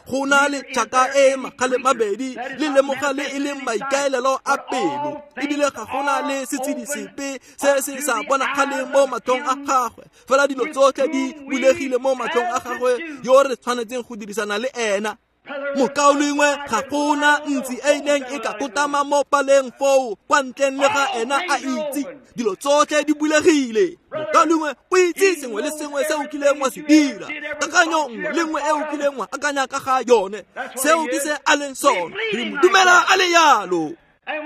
go na le tšhaka e magale mabedi, le lemoga le e leng maikaelelo a pelo, ebile ga gona le setshedi sepe se se sa bonagaleng mo matlhong a gagwe. Fela dilo tsotlhe di bulegile mo matlhong a gagwe yo re tshwanetseng go dirisana le ena. Mokaulengwe, ga gona ntsi e neng e ka kotama mo paleng foo kwa ntleng le ga ena a itse. Dilo tsotlhe di bulegile. Mokaulengwe, o itse sengwe le sengwe se o kileng wa se dira, kakanyo nngwe le nngwe e o kileng wa akanya ka ga yone. Seo ke se a leng sone. Re mo dumela a le yalo.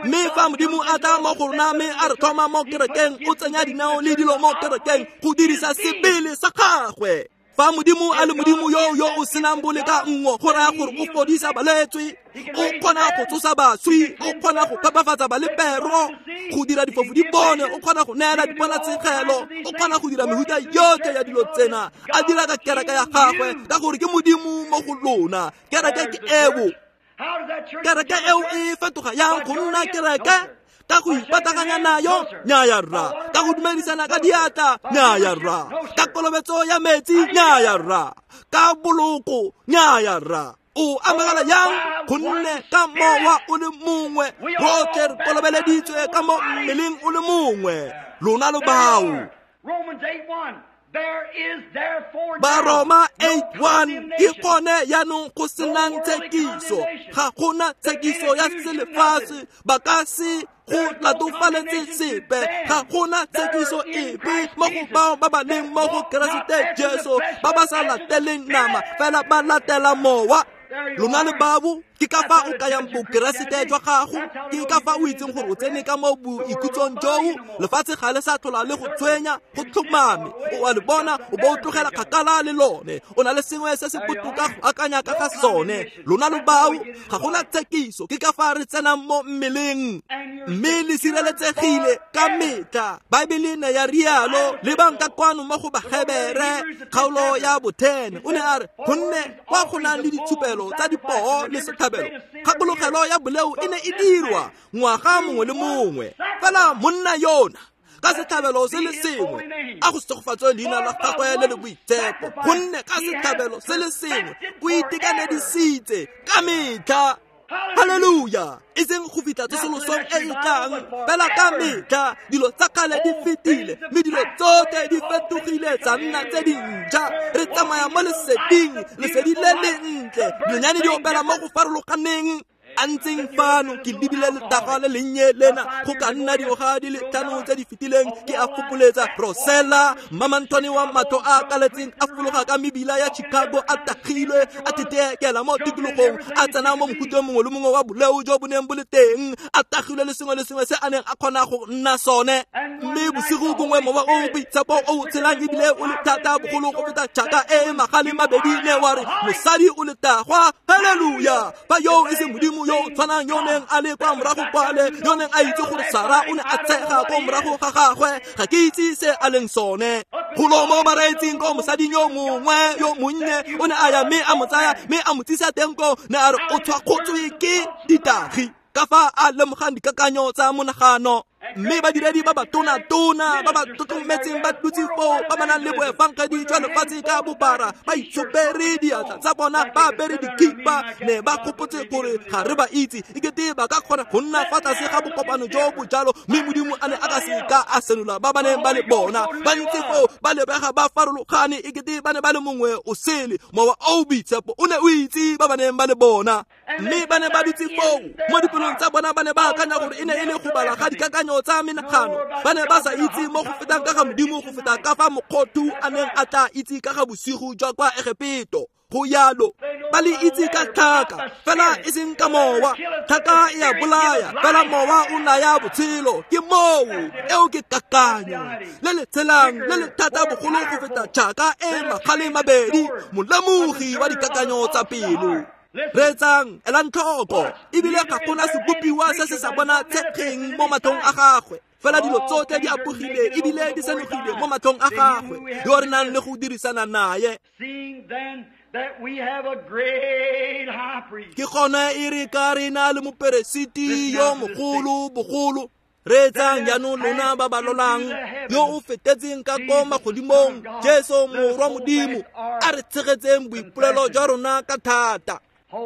Mme fa Modimo a tla mo go rona mme a re tlhoma mo kerekeng, o tsenya dinao le dilo mo kerekeng go dirisa sebele sa gagwe. Fa Modimo a le Modimo yo yo o senang boleka nngwe, go raya gore o fodisa balwetse, o kgona go tsosa baswi, o kgona go phepafatsa balepero, go dira difofu di bone, o kgona go neela diponatshegelo, o kgona go dira mehuta yotlhe ya dilo tsena, a dira ka kereke ya gagwe, ka gore ke Modimo mo go lona. Kereke ke eo. Kereke eo e fetoga yang go nna kereke? Ka go ipataganya nayo? Nnyaya rra. Ka go dumedisana ka diatla? Nnyaya rra. Ka kolobetso ya metsi? Nnyaya rra. Ka boloko? Nnyaya rra. O amogela yang? Gonne ka mowa o le mongwe rotlhe re kolobeleditswe ka mo mmeleng o le mongwe. Lona lo bao. Baroma 8:1 ke gone jaanong go senang tshekiso. Ga gona tshekiso ya selefatshe, ba ka se go latofaletse sepe. Ga gona tshekiso epe mo go bao ba ba leng mo go Keresete Jesu, ba ba sa lateleng nama fela ba latela Mowa. Lona le babo, ke ka fa o kayang bokeresete jwa gago, ke ka fa o itseng gore o tsene ka mo boikhutsong joo. Lefatshe ga le sa tlhola le go tshwenya, go tlhomame. O a le bona, o bo o tlogela kgakala le lone. O na le sengwe se se botoka go akanya ka ga sone. Lona lo bao, ga gona tshekiso, ke ka fa re tsenang mo mmeleng. Mme le sireletsegile ka metlha. Baebele ne ya rialo, lebang ka kwano mo go Bahebere, kgaolo ya bo-10. O ne a re, gonne kwa go nang le ditshupelo tsa dipoo le setlhabelo, kgakologelo ya boleo e ne e dirwa ngwaga mongwe le mongwe. Fela monna yona ka setlhabelo se le sengwe a go segofatswe leina la gagwe le le boitshepo, gonne ka setlhabelo se le sengwe o itekanedisitse ka metlha. Haleluya! E seng go fitlha tsosolosong e e tlang, fela ka metlha dilo tsa kgale di fetile mme dilo tsotlhe di fetogile tsa nna tse dintšha. Re tsamaya mo leseding, lesedi le le ntle, dinonyane di opela mo go farologaneng. A ntseng fano ke lebile letaga le lennye lena go ka nna dingwaga di le 5 tse di fetileng, ke a fokoletsa Rosella Mmamanthwane wa matho a kaletseng a fologa ka mebila ya Chicago a tagilwe a thetekela mo tikologong, a tsena mo mofuteng mongwe le mongwe wa boleo jo bo neng bo le teng, a tagilwe le sengwe le sengwe se a neng a kgona go nna sone. Mme bosigo bongwe mowa o boitshepo o tshelang ebile o le thata bogolo go feta tšhaka e magale mabedi ne wa re mosadi o letagwa. Haleluya! Fa yo e se Modimo yo o tshwanang yo neng a le kwa morago kwale, yo neng a itse gore Sara o ne a tshega ko morago ga gagwe, ga ke itse se a leng sone. Golo mo bareetsing ko mosading yo mongwe yo monnye o ne a ya mme a mo tsaya mme a mo tsisa teng ko, ne a re o tshwakgotswe ke ditagi ka fa a lemogang dikakanyo tsa monagano. Mme badiredi ba batona-tona ba ba tlotlometseng ba dutse foo, ba ba nang le boefangedi jwa lefatshe ka bophara, ba itshopere diatla tsa bona, ba apere dikhipa, ne ba gopotse gore ga re ba itse, ekete ba ka kgona go nna fa tlase ga bokopano jo bo jalo, mme Modimo a ne a ka se ka a senola ba ba neng ba le bona. Ba ntse foo ba lebega ba farologane, ekete ba ne ba le mongwe o sele. Mowa o boitshepo o ne o itse ba ba neng ba le bona. Mme ba ne ba dutse foo mo dipelong tsa bona, ba ne ba akanya gore e ne e le go bala ga dikakanyo tsa menagano. Ba ne ba sa itse mo go fetang ka ga Modimo go feta ka fa mokgothu a neng a tla itse ka ga bosigo jwa kwa Egepeto. Go yalo ba le itse ka tlhaka, fela e seng ka mowa. Tlhaka e a bolaya, fela mowa o naya botshelo. Ke moo eo ke kakanyo le le tshelang le le thata bogolo go feta tšhaka e magale mabedi, molemogi wa dikakanyo tsa pelo. Reetsang, elang tlhoko, ebile ga gona sebopiwa se se sa bona tshegeng mo matlhong a gagwe, fela dilo tsotlhe di apogile ebile di senogile mo matlhong a gagwe yo re nang le go dirisana naye. Ke gone e re ka re na le moperesiti yo mogolo bogolo. Reetsang jaanong lona ba ba lolang, yo o fetetseng ka ko magodimong, Jesu Morwa Modimo, a re tshegetseng boipolelo jwa rona ka thata.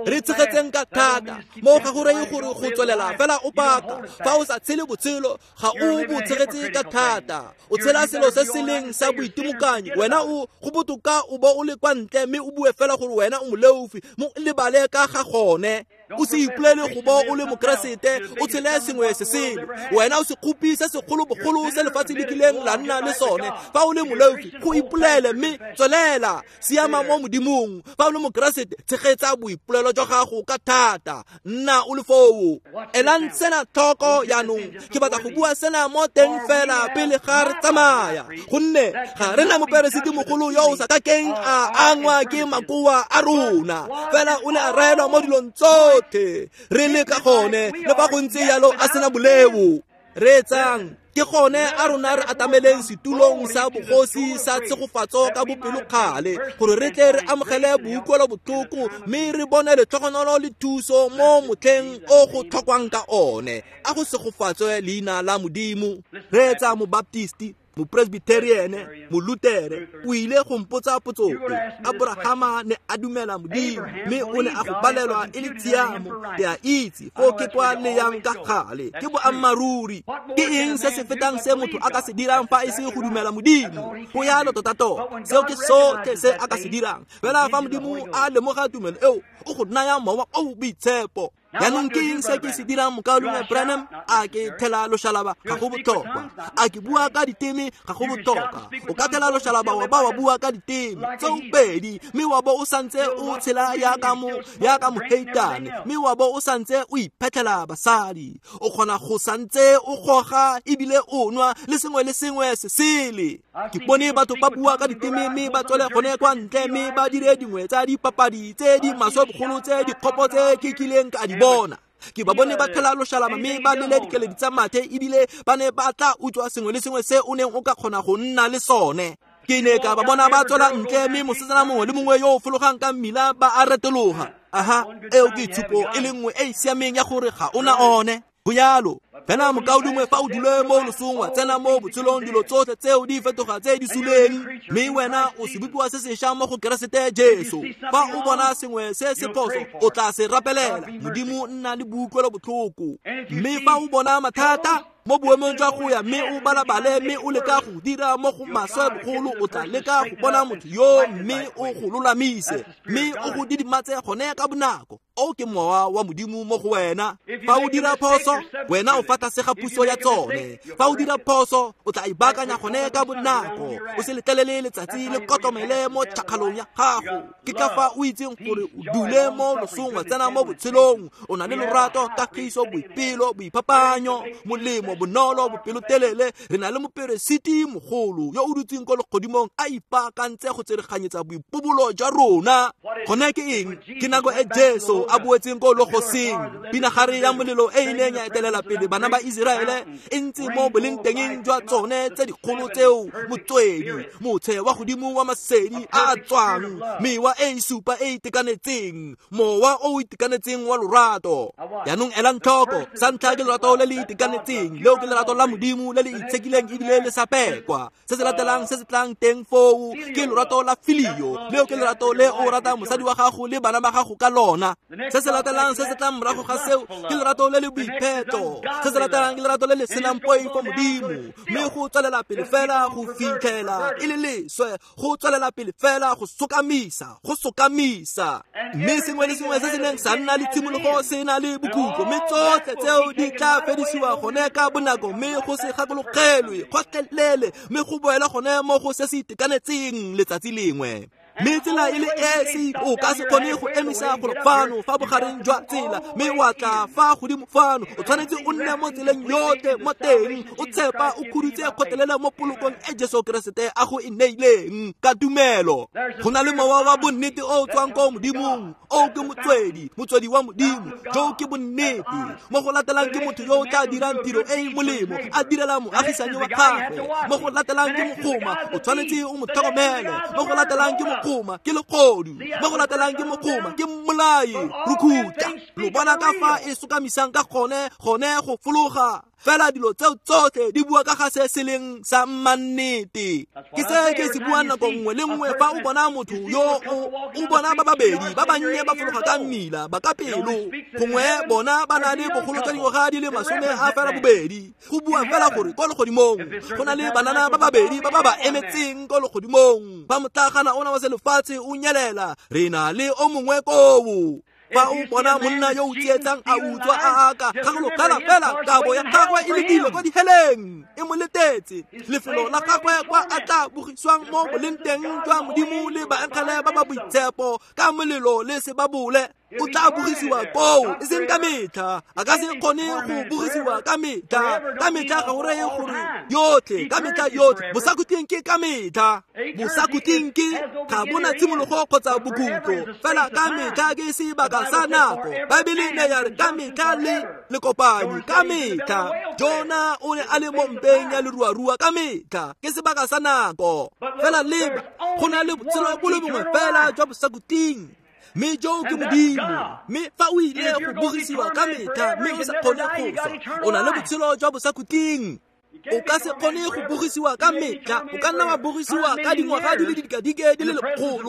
Re tshegetseng ka thata mo ga go reye gore go tswelela fela o paka. Fa o sa tshele botshelo ga o bo tshegetse ka thata, o tshela selo se se leng sa boitimokanyi. Wena o go botoka o bo o le kwa ntle mme o bue fela gore wena o moleofi, mo lebale ka ga gone. O se ipolele go bo o le mokeresete, o tshele sengwe se sele. Wena o sekgopi se segolo bogolo se lefatshe le kileng la nna le sone. Fa o le moleofi, go ipolele mme tswelela, siama mo Modimong. Fa o le mokeresete, tshegetsa boipolelo jwa gago ka thata, nna o le foo. Elang sena tlhoko jaanong, ke batla go bua sena mo teng fela pele ga re tsamaya, gonne ga re na moperesiti mogolo yo o sa kakeng a angwa ke makoa a rona, fela o ne a raelwa mo dilong tsotlhe re le ka gone, le fa go ntse yalo a sena boleo. Reetsang, ke gone a rona re atameleng setulong sa bogosi sa tshegofatso ka bopelokgale, gore re tle re amogele boutlwelo botlhoko mme re bone letlhogonolo le thuso mo motlheng o go tlhokwang ka one. A go segofatswe leina la Modimo. Reetsa mobaptisti, mopresbiteriene, molutere, o ile go mpotsa potso e. Abrahama ne a dumela Modimo mme o ne a go balelwa e le tshiamo. Ke a itse foo ke kwa le yang ka gale, ke boammaaruri. Ke eng se se fetang se motho a ka se dirang fa e se go dumela Modimo? Go yalo tota-tota, seo ke sotlhe se a ka se dirang. Fela fa Modimo a lemoga tumelo eo, o go naya mowa o boitshepo. Jaanong ke eng se ke se dirang, mokaulengwe Branham? A ke thela loshalaba? Ga go botlhokwa. A ke bua ka diteme? Ga go botlhokwa. O ka thela loshalaba wa ba wa bua ka diteme tseo pedi, mme wa bo o santse o tshela yaka moheitane, mme wa bo o santse o iphetlhela basadi. O kgona go santse o goga ebile o nwa le sengwe le sengwe se sele. Ke bone batho ba bua ka diteme mme ba tswele gone kwa ntle mme ba dire dingwe tsa dipapadi tse di maswe bogolo tse dikgopo tse ke kileng ka di bona. Ke ba bone ba thela loshalaba mme ba lele dikeledi tsa mathe, ebile ba ne ba tla utswa sengwe le sengwe se o neng o ka kgona go nna le sone. Ke ne ka ba bona ba tswela ntle mme mosetsana mongwe le mongwe yo o fologang ka mmila ba a retologa. Aha, eo ke tshupo e le nngwe e e siameng ya gore ga o na one. Go jalo. Fela mokaulengwe fa o dule mo losong wa tsena mo botshelong, dilo tsotlhe tseo di fetoga tse di suleng, mme wena o sebopiwa se sešwa mo go Keresete Jesu. Fa o bona sengwe se se phoso, o tla se rapelela. Modimo nna le boutlwelo botlhoko. Mme fa o bona mathata mo boemong jwa go ya mme o balabale mme o leka go dira mo go maswe bogolo, o tla leka go bona motho yo mme o go lolamise mme o go didimatse gone ka bonako. O ke mowa wa Modimo mo go wena. Fa o dira phoso, wena o fa tlase ga puso ya tsone. Fa o dira phoso, o tla ibaakanya gone ka bonako. O se letlelele letsatsi le kotlomele mo tšhakgalong ya gago. Ke ka fa o itseng gore o dule mo losong wa tsena mo botshelong. O na le lorato, kagiso, boipelo, boiphapanyo, molemo, bonolo, bopelotelele. Re na le moperesiti mogolo yo o dutseng ko legodimong a ipaakantse go tsereganyetsa boipobolo jwa rona. Gone ke eng? Ke nako e Jesu a boetseng ko logoseng. Pinagare ya molelo e e neng ya etelela pele bana ba Iseraele e ntse mo bolengtengeng jwa tsone tse dikgolo tseo, motswedi, motshe wa godimo wa masedi a a tswang, mewa e e supa e e itekanetseng, mowa o o itekanetseng wa lorato. Jaanong elang tlhoko, sa ntlha ke lorato le le itekanetseng, leo ke lerato la Modimo le le itshekileng ebile le sa pekwa. Se se latelang se se tlang teng foo ke lorato la filio, leo ke lerato le o ratang mosadi wa gago le bana ba gago ka lona. Se se latelang se se tlang morago ga seo ke lerato le le boipheto. Se se latelang ke lerato le le senang poifo Modimo, mme go tswelela pele fela go fitlhela e le leswe, go tswelela pele fela go sokamisa, go sokamisa. Mme sengwe le sengwe se se neng sa nna le tshimologo se na le bokhutlo, mme tsotlhe tseo di tla fedisiwa gone ka bonako, mme go se gakologelwe gotlhelele, mme go boela gone mo go se se itekanetseng letsatsi lengwe. Mme tsela e le esi o ka se kgone go emisa golo fano fa bogareng jwa tsela mme wa tla fa godimo fano. O tshwanetse o nne mo tseleng yotlhe mo teng, o tshepa o khudutse kgotlelele mo polokong e Jesu Keresete a go e neileng ka tumelo. Go na le mowa wa bonnete o o tswang ko Modimong, o ke motswedi, motswedi wa Modimo, jo ke bonnete. Mo go latelang ke motho yo o tla dirang tiro e e molemo, a direla moagisanyi wa gagwe. Mo go latelang ke mogoma, o tshwanetse o mo tlhokomele. Mo go latelang ke mogoma, ke legodu. Mo go latelang ke mogoma, ke mmolai, rukhuta. Lo bona ka fa e sokamisang ka gone, gone go fologa. Fela dilo tseo tsotlhe di bua ka ga se se leng sa mmannete. Ke se ke se buang nako nngwe le nngwe fa o bona motho yo o bona ba babedi ba bannye ba fologa ka mmila ba ka pelo, gongwe bona ba na le bogolo jwa dingwaga di le 28. Go bua fela gore ko legodimong go na le banana ba babedi ba ba ba emetseng ko legodimong. Fa motlagana ona wa selefatshe o nyelela, re na le o mongwe koo. Fa o bona monna yo o tsietsang a utswa a aka, gakologela fela kabo ya gagwe e lebile kwa diheleng, e mo letetse lefelo la gagwe kwa a tla bogiswang mo bolengteng jwa Modimo le baengele ba ba boitshepo ka molelo le sebabole. O tla bogisiwa koo, e seng ka metlha. A ka se kgone go bogisiwa ka metlha. Ka metlha ga go reye gore yotlhe, ka metlha yotlhe. Bosakhutleng ke ka metlha. Bosakhutleng ke ga bona tshimologo kgotsa bokhutlo, fela ka metlha ke sebaka sa nako. Baebele ne ya re ka metlha le lekopanyi, ka metlha. Jona o ne a le mo mpeng ya leruarua ka metlha, ke sebaka sa nako. Fela leba, go na le botshelo bo le bongwe fela jwa bosakhutleng, mme jo ke Modimo. Mme fa o ile go bogisiwa ka metlha mme o sa kgone go swa, o na le botshelo jwa bosakhutleng. O ka se kgone go bogisiwa ka metlha, o ka nna wa bogisiwa ka dingwaga di le didikadike di le 100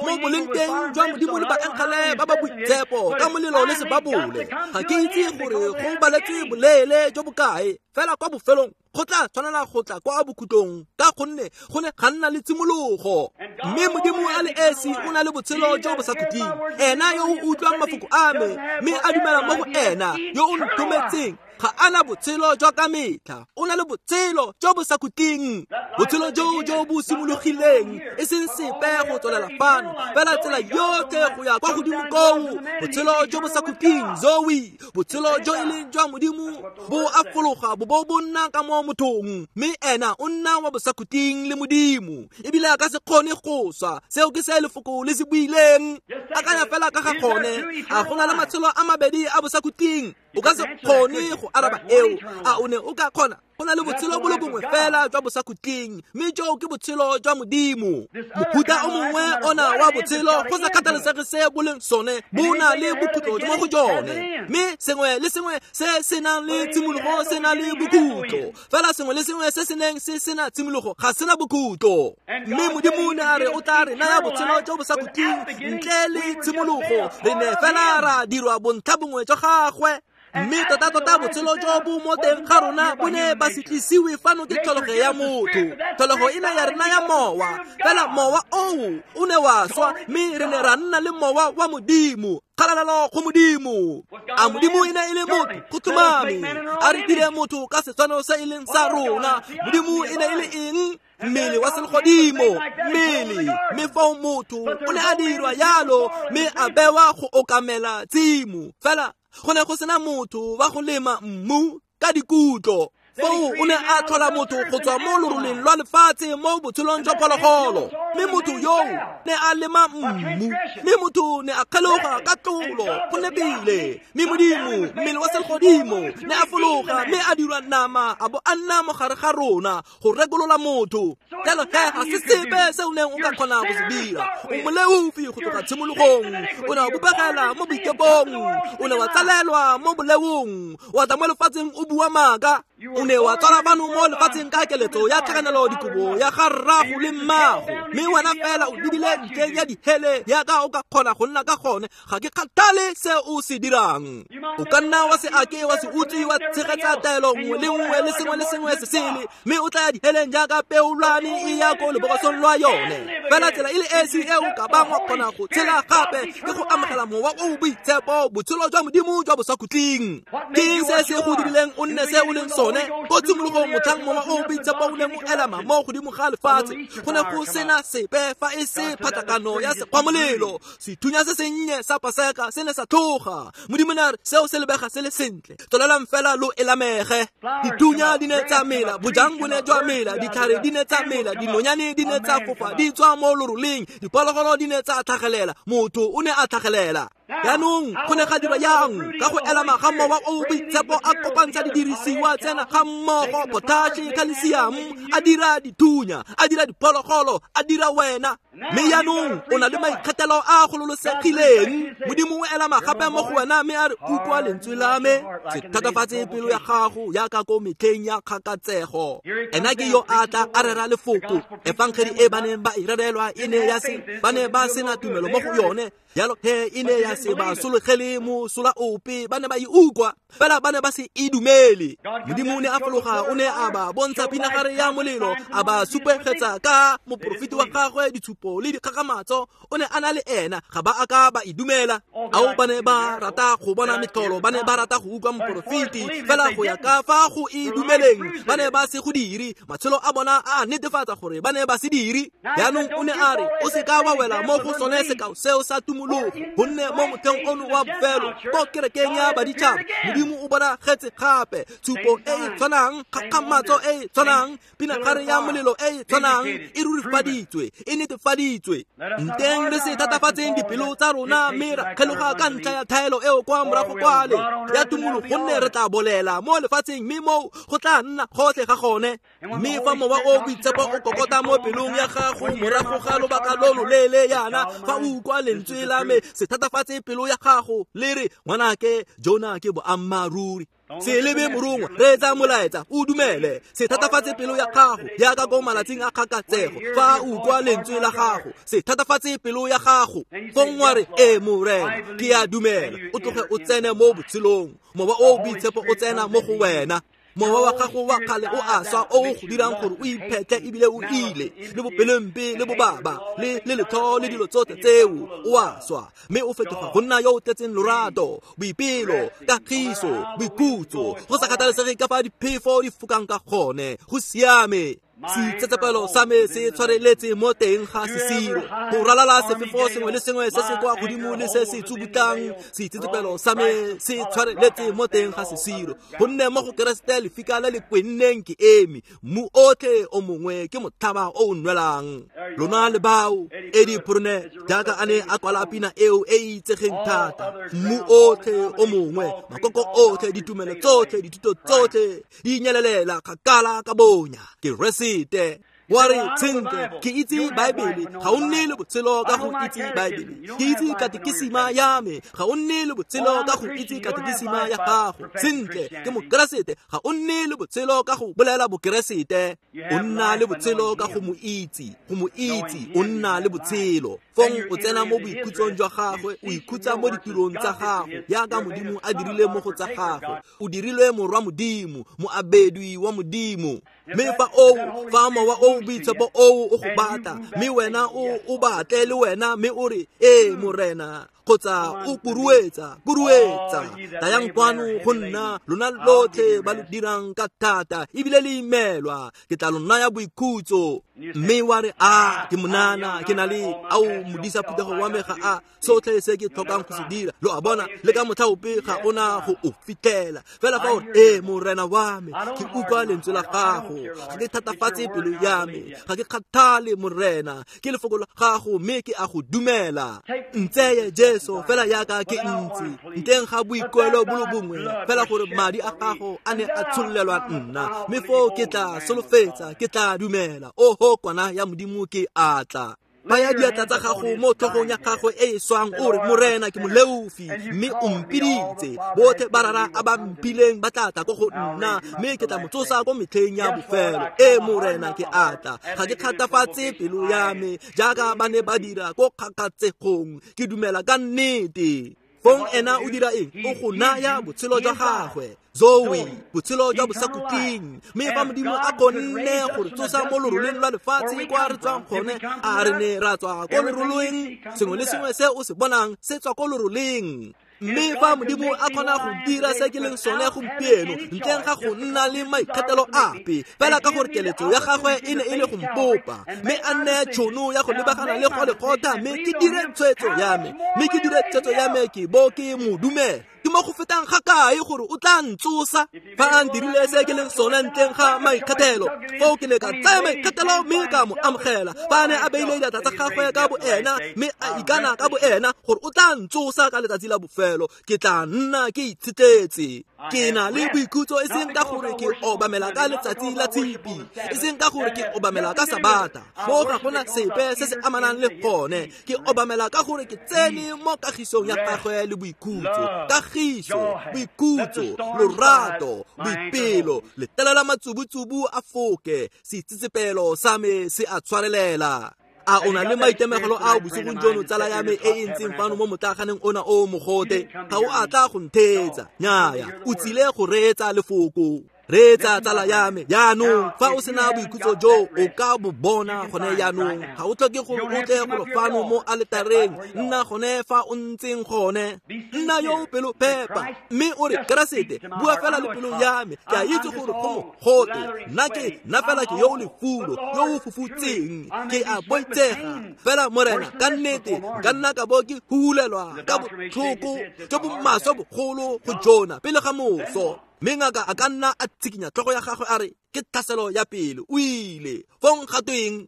mo bolengteng jwa Modimo le baengele ba ba boitshepo ka molelo le sebabole. Ga ke itse gore go baletswe boleele jo bokae, fela kwa bofelong go tla tshwanela go tla kwa bokhutlong, ka gonne go ne ga nna le tshimologo. Mme Modimo a le esi o na le botshelo jo bo sa khutleng. Ena yo o utlwang mafoko a me mme a dumela mo go ena yo o nthometseng ga ana botshelo jwa ka metlha, o na le botshelo jo bo sa khutleng. Botshelo jo jo bo simologileng e seng sepe go tswelela fano, fela tsela yotlhe go ya kwa godimo koo. Botshelo jo bo sa khutleng, Zoe, botshelo jo e leng jwa Modimo bo a fologa bo bo bo nna ka mo mothong, mme ena o nna wa bosakhutleng le Modimo, ebile a ka se kgone go swa. Seo ke se lefoko le se buileng. Akanya fela ka ga gone. A go na le matshelo a mabedi a bosakhutleng? O ka se kgone go araba eo. A o ne o ka kgona? Go na le botshelo bo le bongwe fela jwa bosakhutleng, mme joo ke botshelo jwa Modimo. Mofuta o mongwe ona wa botshelo, go sa kgathalesege se bo leng sone, bo na le bokhutlo mo go jone. Mme sengwe le sengwe se se nang le tshimologo se na le bokhutlo. Fela sengwe le sengwe se se neng se sena tshimologo ga sena bokhutlo. Mme Modimo ne a re o tla re naya botshelo jo bosakhutleng ntle le tshimologo. Re ne fela ra dirwa bontlha bongwe jwa gagwe. Mme tota-tota botshelo jo bo mo teng ga rona bo ne ba se tlisiwe fano ke tlholego ya motho. Tlholego e ne ya re naya mowa, fela mowa oo o ne wa swa, mme re ne ra nna le mowa wa Modimo. Kgalalelo go Modimo. A Modimo e ne e le motho? Go tlhomame. A re dire motho ka setshwano se e leng sa rona. Modimo e ne e le eng? Mmele wa selegodimo, mmele. Mme fao motho o ne a dirwa yalo, mme a bewa go okamela tshimo. Fela go ne go sena motho wa go lema mmu ka dikutlo. Foo o ne a tlhola motho go tswa mo loroleng lwa lefatshe mo botshelong jwa phologolo. Mme motho yoo ne a lema mmu, mme motho ne a kgeloga ka tlolo go nepile. Mme Modimo, mmele wa selegodimo, ne a fologa mme a dirwa nama a bo a nna mo gare ga rona go rekolola motho. Jalo he ga se sepe se o neng o ka kgona go se dira. O moleofi go tloga tshimologong. O ne wa bopegela mo boikepong, o ne wa tsalelwa mo boleong, wa tla mo lefatsheng o bua maaka. O ne wa tswala bano mo lefatsheng ka keletso ya tlhakanelo dikobo ya ga rrago le mmago, mme wena fela o lebile ntleng ya dihele yaka o ka kgona go nna ka gone. Ga ke kgathale se o se dirang. O ka nna wa se ake wa se utlwe wa tshegetsa taelo nngwe le nngwe le sengwe le sengwe se sele, mme o tla ya diheleng jaaka peolwane e ya ko lebokosong lwa yone. Fela tsela e le esi e o ka bang wa kgona go tshela gape ke go amogela mowa o boitshepo, botshelo jwa Modimo jwa bosakhutleng. Ke eng se se go dirileng o nne se o leng sone? Ko tshimologong motlhang mowa o boitshepo o neng o elama mo godimo ga lefatshe, go ne go sena sepe fa e se phatlakano ya sekgwamolelo. Sethunya se sennye sa Paseka se ne sa tlhoga. Modimo ne a re seo se lebega se le sentle, tswelelang fela lo elamege. Dithunya di ne tsa mela, bojang bo ne jwa mela, ditlhare di ne tsa mela, dinonyane di ne tsa fofa di tswa mo loroleng, diphologolo di ne tsa tlhagelela, motho o ne a tlhagelela. Jaanong go ne ga dirwa yang? Ka go elama ga mowa o boitshepo a kopantsha didirisiwa tsena ga mmogo, potaše, calcium, a dira dithunya, a dira diphologolo, a dira wena. Mme jaanong o na le maikgethelo a a gololosegileng. Modimo o elama gape mo go wena mme a re, utlwa lentswe la me, se thatafatse pelo ya gago yaka ko metlheng ya kgakatsego. Ena ke yo a tla a rera lefoko. Efangedi e ba neng ba e rerelwa e ne ya se, ba ne ba sena tumelo mo go yone. Jalo he e ne ya se ba sologele mosola ope, ba ne ba e utlwa, fela ba ne ba se e dumele. Modimo o ne a fologa, o ne a ba bontsha pinagare ya molelo, a ba supegetsa ka moporofeti wa gagwe ditshupo le dikgakgamatso. O ne a na le ena, ga ba a ka ba e dumela. Ao ba ne ba rata go bona metlholo, ba ne ba rata go utlwa moporofeti, fela go ya ka fa go e dumeleng ba ne ba se go dire. Matshelo a bona a netefatsa gore ba ne ba se dire. Jaanong o ne a re, o se ka wa wela mo go sone sekao seo sa tumologo, gonne mo motlheng ono wa bofelo ko kerekeng ya baditšhaba Modimo o bonagetse gape. Tshupo e e tshwanang, kgakgamatso e e tshwanang, pinagare ya molelo e e tshwanang e rurifaditswe, e netefaditswe. Nteng re se thatafatseng dipelo tsa rona mme ra kgeloga ka ntlha ya thaelo eo kwa morago kwale ya tumologo, gonne re tla bolela mo lefatsheng mme moo go tla nna gotlhe ga gone. Mme fa mowa o boitshepo o kokota mo pelong ya gago morago ga lobaka lo loleele yana, fa o utlwa lentswe la me, se thatafatse pelo ya gago le re, ngwanake, jona ke boammaaruri. Se lebe morongwa, reetsa molaetsa, o dumele. Se thatafatse pelo ya gago yaka ko malatsing a kgakatsego. Fa o utlwa lentswe la gago, se thatafatse pelo ya gago. Fong wa re, ee Morena, ke a dumela. O tloge o tsene mo botshelong. Mowa o boitshepo o tsena mo go wena. Mowa wa gago wa kgale o a swa, o go dirang gore o iphetle ebile o ile, le bopelompe le bobaba le letlho le dilo tsotlhe tseo, o a swa, mme o fetoga go nna yo o tletseng lorato, boipelo, kagiso, boikhutso, go sa kgathalesege ka fa diphefo di fokang ka gone. Go siame. Seitsetsepelo sa me se tshwareletse mo teng ga sesiro. Go ralala sefefo sengwe le sengwe se se kwa godimo le se se tsubutlang, seitsetsepelo sa me se tshwareletse mo teng ga sesiro. Gonne mo go Keresete lefika le le kwenneng ke eme, mmu otlhe o mongwe ke motlhaba o o nwelang. Lona le bao, Eddie Purne, jaaka a ne a kwala pina eo e e itsegeng thata, mmu otlhe o mongwe, makoko otlhe, ditumelo tsotlhe, dithuto tsotlhe, di nyelelela kgakala ka bonya. Keresete. Wa re, sentle, ke itse Baebele, ga o nne le botshelo ka go itse Baebele. Ke itse katekisima ya me, ga o nne le botshelo ka go itse katekisima ya gago. Sentle, ke Mokeresete, ga o nne le botshelo ka go bolela Bokeresete. O nna le botshelo ka go mo itse, go mo itse, o nna le botshelo. Fong o tsena mo boikhutsong jwa gagwe, o ikhutsa mo ditirong tsa gago, jaaka Modimo a dirile mo go tsa gagwe. O dirilwe morwa Modimo, moabedwi wa Modimo. Mme fa o, fa mowa o boitshepo o o go batla, mme wena o batle le wena, mme o re, ee Morena, kgotsa o kuruetsa, kuruetsa, tlayang kwano go nna, lona lotlhe ba lo dirang ka thata, ebile le imelwa, ke tla lo naya boikhutso. Mme wa re, a ke monana, ke na le ao modisa phuthego wa me ga a sotlhe se ke tlhokang go se dira. Lo a bona, le ka motlha ope ga ona go o fitlhela. Fela fa o re, ee Morena wa me, ke utlwa lentswe la gago, ga ke thatafatse pelo ya me, ga ke kgathale Morena, ke lefoko la gago mme ke a go dumela. Ntseye Jesu fela jaaka ke ntse, ntleng ga boikuelo bo le bongwe, fela gore madi a gago a ne a tshololelwa nna, mme foo ke tla solofetsa, ke tla dumela. Oho kwana ya Modimo ke a tla. Baya diatla tsa gago mo tlhogong ya gagwe e e swang, o re, Morena ke moleofi, mme o mpiditse. Botlhe ba rara a ba mphileng ba tla tla ko go nna, mme ke tla mo tsosa ko metlheng ya bofelo. Ee Morena ke a tla, ga ke kgathafatse pelo ya me jaaka ba ne ba dira ko kgakatsegong, ke dumela ka nnete. Fong ena o dira eng? O go naya botshelo jwa gagwe, Zoe, botshelo jwa bosakhutleng. Mme fa Modimo a kgonne go re tsosa mo loroleng lwa lefatshe kwa re tswang gone, a re ne ra tswa ko loroleng. Sengwe le sengwe se o se bonang se tswa ko loroleng. Mme fa Modimo a kgona go dira se ke leng sone gompieno, ntleng ga go nna le maikgethelo ape, fela ka gore keletso ya gagwe e ne e le go mpopa, mme a nneye tšhono ya go lebagana le Golegotha, mme ke dire tshwetso ya me, mme ke dire tshwetso ya me ke bo ke mo dumela. Ke mo go fetang ga kae gore o tla ntsosa fa a ntirile se ke leng sone ntleng ga maikgethelo. Foo ke ne ka tsaya maikgethelo mme ka mo amogela. Fa a ne a beile diatla tsa gagwe ka boena mme a ikana ka boena gore o tla ntsosa ka letsatsi la bofelo, ke tla nna ke itshetletse. Ke na le boikhutso e seng ka gore ke obamela ka letsatsi la tshipi, e seng ka gore ke obamela ka Sabata, mo ga gona sepe se se amanang le gone. Ke obamela ka gore ke tsene mo kagisong ya gagwe le boikhutso. Kagiso, boikhutso, lorato, boipelo, letelela matsubutsubu a foke, seitsetsepelo sa me se a tshwarelela. A o na le maitemogelo ao bosigong jono, tsala ya me e e ntseng fano mo motlaganeng ona o mogote? Ga o a tla go ntheetsa, nnyaya, o tsile go reetsa lefoko. Reetsa tsala ya me jaanong, fa o sena boikhutso jo o ka bo bona gone jaanong, ga o tlhoke gore o tle golo fano mo aletareng, nna gone fa o ntseng gone. Nna yo o pelo phepa, mme o re, Keresete, bua fela le pelo ya me, ke a itse gore go mogote, nna ke nna fela ke yo o lefulo, yo o fufutseng, ke a boitsega. Fela Morena, ka nnete nka nna ka bo ke hulelwa ka botlhoko jo bo maswe bogolo go jona pele ga moso. Mme ngaka a ka nna a tshikinya tlhogo ya gagwe a re, ke tlhaselo ya pele, o ile. Fong ga tweng?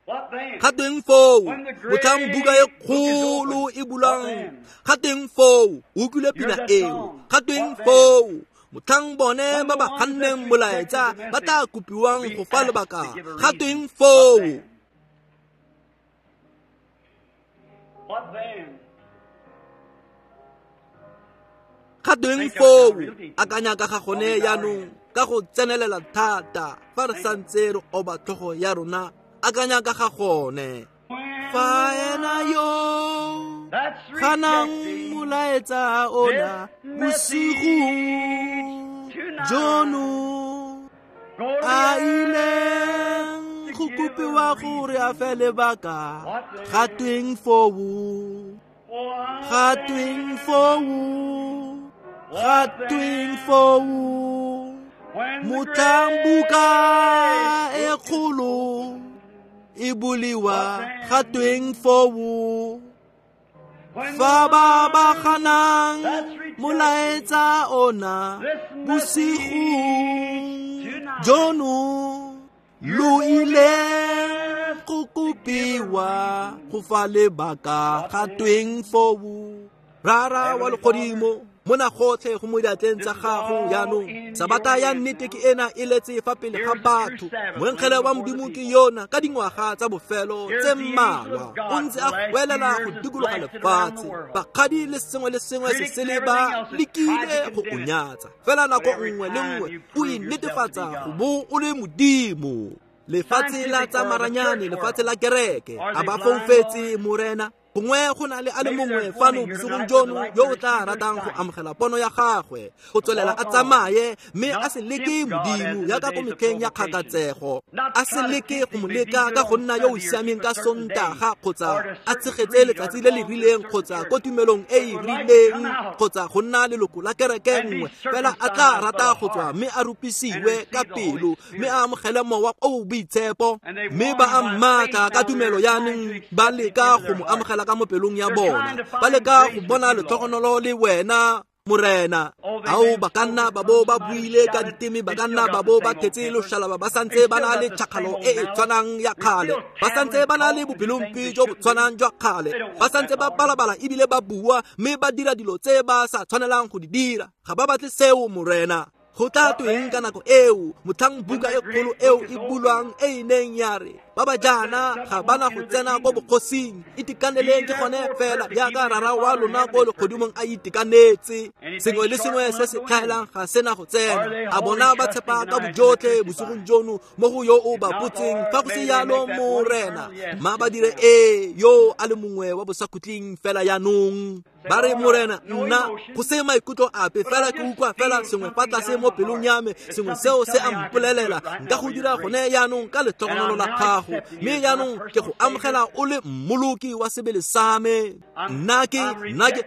Ga tweng foo? Motlhang buka e kgolo e bulwang, ga tweng foo? O utlwile pina eo, ga tweng foo? Motlhang bone ba ba ganneng molaetsa ba tla kopiwang go fa lebaka, ga tweng foo? Ga tweng foo? Akanya ka ga gone jaanong ka go tsenelela thata fa re santse re oba tlhogo ya rona, akanya ka ga gone. Fa ena yo ganang molaetsa ona bosigong jono a ileng go kopiwa gore a fe lebaka, ga tweng foo? Ga tweng foo? Ga tweng foo? Motlhang buka e kgolo e buliwa ga tweng foo, fa ba ba ganang molaetsa ona bosigo jono, lo ile go kopiwa go fa lebaka ga tweng foo. Rara wa legodimo, mona gotlhe go mo diatleng tsa gago jaanong. Sabata ya nnete ke ena e letse fa pele ga batho. Moengele wa Modimo ke yona ka dingwaga tsa bofelo tse mmalwa o ntse a goelela go dikologa lefatshe. Bakgadi le sengwe le sengwe se sele ba lekile go o nyatsa, fela nako nngwe le nngwe o inetefatsa go bo o le Modimo. Lefatshe la tsa maranyane, lefatshe la kereke, a ba foufetse, Morena. Gongwe go na le a le mongwe fano bosigong jono yo o tla ratang go amogela pono ya gagwe, go tswelela a tsamaye mme a se leke Modimo jaaka ko metlheng ya kgakatsego, a se leke go mo leka ka go nna yo o siameng ka Sontaga, kgotsa a tshegetse letsatsi le le rileng, kgotsa ko tumelong e e rileng, kgotsa go nna leloko la kereke nngwe. Fela a tla rata go tswa mme a rupisiwe ka pelo mme a amogele Mowa o o Boitshepo. Mme ba a mmatla ka tumelo jaanong, ba leka go mo amogela ka mo pelong ya bona, ba leka go bona letlhogonolo le wena, Morena. Ao, ba ka nna ba bo ba buile ka diteme, ba ka nna ba bo ba thetse loshalaba, ba santse ba na le tšhakgalo e e tshwanang ya kgale, ba santse ba na le bopelompe jo bo tshwanang jwa kgale, ba santse ba balabala ebile ba bua mme ba dira dilo tse ba sa tshwanelang go di dira. Ga ba batle seo, Morena. Go tla tweng ka nako eo, motlhang buka e kgolo eo e bulwang e e neng ya re ba ba jaana ga bana go tsena ko bogosing, itekaneleng ke gone fela jaaka rara wa lona ko legodimong a itekanetse. Sengwe le sengwe se se tlhaelang ga sena go tsena. A bona ba tshepa ka bojotlhe bosigong jono mo go yo o ba botseng, fa go se yalo, Morena, mma ba dire ee yo a le mongwe wa bosakhutleng fela jaanong. Ba re, Morena, nna go se maikutlo ape, fela ke utlwa fela sengwe fa tlase mo pelong ya me, sengwe seo se a mpolelela nka go dira gone jaanong ka letlhogonolo la gago. Mme jaanong ke go amogela o le mmoloki wa sebele sa me. Nna ke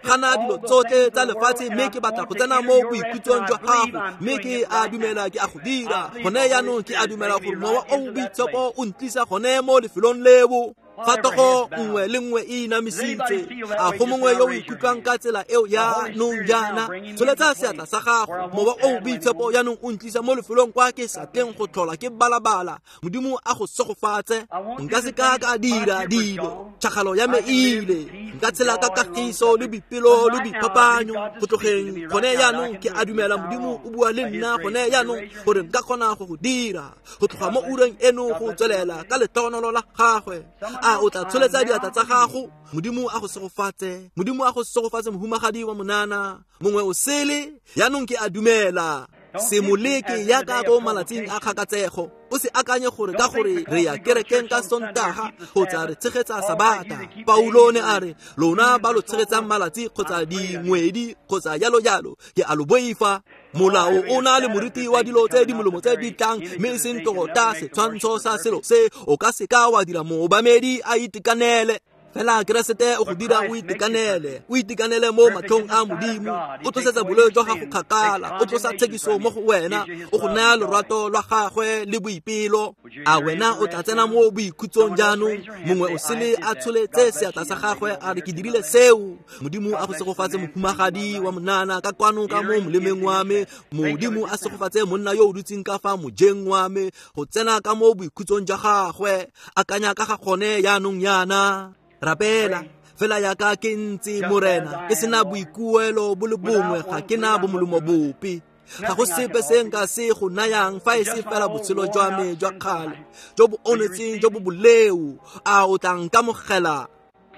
gana dilo tsotlhe tsa lefatshe, mme ke batla go tsena mo boikhutsong jwa gago, mme ke a dumela ke a go dira gone jaanong. Ke a dumela gore Mowa o o Boitshepo o ntlisa gone mo lefelong leo. Fa togo nngwe le nngwe e inamisitse, a go mongwe yo o ikutlwang ka tsela eo jaanong jaana, tsholetsa seatla sa gago. Mowa o o Boitshepo jaanong o ntlisa mo lefelong kwa ke sa tleng go tlhola ke balabala. Modimo a go segofatse. Nka se ka ka dira dilo, tšhakgalo ya me e ile. Nka tshela ka kagiso le boipelo le boiphapanyo go tlogeng gone jaanong. Ke a dumela Modimo o bua le nna gone jaanong gore nka kgona go go dira go tloga mo ureng eno go tswelela ka letlhogonolo la gagwe. A o tla tsholetsa diatla tsa gago? Modimo a go segofatse. Modimo a go segofatse, mohumagadi wa monana. Mongwe o sele jaanong ke a dumela. Se mo leke jaaka ko malatsing a kgakatsego. O se akanye gore ka gore re ya kerekeng ka Sontaga kgotsa re tshegetsa Sabata. Paulo ne a re, lona ba lo tshegetsang malatsi kgotsa dingwedi kgotsa jalo jalo, ke a lo boifa. Molao o na le moriti wa dilo tse di molemo tse di tlang, mme e seng tota setshwantsho sa selo se o ka se ka wa dira moobamedi a itekanele. Fela Keresete o go dira o itekanele, o itekanele mo matlhong a Modimo. O tlosetsa boleo jwa gago kgakala, o tlosa tshekiso mo go wena, o go naya lorato lwa gagwe le boipelo. A wena o tla tsena mo boikhutsong jaanong? Mongwe o sele a tsholetse seatla sa gagwe a re, ke dirile seo. Modimo a go segofatse, mohumagadi wa monana ka kwano ka mo molemeng wa me. Modimo a segofatse monna yo o dutseng ka fa mojeng wa me go tsena ka mo boikhutsong jwa gagwe. Akanya ka ga gone jaanong jaana. Rapela fela jaaka ke ntse, Morena, ke sena boikuelo bo le bongwe, ga ke na bomolomo bope. Ga go sepe se nka se go nayang fa e se fela botshelo jwa me jwa kgale jo bo onetseng jo bo boleo. A o tla nkamogela?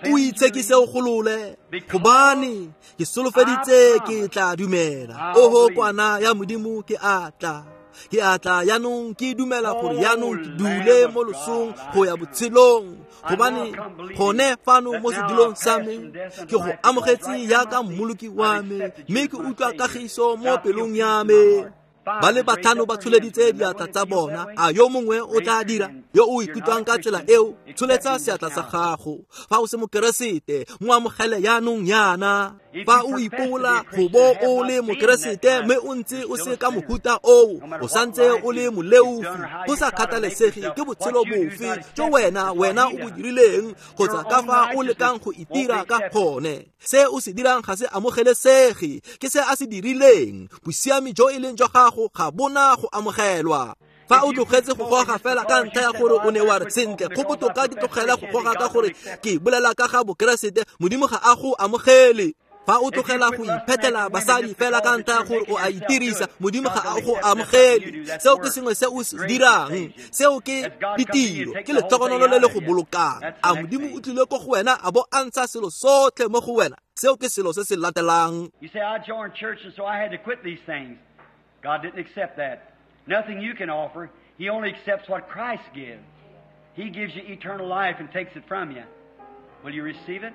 O itshekise o golole, gobane ke solofeditse ke tla dumela. Oho kwana ya Modimo, ke a tla. Ke a tla jaanong, ke dumela gore jaanong ke dule mo losong go ya botshelong, gobane gone fano mo sedulong sa me ke go amogetse jaaka mmoloki wa me, mme ke utlwa kagiso mo pelong ya me. Ba le batlhano ba tsholeditse diatla tsa bona. A yo mongwe o tla dira? Yo o ikutlwang ka tsela eo, tsholetsa seatla sa gago. Fa o se mokeresete, mo amogele jaanong jaana. Fa o ipobola go bo o le mokeresete mme o ntse o se ka mohuta oo, o santse o le moleofi, go sa kgathalesege ke botshelo bofe jo wena o bo dirileng kgotsa ka fa o lekang go itira ka gone. Se o se dirang ga se amogelesege, ke se a se dirileng. Bosiami jo e leng jwa gago ga bona go amogelwa. Fa o tlogetse go goga fela ka ntlha ya gore o ne wa re sentle, go botoka ke tlogela go goga ka gore ke bolela ka ga bokeresete, Modimo ga a go amogele. Fa o tlogela go iphetela basadi fela ka ntlha ya gore o a itirisa, Modimo ga a go amogele. Seo ke sengwe se o se dirang, seo ke ditiro, ke letlhogonolo le le go bolokang. A Modimo o tlile ko go wena a bo a ntsha selo sotlhe mo go wena? Seo ke selo se se latelang. You say, I joined church and so I had to quit these things. God didn't accept that. Nothing you can offer. He only accepts what Christ gives. He gives you eternal life and takes it from you. Will you receive it?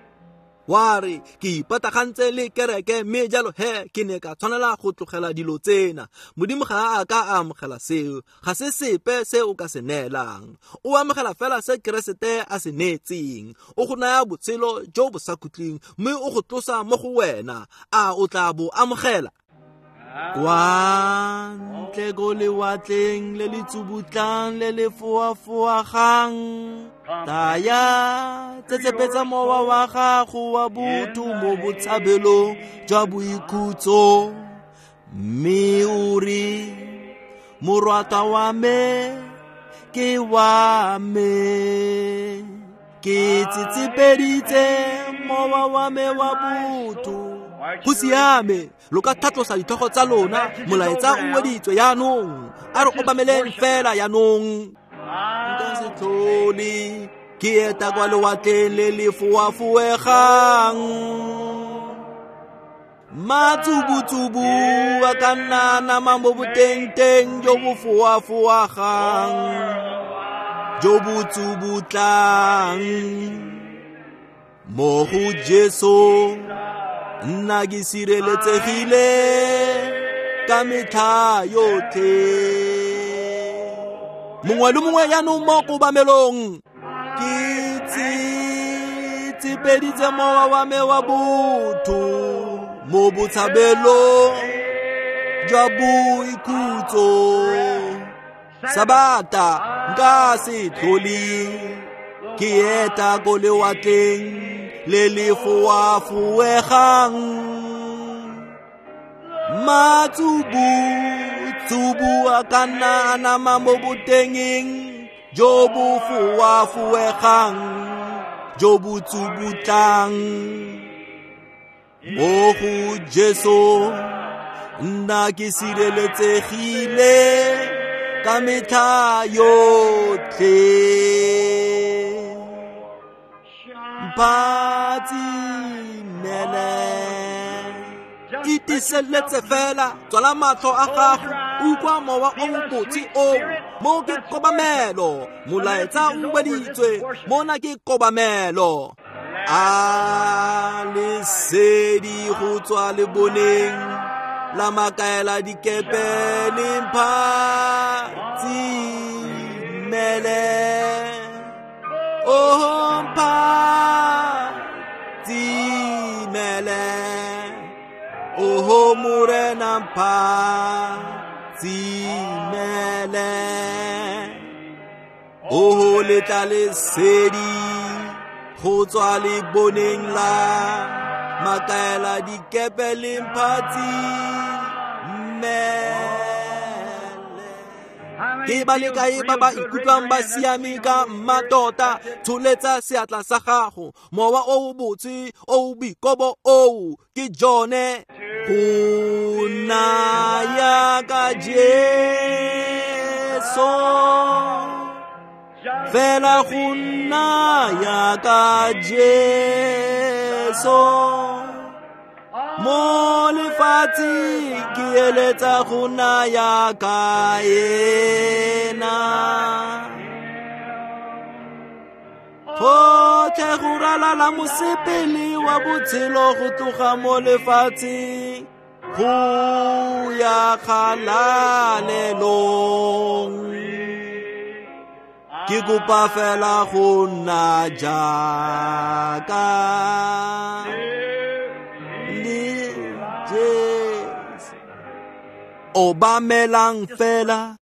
Wa re ke ipatagantse le kereke mme jalo he ke ne ka tshwanela go tlogela dilo tsena. Modimo ga a ka a amogela seo, ga se sepe se o ka se neelang. O amogela fela se Keresete a se neetseng. O go naya botshelo jo bo sa khutleng mme o go tlosa mo go wena. A o tla bo amogela? Kwa ntle ko lewatleng le le tsubutlang le le foafoagang, taya tsetsepetsa mowa wa gago wa botho mo botshabelong jwa boikhutso, mme o re morwata wa me ke wa me, ke tsetsepeditse mowa wa me wa botho. Go siame, lo ka tlhatlosa ditlhogo tsa lona, molaetsa o weditswe jaanong. A re obameleng fela jaanong. Nka se tlhole ke eta kwa lewatleng le le foafoegang, matsubutsubu a ka nna nama mo botengteng jo bo foafoagang, jo bo tsubutlang. Mo go Jesu nna ke sireletsegile ka metlha yotlhe. Mongwe le mongwe jaanong mo kobamelong. Ke tsetsepeditse mowa wa me wa botho mo botshabelong jwa boikhutso. Sabata nka se tlhole ke eta ko lewatleng le le foafoegang, matsubutsubu a ka nna a nama mo botengeng jo bo foafoegang, jo bo tsubutlang. Mo go Jesu nna ke sireletsegile ka metlha yotlhe. Mphatsimele, itiseletse fela, tswala matlho a gago, utlwa mowa o mobotse oo. Mo ke kobamelo, molaetsa o weditswe, mona ke kobamelo. A lesedi go tswa leboneng la makaela dikepe le mphatsimele. Oh, mphatsimele, oh Morena mphatsimele. Oh letla lesedi go tswa leboneng la makaela dikepe le mphatsimele. Ke ba le kae ba ba ikutlwang ba siame ka mmatota? Tsholetsa seatla sa gago. Mowa o o botse o o boikobo oo ke jone. Go naya ka Jesu, fela go naya ka Jesu. Mo lefatsheng ke eletsa go naya ka ena. Gotlhe go ralala mosepele wa botshelo go tloga mo lefatsheng go ya kgalalelong. Ke kopa fela go nna jaaka Obamelang fela.